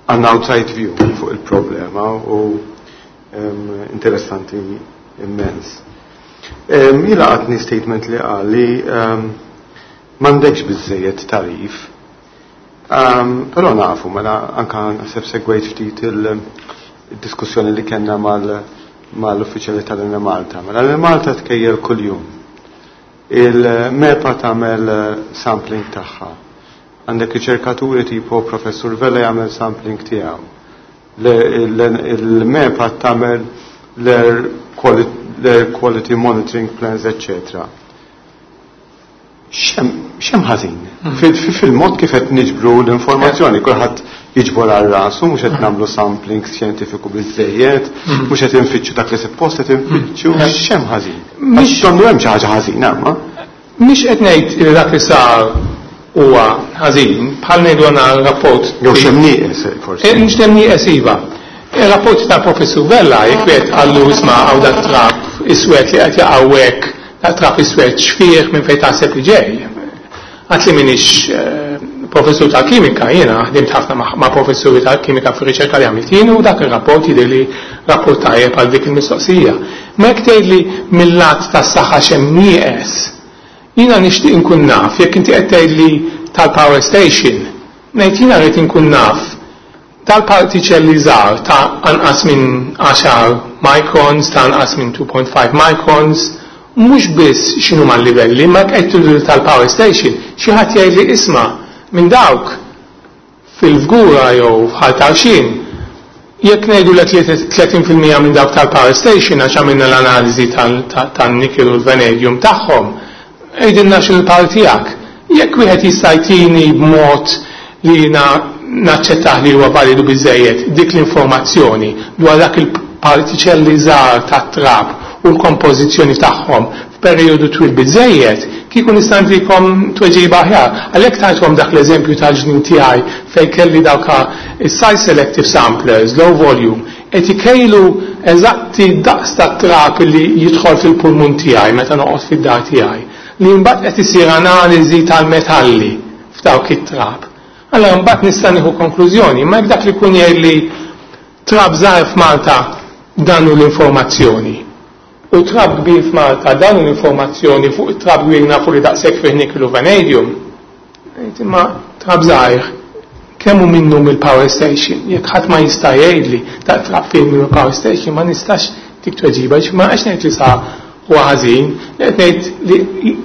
E: għandna outside view fuq il-problema u interessanti immens. Jila għatni statement li qal li m'għandekx biżejjed tarif. Però nafu, mela anka naħseb segwejt ftit il-diskussjoni li kellna mal mal-uffiċjali tal-Enemalta. Mela l-Enemalta tkejjel kuljum. Il-MEPA tagħmel sampling tagħha. Għandek riċerkaturi tipo Professur Vella jagħmel sampling tiegħu. Il-MEPA tagħmel l-air quality monitoring plans, eccetera. Xem ħażin? Fil-mod kif qed niġbru l-informazzjoni, kulħadd jiġbor għal rasu, mhux qed nagħmlu sampling xjentifiku biżejjed, mhux qed infittxu dak li suppost qed infittxu, x'hemm ħażin? Għax donnu hemm xi ħaġa ħażina, ma?
H: Mhix qed ngħid li dak li sar huwa ħażin, bħal ngħidu għandna rapport.
E: Jew x'hemm nieqes forsi.
H: Mhux hemm nieqes iva. Il-rapport tal-Professur Vella jekk wieħed qallu isma' hawn dak trab iswed li qed jaqgħu hekk, dak trab iswed xfieħ minn fejn taħseb li ġej. Għad li minix professur tal-kimika, jiena ħdimt ħafna ma' professuri tal-kimika fir-riċerka li għamilt jien, u dak ir-rapport jidher li rapport tajjeb għal dik il-mistoqsija. Ma jekk tgħidli mill-lat tas-saħħa x'hemm nieqes, jiena nixtieq inkun naf, jekk inti qed tgħidli tal-power station, ngħid jiena rrid inkun naf tal-partiċelli żgħar ta' anqas minn għaxar microns, ta' anqas minn two point five microns, mhux biss x'inhu mal-livelli, ma qed tgħidu tal-power station, xi ħadd jgħidli isma' minn dawk fil-Fgura jew f'Ħal Tarxien, jekk ngħidu li tletin fil-mija minn dawk tal-power station għax għamilna l-analiżi tan-nickel u l-vanadium tagħhom, għidilna x'il-par tiegħek. Jekk wieħed jista' jtini b'mod li jiena naċċettah li huwa validu biżejjed dik l-informazzjoni dwar dak il-partiċelli żgħar tat-trab u l-kompożizzjoni tagħhom f'perjodu twil biżejjed, kieku nista' ntikom tweġiba aħjar. Għalhekk tajtkom dak l-eżempju tal-ġnien tiegħi fejn kelli dawk is-size selective samplers, low volume, qed ikejlu eżatti daqs tat-trab li jidħol fil-pulmun tiegħi meta noqgħod fid-dar tiegħi, li mbagħad qed isir analiżi tal-metalli f'dawk it-trab. Allora mbagħad nista' nieħu konklużjoni, ma jekk dak li jkun jgħidli trab żgħar f'Malta dan hu l-informazzjoni. U trab kbir f'Malta dan hu l-informazzjoni fuq it-trab kbir nafu li daqshekk fih nickel u vanadium. Ngħid imma trab żgħir kemm hu minnu mill-power station? Jekk ħadd ma jista' jgħidli dak trab fih minnu power station, ma nistax dik tweġiba, ma għax ngħid li sa huwa ħażin, qed ngħid li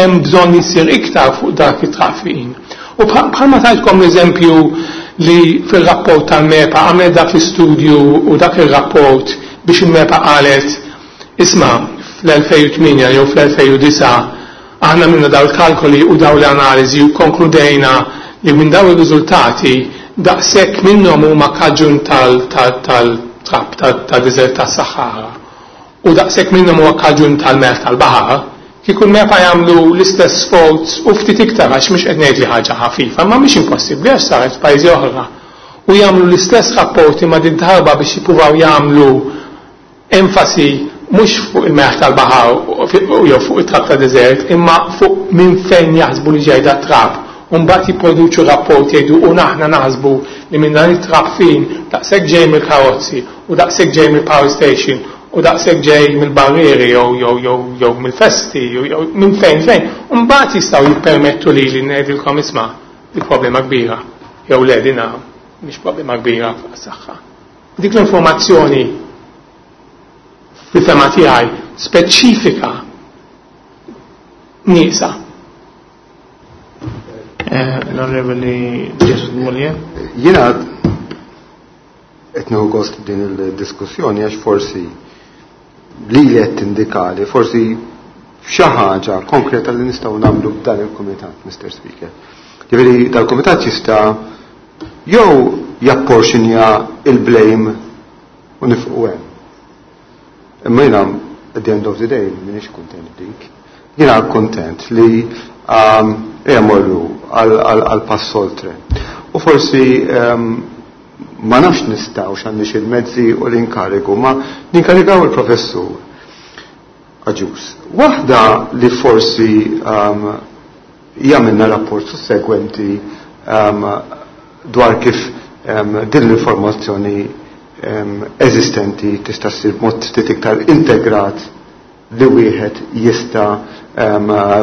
H: hemm bżonn isir iktar fuq dak it-trafin. U bħalma tajtkom l-eżempju li fil-rapport tal-MEPA għamlet dak l-istudju u dak il-rapport biex il-MEPA qalet isma' fl-elfejn u tmienja jew fl-elfejn u disa' aħna minna daw il-kalkoli u daw l-analiżi u konkludejna li minn daw ir-riżultati daqshekk minnhom huma kaġun tal-trab tad-deżert tas-Saħara u daqshekk minnhom huwa kaġun tal-melħ tal-baħar, kieku l-MEPA jagħmlu l-istess sforz u ftit iktar, għax mhux qed ngħid li ħaġa ħafifa, ma mhix impossibbli għax saret f'pajjiżi oħra. U jagħmlu l-istess rapporti ma din darba biex jippruvaw jagħmlu enfasi mhux fuq il-melħ tal-baħar u jew fuq it-trab ta' deżert, imma fuq minn fejn jaħsbu li ġej dat-trab. U mbagħad jipproduċu rapport jgħidu u aħna naħsbu li minn dan it-trab fin daqshekk ġej mill-karozzi u daqshekk ġej mill-power station u daqshekk ġej mill-barrieri jew jew jew jew mill-festi jew jew minn fejn fejn. U mbagħad jistgħu jippermettu li li ngħidilkom isma' di problema kbira jew le dina mhix problema kbira għas-saħħa. Dik l-informazzjoni fil-fema tiegħi speċifika nieqsa.
A: L-Onorevoli Jason Mullier.
E: Jiena qed nieħu gost din il-diskussjoni għax forsi li li qed tindikali forsi xi ħaġa konkreta li nistgħu nagħmlu b'dan il-kumitat, Mister Speaker. Ġifieri dal-kumitat jista' jew japporxinja il-blame u nifqu hemm. Imma jiena at the end of the day m'iniex kuntent dik. Jiena kuntent li ejja morru għal pass oltre. U forsi ma nafx nistgħu x'għandix il-mezzi u l-inkarigu, ma ninkarigaw il-professur Agius. Waħda li forsi jagħmilna rapport sussegwenti dwar kif din l-informazzjoni eżistenti tista' ssir b'mod ftit iktar integrat li wieħed jista'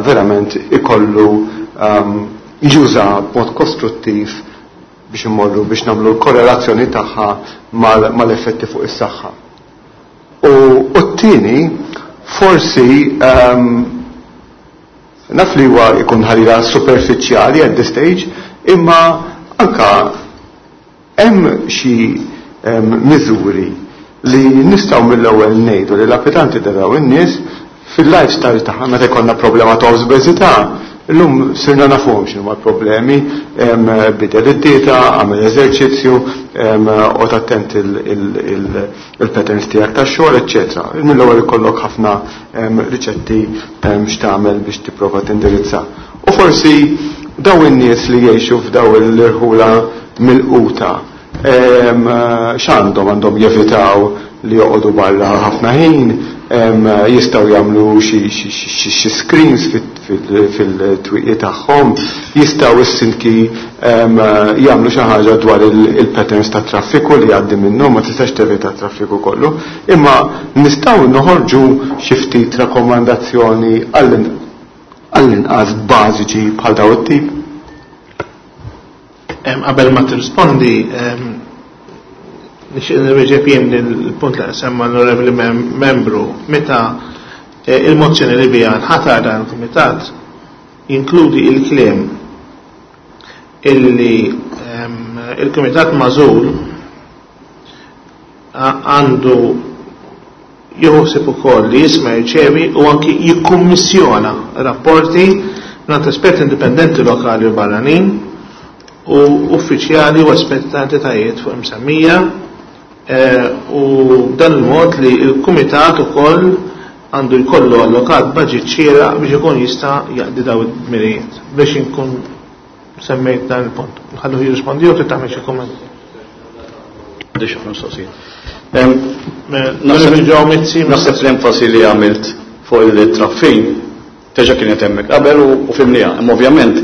E: verament ikollu juża b'mod kostruttiv biex immorru biex nagħmlu l-korrelazzjoni tagħha mal-effetti fuq is-saħħa. U t-tieni forsi naf li huwa jkun ħalila superfiċjali at this stage, imma anka hemm xi miżuri li nistgħu mill-ewwel ngħidu li l-applikanti daraw in-nies fil-lifestyle tagħha meta jkollna problema ta' obeżità, illum sirna nafuhom x'inhuma l-problemi, bidel id-dieta, għamel eżerċizzju, u attent il-patterns tiegħek tax-xogħol, eċċetera. Mill-ewwel ikollok ħafna riċetti x'tagħmel biex tipprova tindirizza. U forsi daw in-nies li jgħixu f'daw l-irħula mill-quta x'għandhom għandhom jevitaw li joqogħdu barra ħafna ħin, jistgħu jagħmlu xi screens fil-twieqi tagħhom, jistgħu s-sinki jagħmlu xi ħaġa dwar il-patterns ta' traffiku li jgħaddi minnhom, ma tistax tevita traffiku kollu, imma nistgħu noħorġu xi ftit rakkomandazzjoni għall-inqas bażiċi bħal daw it-tip.
A: Qabel ma tirrispondi, nixtieq nirreġeb jien il-punt li semma l-onorevoli membru meta il-mozzjoni li biha nħatar dan il-kumitat jinkludi il-kliem illi il-kumitat magħżul għandu jieħu ukoll li jisma' jirċevi u anki jikkummissjona rapporti mingħand esperti indipendenti lokali u barranin u uffiċjali u esperti ta' entitajiet fuq imsemmija, u dan il-mod li l-kumitat ukoll għandu jkollu allokat budget xieraq biex ikun jista' jaqdi daw id-dmirijiet. Biex inkun semmejt dan il-punt. Nħalluh jirrispondi jew trid tagħmel xi kumment.
B: Għandi xi mistoqsijiet. Naħseb l-enfasi li għamilt fuq il-traffin teġa kienet hemmhekk qabel u fimniha. Imma ovvjament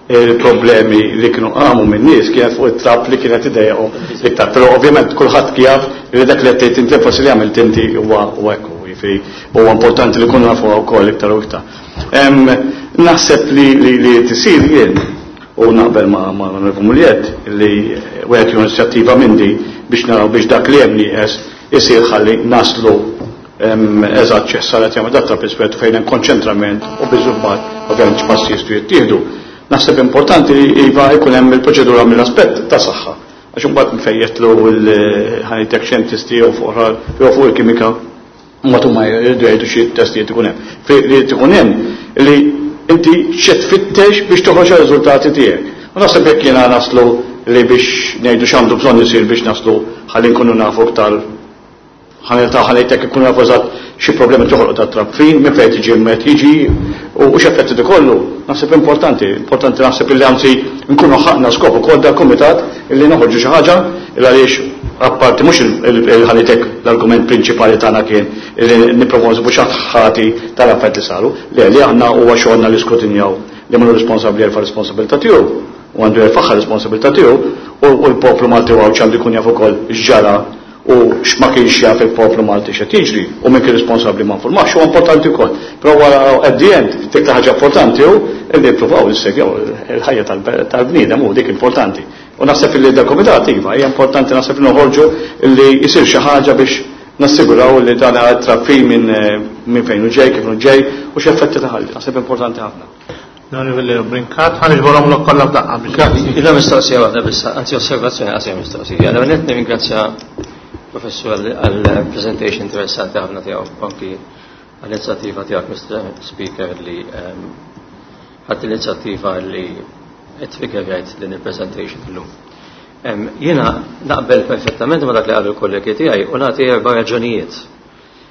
B: il-problemi li kienu qamu minn nies kienet fuq it-trab li kienet idejqhom iktar. Però ovvjament kulħadd jaf li dak li qed tgħid inti forsi li għamilt inti huwa hekk, jiġifieri huwa importanti li kunu nafu wkoll iktar u iktar. Naħseb li li tisir jien u naqbel ma' l-Onorevoli Mugliett li wieħed jieħu inizjattiva minn di biex naraw biex dak li hemm nieqes isir ħalli naslu eżatt x'sar qed jagħmel dak trab iswed fejn hemm konċentrament u biżubbat ovvjament x'passi jistgħu jittieħdu. Naħseb importanti li iva jkun hemm il-proċedura mill-aspett ta' saħħa. Għax imbagħad nfejjetlu l-ħajtek xjentisti jew fuq jew fuq il-kimika mbagħad huma jridu jgħidu xi testijiet ikun hemm. Li ikun hemm li inti xi tfittex biex toħroġ ir-riżultati tiegħek. U naħseb jekk jiena naslu li biex ngħidu x'għandu bżonn isir biex naslu ħalli nkunu nafu aktar ħanilta ħalejtek ikunu nafu eżatt xi problemi toħloq ta' trab fin, minn fejn tiġi, meta jiġi u x'effetti ikollu. Naħseb importanti, importanti naħseb illi anzi nkunu ħaqna skop ukoll dal-kumitat illi noħorġu xi ħaġa il għaliex apparti mhux il-ħalitek l-argument prinċipali tagħna kien illi nipprovaw nsibu xi ħati tal-affarijiet li saru, le li aħna huwa xogħolna li skrutinjaw li minnu responsabbli jerfa' responsabilità tiegħu u għandu jerfaħħa responsabilità tiegħu u l-poplu Malti u Għawdxi għandu jkun jaf ukoll x'ġara u x'ma kienx jaf il-poplu Malti x'qed jiġri u min kien responsabbli ma nfurmax huwa importanti wkoll. Però wara at the end dik ħaġa importanti hu li jippruvaw nissegjaw il-ħajja tal-bniedem u dik importanti. U naħseb li dal-komitat iva hija importanti, naħseb li noħorġu li jsir xi ħaġa biex nassiguraw li dan trab fin minn minn fejn hu ġej, kif hu ġej u x'effetti taħalli. Naħseb importanti ħafna.
A: L-Onorevoli Brincat, ħa niġborhom l kollha f'daqqa biex.
D: Grazzi. Illa mistoqsija waħda biss, anzi osservazzjoni qasija mistoqsija. L-ewwel nett nirringrazzja professur għal presentation interessanti ħafna tiegħu, anki għall-inizjattiva tiegħek, Mister Speaker, li ehm, ħadt l-inizjattiva li triggerjajt din il-presentation illum. Ehm, jiena naqbel perfettament ma dak li qalu l-kollegi tiegħi u nagħti erba' raġunijiet.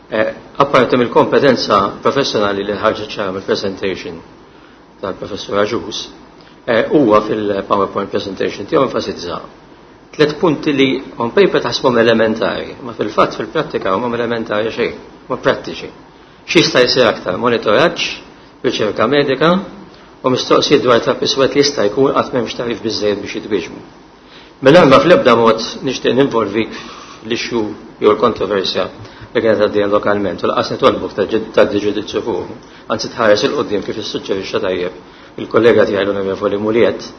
D: Eh, apparti mill-kompetenza professjonali li ħarġet ċara mill-presentation tal-professur Agius, eh, huwa fil-PowerPoint presentation tiegħu enfasizza tliet punti li on paper taħsbhom elementari, ma fil-fatt fil-prattika huma elementari xejn, ma prattiċi. X'jista' jsir aktar? Monitoraġġ, riċerka medika u mistoqsijiet dwar trab iswed li jista' jkun qatt m'hemmx tagħrif biżejjed biex jitwieġbu. Mela ma fl-ebda mod nixtieq ninvolvik l-issue jew l-kontroversja li kienet għaddejja lokalment u lanqas nitolbuk ta' ġudizzju fuq. Anzi tħares 'il quddiem kif issuġġerixxa tajjeb il-kollega tiegħi l-Onorevoli Muliet.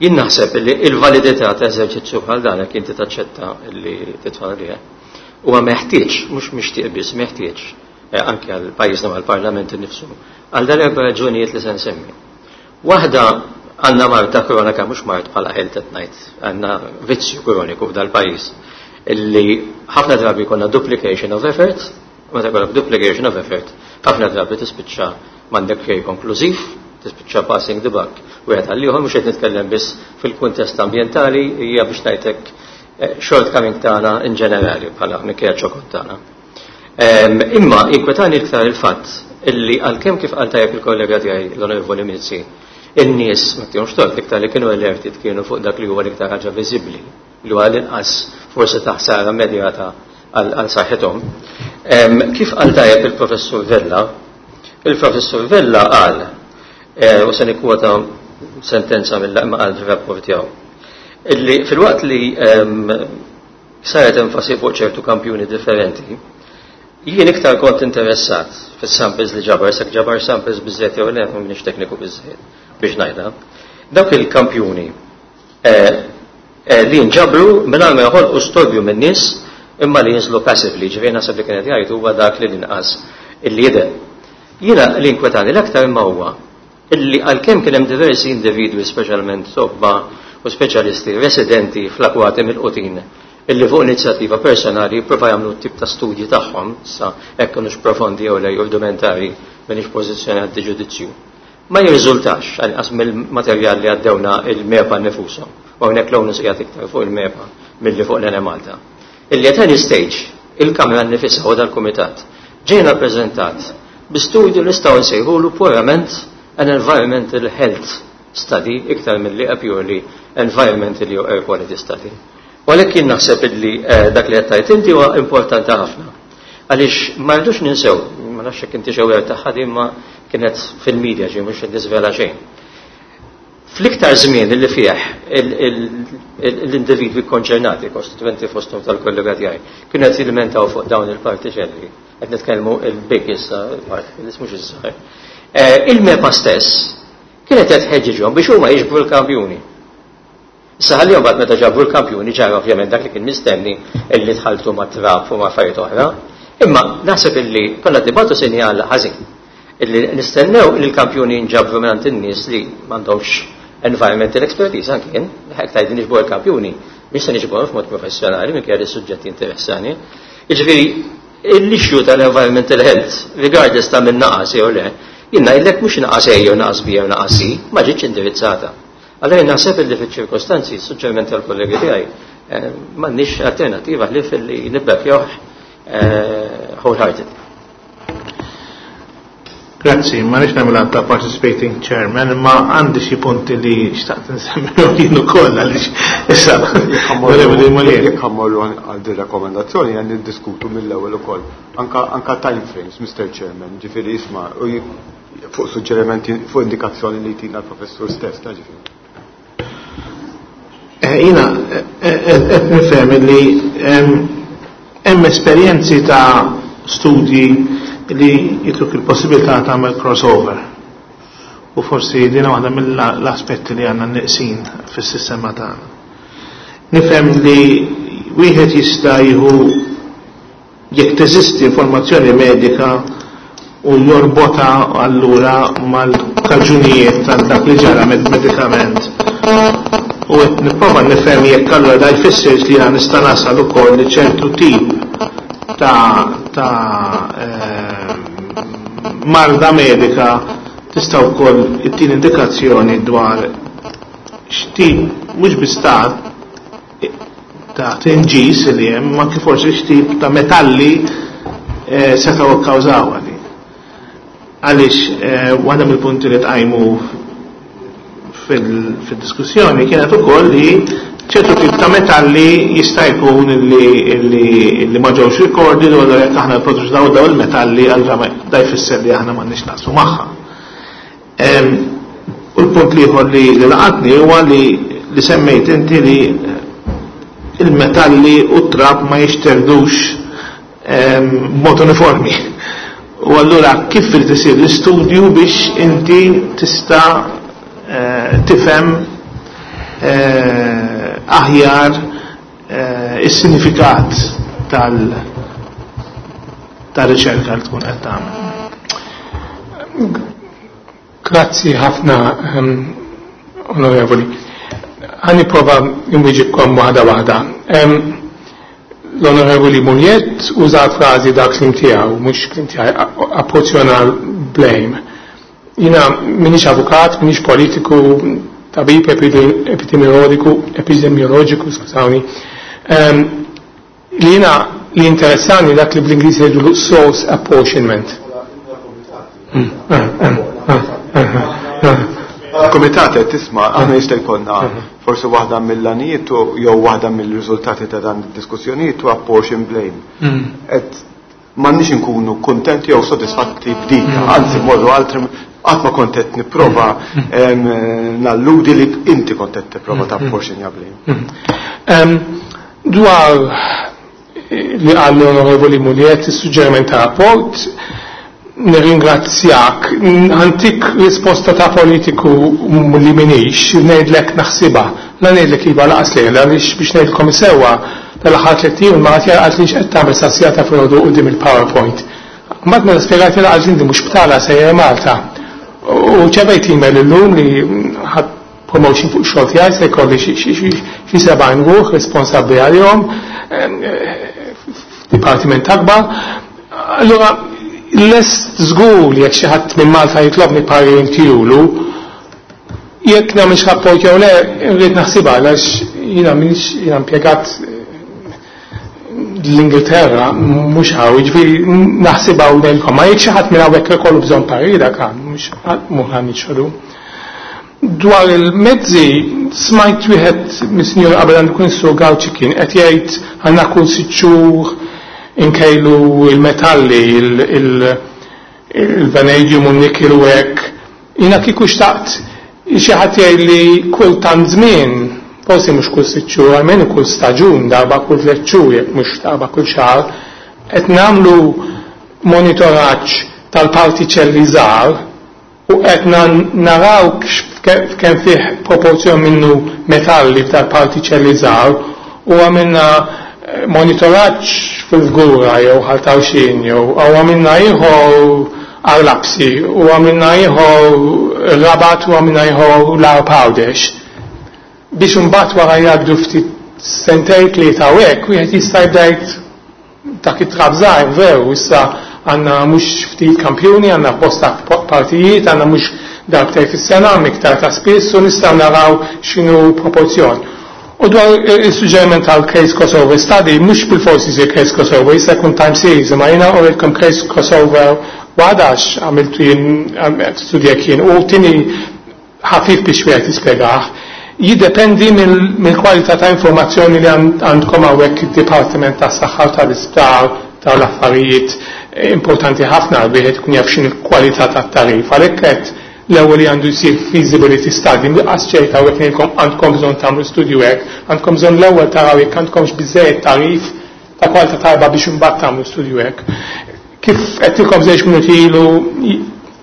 D: Jien naħseb li il-validità ta' eżerċizzju bħal dan, jekk inti taċċetta li titfal liha, huwa meħtieġ, mhux mixtieq biss, meħtieġ eh, anke għal pajjiżna mal parlament innifsu. Għal dan erba' raġunijiet li se nsemmi. Waħda, għandna marda kronika, mhux mard bħala health at night, għandna vizzju kroniku f'dal-pajjiż illi ħafna drabi jkollna duplication of effort, meta jkollok duplication of effort, ħafna drabi tispiċċa m'għandek xejn konklużiv, tispiċċa passing the buck. Wieħed għal ieħor, mhux qed nitkellem biss fil-kuntest ambjentali, hija biex ngħidlek eh, shortcoming tagħna in ġenerali bħala minkejja ċokon tagħna. Imma inkwetani iktar il-fatt illi għalkemm, kif qal tajjeb il-kollega tiegħi l-Onorevoli Mizzi, in-nies ma tihomx tort, iktar li kienu alerted kienu fuq dak li huwa l-iktar ħaġa viżibbli, li huwa l-inqas forsi ta' ħsara immedjata għal saħħithom. Kif qal tajjeb il-professur Vella, il-professur Vella qal, eh, u se nikkwota sentenza mill-laqma qal fir-rapport tiegħu, illi filwaqt li saret enfasi fuq ċertu kampjuni differenti, jien iktar kont interessat fis-samples li ġabar, sak ġabar samples biżżejjed jew le, m'iniex tekniku biżżejjed biex ngħidha. Dawk il-kampjuni eh, eh, li nġabru mingħajr ma joħolqu storbju min-nies imma li jinżlu passively, ġifieri naħseb li kienet jgħid huwa dak li l-inqas illi jidher. Jiena li inkwetani l-aktar imma huwa illi għalkemm kien hemm diversi individwi, speċjalment tobba u speċjalisti residenti fl-akwati mill-qutin, illi fuq inizjattiva personali jipprova jagħmlu tip ta' studji tagħhom, sa hekk kinux profondi jew le, rudimentari, m'iniex pożizzjoni għad ġudizzju. Ma jirriżultax, għalqas mill-materjal li għaddewna il-MEPA nfushom, u hawnhekk l-onus qiegħed iktar fuq il-MEPA milli fuq l-Enemalta. Illi at any stage, il-Kamra nifisha u dal-Kumitat ġejna preżentat bi studju li nistgħu nsejħulu purament an environmental health study iktar milli a purely environmental jew air quality study. U għalhekk jien naħseb illi eh, dak li qed tgħid inti huwa importanti ħafna. Għaliex ma rridux ninsew, ma nafx jekk inti xewwer tagħha, imma kienet fil-medja ġie, mhux qed niżvela xejn. Fl-iktar żmien li fih l-individwi konċernati, kostituenti fosthom tal-kollega tiegħi, kienu qed jilmentaw fuq dawn il-partiċelli, qed nitkellmu il-big issa, particles mhux iż-żgħar. Eh, il-MEPA stess kienet qed tħeġġiġhom biex huma jiġbru l-kampjuni. Issa ħalli mbagħad meta ġabru l-kampjuni ġara ovvjament dak li kien mistenni, illi tħaltu ma' trab u ma' affarijiet oħra. Imma naħseb illi konna nibagħtu sinjal ħażin. Illi nistennew li l-kampjuni nġabru minn in-nies li m'għandhomx environmental expertise anki jien, ħek tgħid niġbru l-kampjuni, mhix se niġbru f'mod professjonali minkejja li suġġetti interessani. Jiġifieri l-issue tal-environmental health, regardless ta' min naqas jew le, jien ngħidlek mhux naqas A jew naqas B jew naqas C, ma ġietx indirizzata. Allora naħseb li fiċ-ċirkostanzi, suġġeriment tal-kollegi tiegħi, m'għandniex alternativa ħlief li nibbekkjawh wholehearted.
A: Grazzi, ma nix nagħmel ta' participating chairman, imma għandi xi punti li xtaqt nsemmihom jien ukoll għaliex issa.
E: Jekk ħa mmorru għal din rakkomandazzjoni għan niddiskutu mill-ewwel ukoll. Anka anka time frames, Mister Chairman, ġifieri isma' fuq suġġerimenti, fuq indikazzjoni li jtina l-professur stess, ta' ġifieri.
A: Jiena qed nifhem li hemm esperjenzi ta' studji li jitruk il-possibilità tagħmel crossover. U forsi dina waħda mill-aspetti li għandna neqsin fis-sistema tagħna. Nifhem li wieħed jista' jieħu jekk teżisti informazzjoni medika u jorbota allura mal-kaġunijiet tal dak li ġara medikament. U qed nipprova nifhem jekk allura da jfisser li jiena nista' nasal ukoll li ċertu tip ta' ta' eh, marda medika tista' wkoll ittin indikazzjoni dwar x'tip mhux biss ta' ta' tinġis li hemm, ma kif forsi x'tip ta' metalli eh, setgħu kkawżaw għali. Għaliex eh, waħda mill-punti li tqajmu fil-diskussjoni kienet ukoll li ċertu tip ta' metalli jista' jkun li, li, li ma ġewx recorded u allura jekk aħna nproduċu daw daw il-metalli allura da jfisser li aħna m'għandniex naqsmu magħha. U l-punt ieħor li, li laqatni huwa li, li semmejt inti li il-metalli u t-trab ma jixterdux b'mod uniformi. U allura kif irid isir l-istudju biex inti tista' eh, tifhem eh, aħjar eh, is-sinifikat tal tar-riċerka li tkun qed tagħmel.
H: Grazzi ħafna, um, onorevoli. Ħa nipprova nwieġibkom waħda waħda. Um, L-onorevoli Mugliett uża frażi dak kliem tiegħu, mhux kliem tiegħi, apporzjonal blame. Jiena m'iniex avukat, m'iniex politiku, tabib epidemiologiku, epidemiologiku, skużawni. Um, li jiena li interessani dak li bl-Ingliż jgħidu source apportionment. Mm, ah, ah, ah, ah, ah.
E: Komitat qed tisma' aħna jista' jkollna forsi waħda mill-għanijiet jew waħda mill-riżultati ta' dan id-diskussjonijiet u apportion blame.
H: Mm.
E: Qed m'għandniex inkunu kuntenti jew sodisfatti b'dik,
H: Mm.
E: anzi morru altri qatt ma kont qed nipprova
H: Mm.
E: nalludi li inti kont qed tipprova
H: Mm.
E: ta' apportion ja blame.
H: Mm. Um, dwar li qal l-onorevoli Mugliett is-suġġeriment ta' rapport, nirringrazzjak, ħa ntik risposta ta' politiku li m'iniex, ngħidlek naħsibha, la ngħidlek iva lanqas le, għaliex biex ngħidlkom sewwa tal-aħħar tliet ijiem ma qed qalt li x'qed tagħmel sa ta' filgħodu quddiem il-PowerPoint. Mbagħad meta spjegajt li qalt li mhux btala sejjer Malta. U rċevejt email illum li ħadt promotion fuq xogħol tiegħi se jkolli xi sebgħin ruħ responsabbli għalihom f'dipartiment akbar. Allura lest żgur li jekk xi ħadd minn Malta jitlobni parir intihulu, jekk nagħmilx rapport jew le, rrid naħsibha għax jiena m'iniex jiena impjegat l-Ingilterra mhux hawn, jiġifieri naħsibha u ngħidilkom, ma jekk xi ħadd minn hawnhekk ikollu bżonn parir dak mhux mhux ħa niċħdu. Dwar il-mezzi, smajt wieħed mis-sinjur qabel għandu kun sur Gauci kien qed jgħid għandna kull sitt xhur inkejlu il-metalli, il-vanadium u n-nikkel u hekk. Jiena kieku xtaqt xi ħadd jgħid li kull tant żmien, forsi mhux kull sitt xhur, almenu kull staġun, darba kull tliet xhur, jekk mhux darba kull xahar, qed nagħmlu monitoraġġ tal-partiċelli żgħar u qed naraw kemm fih proporzjon minnu metalli tal-partiċelli żgħar u għamilna monitoraġġ fil-Fgura jew Ħal Tarxien jew għamilna ieħor Għar Lapsi u għamilna ieħor Rabat u għamilna ieħor l-Għarb Għawdex. Biex imbagħad wara jgħaddu ftit sentejn tlieta u hekk wieħed jista' jibda jgħid dak it-trab żgħir veru issa għandna mhux ftit kampjuni, għandna bosta partijiet, għandna mhux darbtejn fis-sena, iktar ta' spiss, u nistgħu naraw x'inhu proporzjon. U dwar il-suġġeriment tal-case crossover study, mhux bil-forsi jsir case crossover, jista' jkun time series, imma jiena urejtkom case crossover għadax għamiltu jien studjek jien, u tini ħafif biex wieħed jispjegah. Jiddependi mill-kwalità ta' informazzjoni li għandkom hawnhekk id-Dipartiment tas-Saħħa u tal-Isptar tal-affarijiet importanti ħafna wieħed ikun jaf x'inhi l-kwalità tat-tagħrif. Għalhekk qed l-ewwel li għandu jsir feasibility study, qas ċerta hawnhekk ngħidilkom għandkom bżonn tagħmlu studju hekk, għandkom bżonn l-ewwel taraw jekk għandkomx biżejjed tagħrif ta' kwalità tajba biex imbagħad tagħmlu studju hekk. Kif għedtilkom żewġ minuti ilu,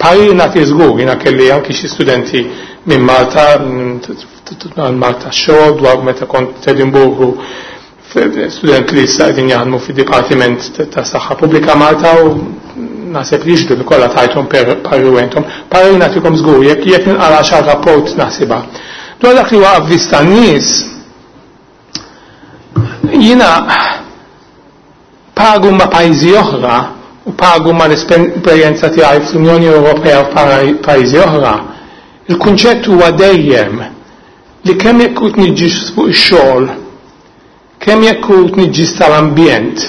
H: parir nagħti żgur, jiena kelli anki xi studenti minn Malta, Malta xogħol dwar meta kont Edinburghu, student li issa qegħdin jaħdmu fid-Dipartiment ta' Saħħa Pubblika Malta u naħseb li jixhdu li kollha tajthom parir intom. Parir nagħtikom żgur, jekk jekk ninqara xi rapport naħsibha. Dwar dak li huwa avviż tan-nies, jiena paragun ma' pajjiżi oħra u paragun ma' l-esperjenza tiegħi fl-Unjoni Ewropea u pajjiżi oħra, il-kunċett huwa dejjem li kemm jekk hu tniġġis fuq ix-xogħol, kemm jekk hu tniġġis tal-ambjent,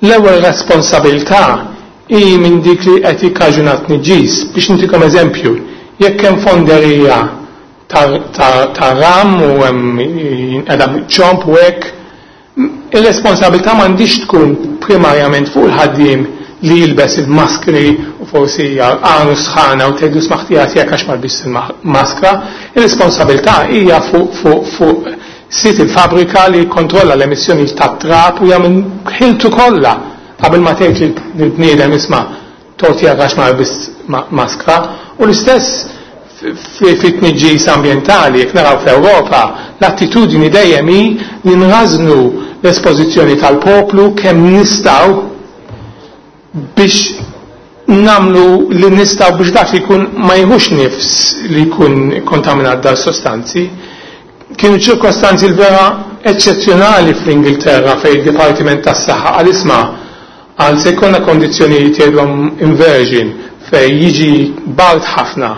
H: l-ewwel responsabilità hi minn dik li qed jikkaġuna tniġġis. Biex ntikom eżempju, jekk hemm fonderija ta' ram u hemm jinqeda ċomp u hekk, ir-responsabilità m'għandix tkun primarjament fuq il-ħaddiem li jilbes il-maskri u forsi għanu sħana u tgħidu smaħtija tiegħek għax ma lbist il-maskra. Ir-responsabilità hija fuq fuq fuq sit il-fabrika li jikkontrolla l-emissjoni tat-trab u jagħmel ħiltu kollha qabel ma tgħid lill-bniedem isma' torti għax ma lbist maskra. U l-istess fit-tniġġis ambjentali, jekk naraw fl-Ewropa, l-attitudni dejjem hi li nrażnu l-espożizzjoni tal-poplu kemm nistgħu biex namlu li nistgħu biex dak li jkun ma jieħux nifs li jkun kontaminat dal sostanzi. Kienu ċirkostanzi l-vera eċċezzjonali fl-Ingilterra fejn id-Dipartiment tas-Saħħa għal isma' għal se jkollna kondizzjonijiet jgħidhom inversion fejn jiġi bard ħafna,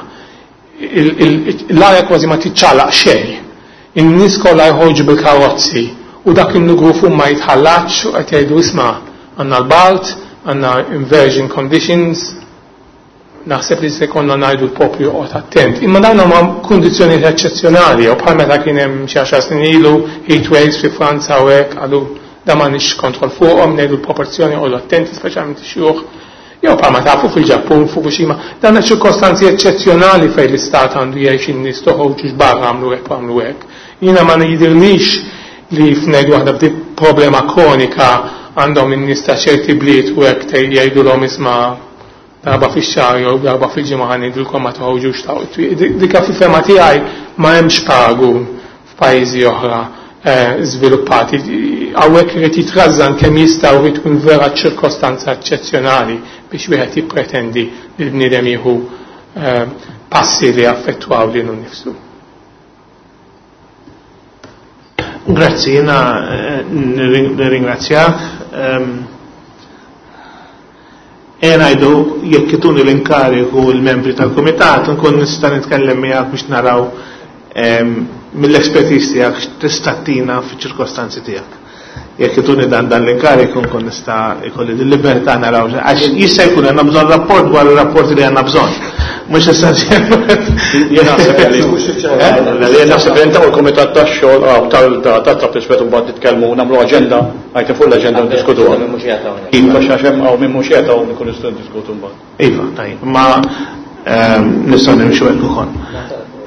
H: l-arja kważi ma tiċċalaq xejn. In-nies kollha jħorġu bil-karozzi u dak in-nugru ma jitħallatx u qed jgħidu isma' għandna l-bald, għandna inversion conditions, naħseb li se konna ngħidu l-poplu joqgħod attent. Imma dawn huma kundizzjonijiet eċċezzjonali, u bħal meta kien hemm xi għaxar snin ilu heat waves fi Franza u hekk qalu da m'għandniex kontroll fuqhom, ngħidu l-proporzjoni joqogħdu attenti speċjalment ix-xjuħ. Jew bħalma tafu fil-Ġappun, Fukushima, dawn ċirkostanzi eċċezzjonali fejn l-istat għandu jgħix in-nies toħorġux barra għamlu hekk u għamlu hekk. Jiena ma jidhirlix li f'ngħidu waħda b'di problema kronika għandhom in-nies ta' ċerti bliet u hekk jgħidulhom isma' darba fix-xahar jew darba fil-ġimgħa ħa ngħidulkom ma toħorġux ta' Dika fil-fema tiegħi ma hemmx paragun f'pajjiżi oħra żviluppati. Hawnhekk irid jitrażżan kemm jista' u jrid tkun vera ċirkostanza eċċezzjonali biex wieħed jippretendi li l-bniedem jieħu passi li affettwaw lilu nnifsu.
A: Grazzi, jiena nirringrazzjak. E ngħidu jekk ituni l-inkariku l-membri tal-kumitat nkun nista' nitkellem miegħek biex naraw mill-expertise tiegħek x'tista' tina fiċ-ċirkostanzi tiegħek. Jekk ituni dan dan l-inkariku nkun nista' jkolli l-libertà naraw għax jista' jkun għandna bżonn rapport dwar ir-rapporti li għandna bżonn. Mhux essenzjalment.
B: Jien naħseb li jien naħseb li inta u l-kumitat tax-xogħol tal-tat iswed u mbagħad nitkellmu nagħmlu aġenda, għajt fuq l-aġenda u ndiskutuha. Iva, għax hemm hawn min mhux qiegħed hawn nkunu nistgħu ndiskutu mbagħad.
A: Iva, tajjeb, ma nistgħu nimxu hekk ukoll.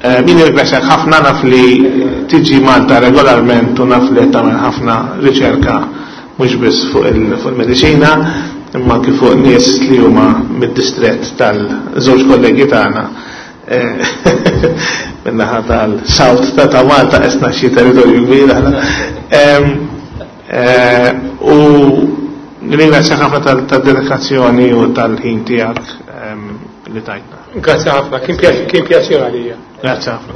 A: Jien nirringrazzjak ħafna, naf li tiġi Malta regolarment u naf li qed tagħmel ħafna riċerka mhux biss fuq il-mediċina, imma anki fuq nies li huma mid-distrett tal-żewġ kollegi tagħna min-naħa tal-South ta' ta' Malta qesna xi territorju kbir aħna. U nirringrazzjak ħafna tad-dedikazzjoni u tal-ħin tiegħek li tajtna.
H: Grazie ħafna, kien pjaċir għalija.
A: Grazie ħafna.